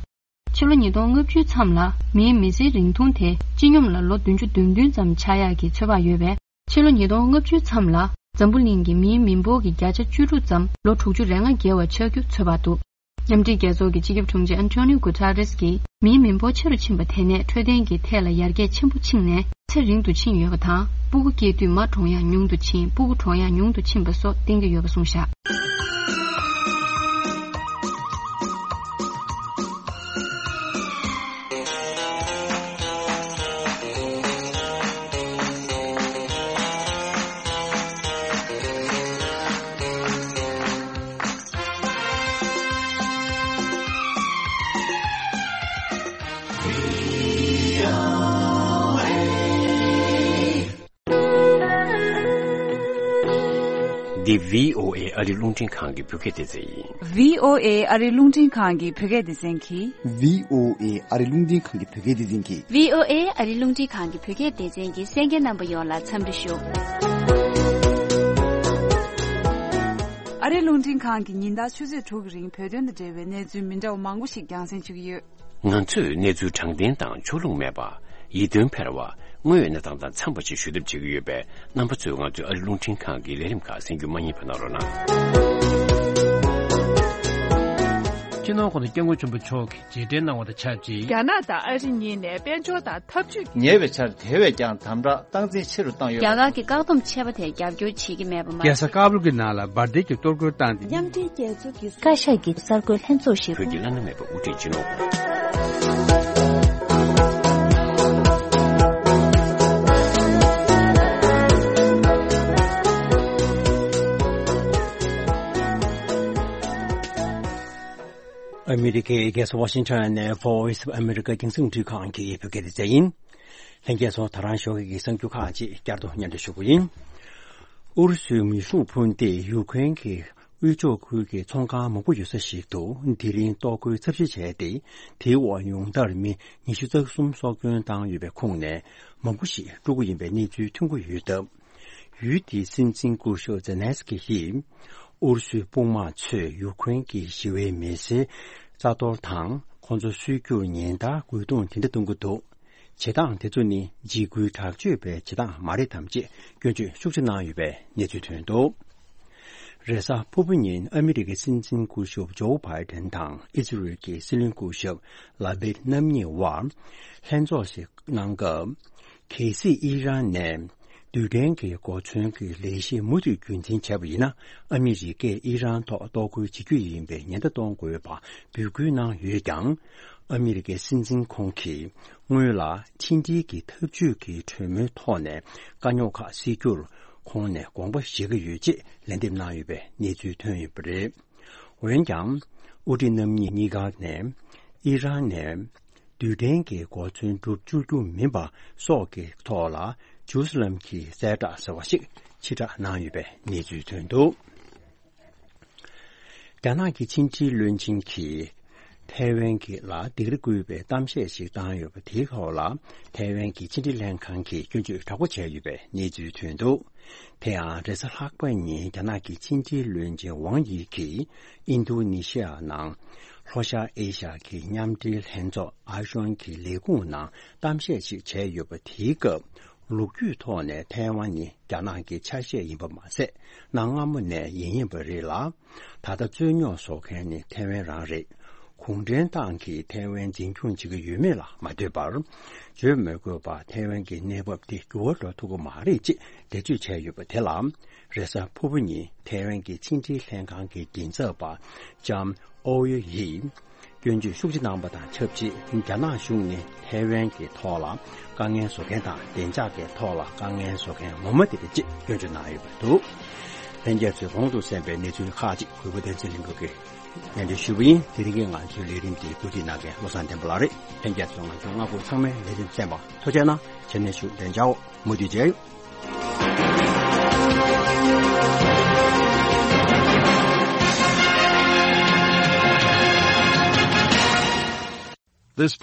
ཕྱི་ལོ་ཉིས་སྟོང་ལྔ་བཅུའི་མཚམས་ལ་མིའི་མི་ཚེའི་རིང་ཐུང་དེ་སྤྱི་སྙོམས་ལ་ལོ་བདུན་ཅུ་དོན་བདུན་ཙམ་ཆགས་ཡག་གི་ཚོད་དཔག་ཡོད་པས། ཕྱི་ལོ་ཉིས་སྟོང་ལྔ་བཅུའི་མཚམས་ལ་འཛམ་བུ་གླིང་གི་མིའི་མི་འབོར་གྱི་བརྒྱ་ཆ་བཅུ་དྲུག་ཙམ་ལོ་དྲུག་ཅུ་རེ་ལྔ་བརྒལ་བ་ཆགས་རྒྱུ་ཚོད་དཔག་འདུག། མཉམ་འབྲེལ་རྒྱལ་ཚོགས་ཀྱི་སྤྱི་ཁྱབ་དྲུང་ཆེ་ཨན་ཐོ་ནིའོ་གུ་ཐ་རེས་ཀྱིས། མིའི་མི་འབོར་ཆེ་རུ་ཕྱིན་པ་དེ་ནས་འཕྲོད་བསྟེན་གྱི་ཐད་ལ་ཡར་རྒྱས་ཆེན་པོ་ཕྱིན་ནས་ཚེ་རིང་དུ་ཕྱིན་ཡོད་པ་དང་། སྤུ་གུ་སྐྱེ་དུས་མ་གྲོངས་ཡག་ཉུང་དུ་ཕྱིན། སྤུ་གུ་གྲོངས་ཡག་ཉུང་དུ་ཕྱིན་པ་སོགས་བསྟན་གྱི་ཡོད་པ་གསུངས་བཞག། འདི་བྷི་ཨོ་ཨེ་ཨ་རི་རླུང་འཕྲིན་ཁང་གི་བོད་སྐད་སྡེ་ཚན་ཡིན། བྷི་ཨོ་ཨེ་ཨ་རི་རླུང་འཕྲིན་ཁང་གི་བོད་སྐད་སྡེ་ཚན་གྱིས། བྷི་ཨོ་ཨེ་ཨ་རི་རླུང་འཕྲིན་ཁང་གི་བོད་སྐད་སྡེ་ཚན་གྱིས། བྷི་ཨོ་ཨེ་ཨ་རི་རླུང་འཕྲིན་ཁང་གི་བོད་སྐད་སྡེ་ཚན་གྱི་གསན་མཁན་རྣམ་པ་ཡོངས་ལ་འཚམས་འདྲི་ཞུ། ཨ་རིའི་རླུང་འཕྲིན་ཁང་གིས་ཉིན་ལྟར་ཆུ་ཚོད་དྲུག་གི་རིང་བོད་དོན་དང་འབྲེལ་བའི་གནས་ཚུལ་མི་འདྲ་བ་མང་པོ་ཞིག་རྒྱང་སྲིང་ཞུ་གི་ཡོད། ང་ཚོས་གནས་ཚུལ་དྲང་བདེན་དང་ཕྱོགས་ལྷུང་མེད་པ། ཡིད་རྟོན་འཕེར་བ། དངོས་ཡོད་གནས་སྟངས་དང་འཚམས་པ་ཞིག་ཞུ་ཐབས་བྱེད་ཀྱི་ཡོད་པས། རྣམ་པ་ཚོས་ང་ཚོའི་ཨ་རི་རླུང་འཕྲིན་ཁང་གི་ལས་རིམ་ཁག་གསན་རྒྱུ་མ་བསྙེལ་བ་གནང་རོགས་གནང་། སྤྱི་ནོར་༸གོང་ས་༸སྐྱབས་མགོན་ཆེན་པོ་མཆོག་གིས་རྗེས་དྲན་གནང་བ་དང་ཆབས་ཅིག། རྒྱ་ནག་དང་ཨ་རི་གཉིས་ནས་དཔལ་འབྱོར་དང་འཐབ་ཇུས། ཉེ་བའི་ཆར་དེ་བས་ཀྱང་དམ་དྲག་སྟངས་འཛིན་ཆེ་རུ་བཏང་ཡོད། རྒྱ་གར་གྱི་བཀག་སྡོམ་ཆད་པ་དེར་རྒྱབ་སྐྱོར་བྱེད་ཀྱི་མེད་པ་མ་ཟད། རྒྱལ་ས་ཀ་བུལ་གྱི་ནང་ལ་འབར་མདེལ་གྱི་གཏོར་རྒོལ་བཏང་སྟེ། མཉམ་འབྲེལ་རྒྱལ་ཚོགས་ཀྱི་བཀའ་ཤག་གི་གསར་འགོད་ལྷན་ཚོགས་ཤིག་བོད་ཀྱི་བླ་ན་མེད་པ་དབུ་ཁྲིད་སྤྱི་ནོར་ཨ་མི་རི་ཀའི་རྒྱལ་ས་ཝ་ཤིང་ཊོན་ནས་Voice of America་རྒྱང་སྲིང་རླུང་འཕྲིན་ཁང་གི་བོད་སྐད་སྡེ་ཚན་ཡིན། ལྷན་རྒྱས་ཚོ་ད་རང་ཞོགས་ཀྱི་གསར་འགྱུར་ཁག་ཅིག་བསྐྱར་དུ་སྙན་སྒྲོན་ཞུ་གི་ཡིན། ཨུ་རུ་སུའི་མེ་ཤུགས་འཕུར་མདེལ་ཡུ་ཀེ་རེན་གྱི་དབུས་ཕྱོགས་ཁུལ་གྱི་ཚོང་ཁང་མང་པོ་ཡོད་ས་ཞིག་ཏུ་དེ་རིང་གཏོར་རྒོལ་ཚབས་ཆེ་བྱས་ཏེ། དེའི་འོག་ཉུང་མཐར་མི་ཉི་ཤུ་རྩ་གསུམ་སྲོག་སྐྱོན་བཏང་ཡོད་པའི་ཁོངས་ནས་མང་པོ་ཞིག་ཕྲུ་གུ་ཡིན་པའི་གནས་ཚུལ་ཐོན་གྱི་ཡོད་སྟབས། ཡུལ་དེའི་སྲིད་འཛིན་སྐུ་ཞབས་ཛེ་ལན་སི་ཀི་ཡིས། ཨུ་རུ་སུའི་དཔུང་དམག་ཚོས་ཡུ་ཀེ་རེན་གྱི་ཞི་བའི་མི་སེར་རྩ་གཏོར་དང་། ཁོང་ཚོ་གསོད་རྒྱུར་ཉེན་བརྡ་རྒོལ་རྡུང་དེ་འདྲ་གཏོང་གི་འདུག། བྱེད་སྟངས་དེ་ཚོ་ནི་འཇིགས་སྐུལ་དྲག་སྤྱོད་པའི་བྱེད་སྟངས་མ་རེད་དམ་ཅེས་སྐྱོན་བརྗོད་ཤུགས་ཆེ་གནང་ཡོད་པའི་གནས་ཚུལ་ཐོན་འདུག། རེས་གཟའ་ཕུར་བུ་ཉིན་ཨ་མི་རི་ཀའི་སྲིད་འཛིན་སྐུ་ཞབས་ཇོ་བྷའི་ཌེན་དང་ཨི་ཟི་རེལ་གྱི་སྲིད་བློན་སྐུ་ཞབས་ལ་པིད་རྣམ་གཉིས་དབར་ལྷན་ཚོགས་ཤིག་གནང་སྐབས། གལ་སྲིད་ཨི་རན་ནས་རྡུལ་ཕྲན་གྱི་གོ་མཚོན་གྱི་ལས་གཞི་མུ་མཐུད་རྒྱུན་འཛིན་བྱས་པ་ཡིན་ན། ཨ་མི་རི་ཀས་ཨི་རན་ཐོག་གཏོར་རྒོལ་བྱེད་རྒྱུ་ཡིན་པའི་ཉེན་བརྡ་གཏོང་དགོས་པ་འབོད་སྐུལ་གནང་ཡོད་ཀྱང་། ཨ་མི་རི་ཀའི་སྲིད་འཛིན་ཁོང་གིས་སྔོན་ལ་ཕྱི་འབྲེལ་གྱི་འཐབ་ཇུས་ཀྱི་གྲོས་མོལ་ཐོག་ནས་དཀའ་རྙོག་ཁག་སེལ་རྒྱུར་ཁོང་ནས་དགོངས་པ་བཞེས་ཀྱི་ཡོད་ཅེས་ལན་འདེབས་གནང་ཡོད་པའི་གནས་ཚུལ་ཐོན་ཡོད་པ་རེད། འོན་ཀྱང་། དབུ་ཁྲིད་རྣམ་གཉིས་གཉིས་ཀ་ནས་ཨི་རན་ནས་རྡུལ་ཕྲན་གྱི་གོ་མཚོན་སྒྲུབ་བཅུག་རྒྱུ་མིན་པ་སོགས་ཀྱི་ཐོག་ལ་ཇུ་རུ་སི་ལམ་གྱི་གསལ་བསྒྲགས་ཟེར་བ་ཞིག་ཕྱིར་བསྒྲགས་གནང་ཡོད་པའི་གནས་ཚུལ་ཐོན་འདུག། རྒྱ་ནག་གི་ཕྱི་འབྲེལ་བློན་ཆེན་གྱིས་ཐའེ་ཝན་གྱི་ལ་སྡིགས་ར་བསྐུལ་བའི་གཏམ་བཤད་ཞིག་བཏང་ཡོད་པ་དེའི་ཐོག་ལ་ཐའེ་ཝན་གྱི་ཕྱི་འབྲེལ་ལྷན་ཁང་གིས་སྐྱོན་བརྗོད་དྲག་པོ་བྱས་ཡོད་པའི་གནས་ཚུལ་ཐོན་འདུག། དེ་ཡང་རེས་གཟའ་ལྷག་པ་ཉིན་རྒྱ་ནག་གི་ཕྱི་འབྲེལ་བློན་ཆེན་ཝང་ཡི་གིས་ཨིན་རྡུ་ནི་ཤི་ཡ་ནང་ལྷོ་ཤར་ཨེ་ཤ་ཡ་གི་མཉམ་འབྲེལ་ལྷན་ཚོགས་ཨ་ཤོན་གྱི་ལས་ཁུངས་ནང་གཏམ་བཤད་ཅིག་བྱས་ཡོད་པ་དེའི་སྐབས། ལོ་རྒྱུས་ཐོག་ནས་ཐའེ་ཝན་ནི་རྒྱ་ནག་གི་ཆ་ཤས་ཡིན་པ་མ་ཟད། གནའ་སྔ་མོ་ནས་ཡིན་ཡིན་པ་རེད་ལ། ད་ལྟ་རྩོད་རྙོག་བཟོ་མཁན་ནི་ཐའེ་ཝན་རང་རེད། གུང་ཁྲན་ཏང་གིས་ཐའེ་ཝན་འཛིན་སྐྱོང་བྱེད་ཀྱི་ཡོད་མེད་ལ་མ་ལྟོས་པར། བརྗོད་མི་དགོས་པར་ཐའེ་ཝན་གྱི་གནས་བབ་དེ་འགྱུར་བ་འགྲོ་ཐུབ་ཀྱི་མ་རེད་ཅེས་འགྲེལ་བརྗོད་བྱས་ཡོད་པ་དེ་ལ། རེས་གཟའ་ཕུར་བུ་ཉིན་ཐའེ་ཝན་གྱི་ཕྱི་འབྲེལ་ལྷན་ཁང་གི་མགྲིན་ཚབ་པ་ལྕམ་ཨོ་ཡོ་ཡིས་སྐྱོན་བརྗོད་ཤུགས་ཆེ་གནང་པ་དང་ཆབས་ཅིག་རྒྱ་ནག་གཞུང་ནས་ཐའེ་ཝན་གྱི་ཐོག་ལ་དཀའ་ངལ་བཟོ་མཁན་དང་བདེ་འཇགས་ཀྱི་ཐོག་ལ་དཀའ་ངལ་བཟོ་མཁན་ངོ་མ་དེ་རེད་ཅེས་སྐྱོན་བརྗོད་གནང་ཡོད་པ་འདུག་ལྷན་རྒྱས་ཚོས་གོང་དུ་གསན་པའི་གནས་ཚུལ་ཁག་ཅིག་གུས་པ་བསྟན་འཛིན་ལྷུན་གྲུབ་ཀྱིས་སྙན་སྒྲོན་ཞུས་པ་ཡིན། དེ་རིང་གི་ང་ཚོའི་ལས་རིམ་འདི་གོ་སྒྲིག་གནང་མཁན་བློ་བཟང་བསྟན་པ་ལགས་རེད། ལྷན་རྒྱས་ཚོས་ང་ཚོའི་སྔ་འགོ་ཚང་མའི་ལས་རིམ་གསན་པ་ཐུགས་རྗེ་གནང་། བྱས་ནས་བཞུགས། བདེ་འཇགས། མུ་མཐུད་མཇལ་ཡོང་། This